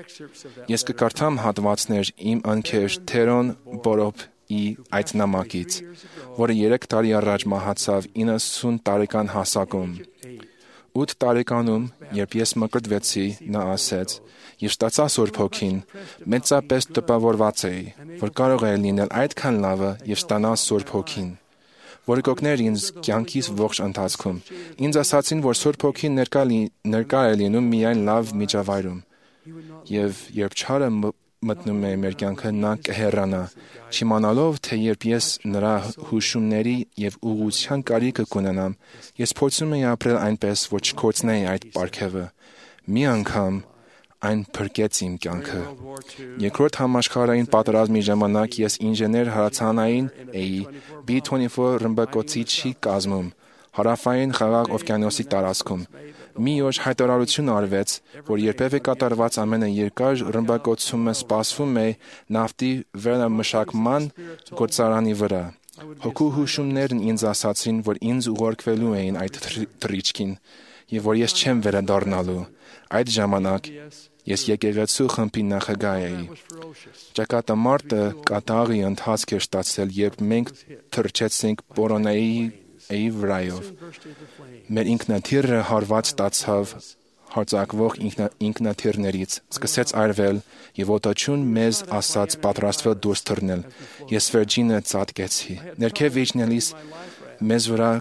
B: Ես կկարդամ հատվածներ իմ ընկեր Թերոն Բորոփի այդ նամակից, որը 3 տարի առաջ մահացավ 90 տարեկան հասակում։ 8 տարեկանում, երբ ես մկրտվեցի, նա ասեց. «Ես ստացա Սուրբ Հոգին, մեծապես տպավորված էի, որ կարող է լինել այդքան լավը եւ ստանալ Սուրբ Հոգին, որը կօգներ ինձ կյանքիս ողջ ընթացքում։ Ինձ ասացին, որ Սուրբ Հոգին ներկա է լինում միայն լավ միջավայրում, եւ երբ չարը մտնում է մեր կյանքը, նա կհեռանա, չիմանալով, թե երբ ես նրա հուշումների եւ ուղղության կարիքը կունենամ, ես փորձում եի ապրել այնպես, որ չկորցնեի այդ պարգևը։ Մի անգամ այն փրկեց իմ կյանքը։ Երկրորդ համաշխարհային պատերազմի ժամանակ ես ինժեներ հարացանային էի B-24 ռմբակոծիչի կազմում, հարավային Խաղաղ օվկիանոսի տարածքում։ Մի օր հայտարարություն արվեց, որ երբևէ կատարված ամենաերկար ռմբակոծումը սպասվում է նավթի վերամշակման գործարանի վրա։ Հոգու հուշումներն ինձ ասացին, որ ինձ ուղարկվելու էին այդ թռիչքին, եւ որ ես չեմ վերադառնալու։ Այդ ժամանակ ես եկեղեցու խմբի նախագահ էի։ Ճակատամարտը կատաղի ընթացք էր ստացել, երբ մենք թռչեցինք Պորոնեի վրայով։ Մեր ինքնաթիռը հարված ստացավ հարձակվող ինքնաթիռներից, սկսեց այրվել եւ օտաչուն մեզ ասաց պատրաստվել դուրս թռնել։ Ես վերջինը ծածկեցի։ Ներքև իջնելիս մեզ վրա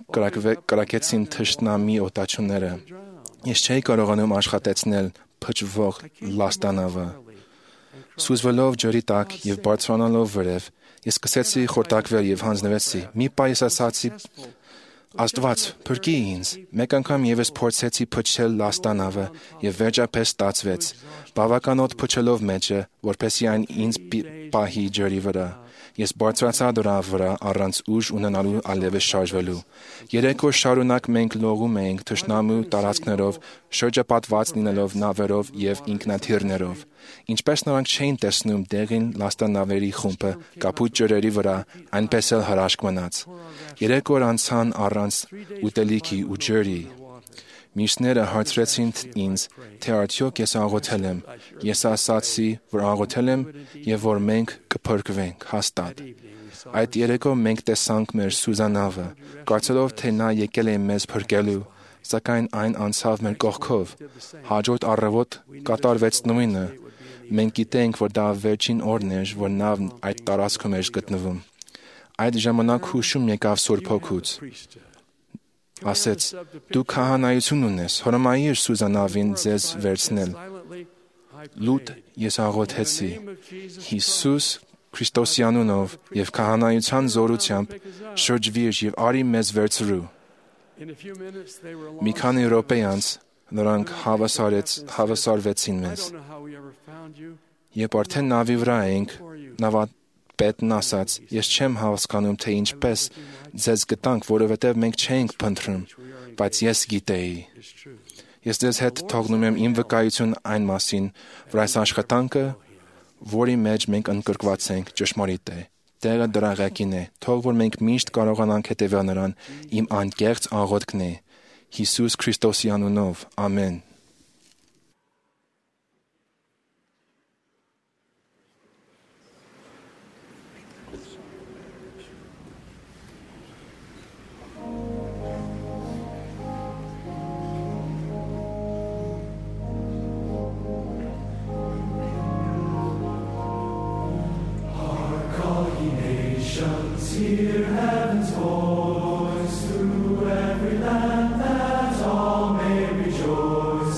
B: կրակեցին թշնամի օտաչունները։ Ես չէի կարողանում աշխատեցնել փչվող լաստանավը։ Սուզվելով ջրի տակ եւ բարձրանալով վրև, ես սկսեցի խորտակվել եւ հանձնվեցի։ Մի պահ ես ասացի. «Աստված, փրկի ինձ»։ Մեկ անգամ եւս փորձեցի փչել լաստանավը եւ վերջապես ստացվեց։ Բավականոտ փչելով մեջը, որպեսզի այն ինձ պահի ջրի վրա։ Ես բարձրացա դրա վրա առանց ուժ ունենալու ալևս շարժվելու։ 3 օր շարունակ մենք լողում էինք թշնամու տարածքներով, շրջապատված լինելով նավերով եւ ինքնաթիռներով։ Ինչպես նրանք չէին տեսնում դեղին լաստանավերի խումբը կապույտ ջրերի վրա, այնպես էլ հրաշք մնաց։ 3 օր անցան առանց ուտելիքի ու ջրի։ Մյուսները հարցրեցին ինձ, թե արդյոք ես աղոթել եմ։ Ես ասացի, որ աղոթել եմ եւ որ մենք կփրկվենք հաստատ։ Այդ երեկո մենք տեսանք մեր Սուզանավը, կարծելով թե նա եկել է մեզ փրկելու, սակայն այն անցավ մեր կողքով։ Հաջորդ առավոտ կատարվեց նույնը։ Մենք գիտենք, որ դա վերջին օրն էր, որ նավն այդ տարածքում էր գտնվում։ Այդ ժամանակ հուշում եկավ Սուրբ Հոգուց։ Ասեց. դու քահանայություն ունես, հրամայիր Սուզանավին ձեզ վերցնել։ Լուտ ես աղոթեցի. Հիսուս Քրիստոսի անունով եւ քահանայության զորությամբ շրջվիր եւ արի մեզ վերցրու։ Մի քանի րոպե անց նրանք հավասարվեցին մեզ։ Երբ արդեն նավի վրա էինք, նավապետն ասաց. ես չեմ հասկանում, թե ինչպես ձեզ գտանք, որովհետև մենք չէինք փնտրում, բայց ես գիտեի։ Ես ձեզ հետ թողնում եմ իմ վկայություն այն մասին, որ այս աշխատանքը, որի մեջ մենք ընդգրկված ենք, ճշմարիտ է։ Տեղը դրա ղեկին է։ Թող որ մենք միշտ կարողանանք հետևել նրան, իմ անկեղծ աղոթքն է։ Հիսուս Քրիստոսի անունով։ Ամեն։
J: Hear heaven's voice through every land, that all may rejoice.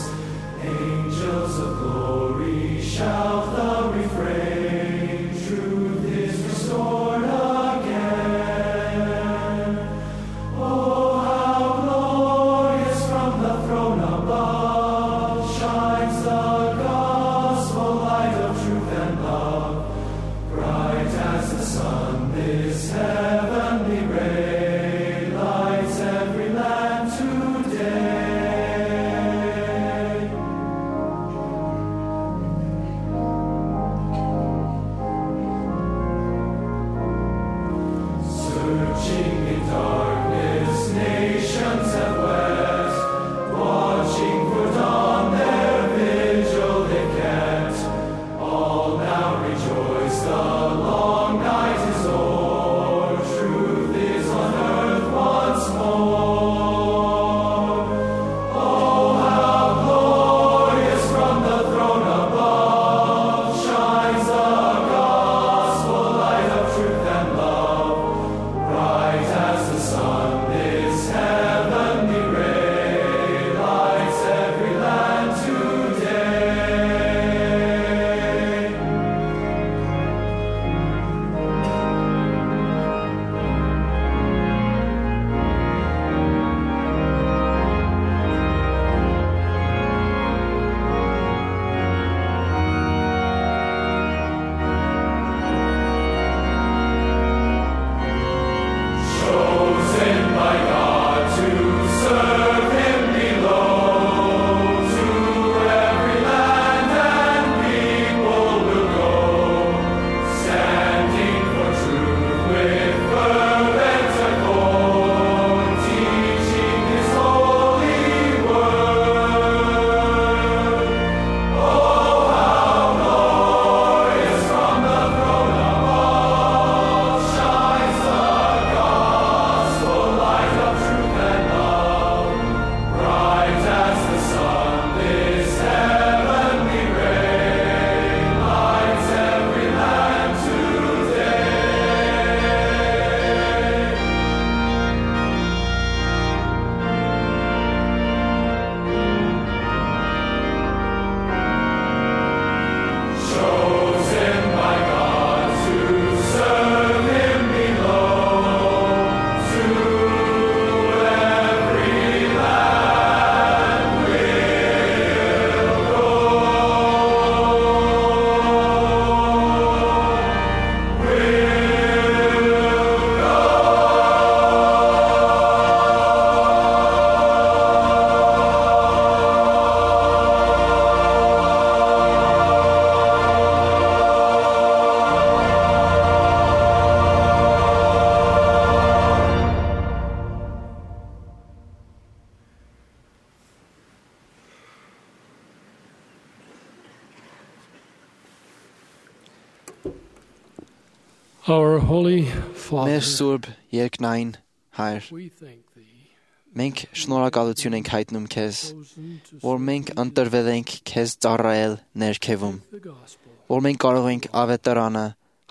C: Our Holy
H: Մեր
C: Father,
H: Սուրբ երկնային Հայր,
C: we thank Thee,
H: մենք շնորհակալություն ենք հայտնում Քեզ,
C: chosen to
H: որ մենք ընտրվել ենք Քեզ ծառայել ներքևում,
C: the gospel.
H: որ մենք կարող ենք ավետարանը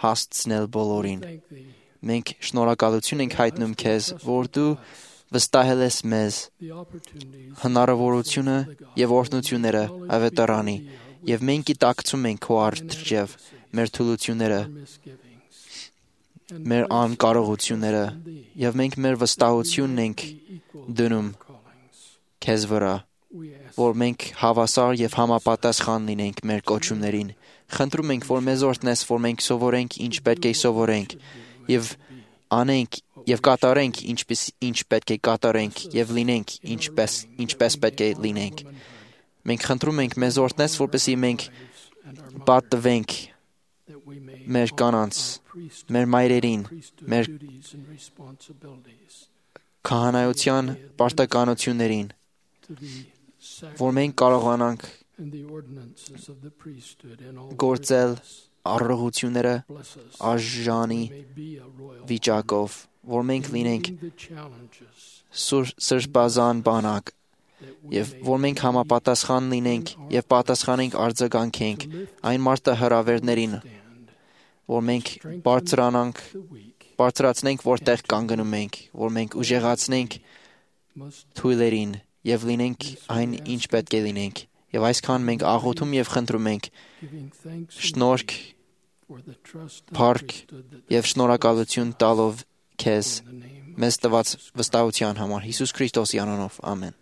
H: հասցնել բոլորին։
C: Thank Thee,
H: Մենք շնորհակալություն ենք հայտնում Քեզ, որ Դու վստահել ես մեզ
C: the opportunities
H: հնարավորությունը եւ օրհնությունները ավետարանի, եւ մենք գիտակցում ենք Քո առջև մեր թուլությունները,
C: misgivings,
H: մեր անկարողությունները, եւ մենք մեր վստահությունն ենք դնում
C: callings.
H: Քեզ վրա,
C: We ask
H: որ մենք հավասար եւ համապատասխան լինենք մեր կոչումներին։ Խնդրում ենք, որ մեզ օրհնես, որ մենք սովորենք ինչ պետք է սովորենք եւ անենք եւ կատարենք ինչ պետք է կատարենք եւ լինենք ինչպես պետք է լինենք։ Մենք խնդրում ենք մեզ օրհնես, որպեսզի մենք պատվենք
C: that we may
H: մեր կանանց,
C: priesthood,
H: մեր մայրերին,
C: priesthood
H: մեր
C: duties and responsibilities
H: քահանայության պարտականություններին,
C: to the sacrifice
H: որ մենք կարողանանք
C: and the ordinances of the priesthood in all
H: գործել
C: worthiness.
H: առողությունները
C: Bless us,
H: արժանի
C: may be a royal
H: վիճակով, որ մենք լինենք
C: meeting the challenges
H: սրբազան բանակ
C: that we
H: եւ որ մենք համապատասխան լինենք եւ պատասխանենք արձագանքենք այն մարտահրավերներին,
C: stand,
H: որ մենք բարձրանանք,
C: the weak
H: բարձրացնենք, որտեղ կանգնում ենք, որ մենք ուժեղացնենք
C: must
H: թույլերին եւ լինենք այն, ինչ պետք է լինենք։ Եվ այսքան մենք աղոթում եւ խնդրում ենք
C: giving thanks
H: շնորհք,
C: for the trust of
H: փառք
C: priesthood that
H: եւ շնորհակալություն տալով Քեզ
C: in the name
H: մեզ տված վստահության համար Հիսուս Քրիստոսի անունով ամեն։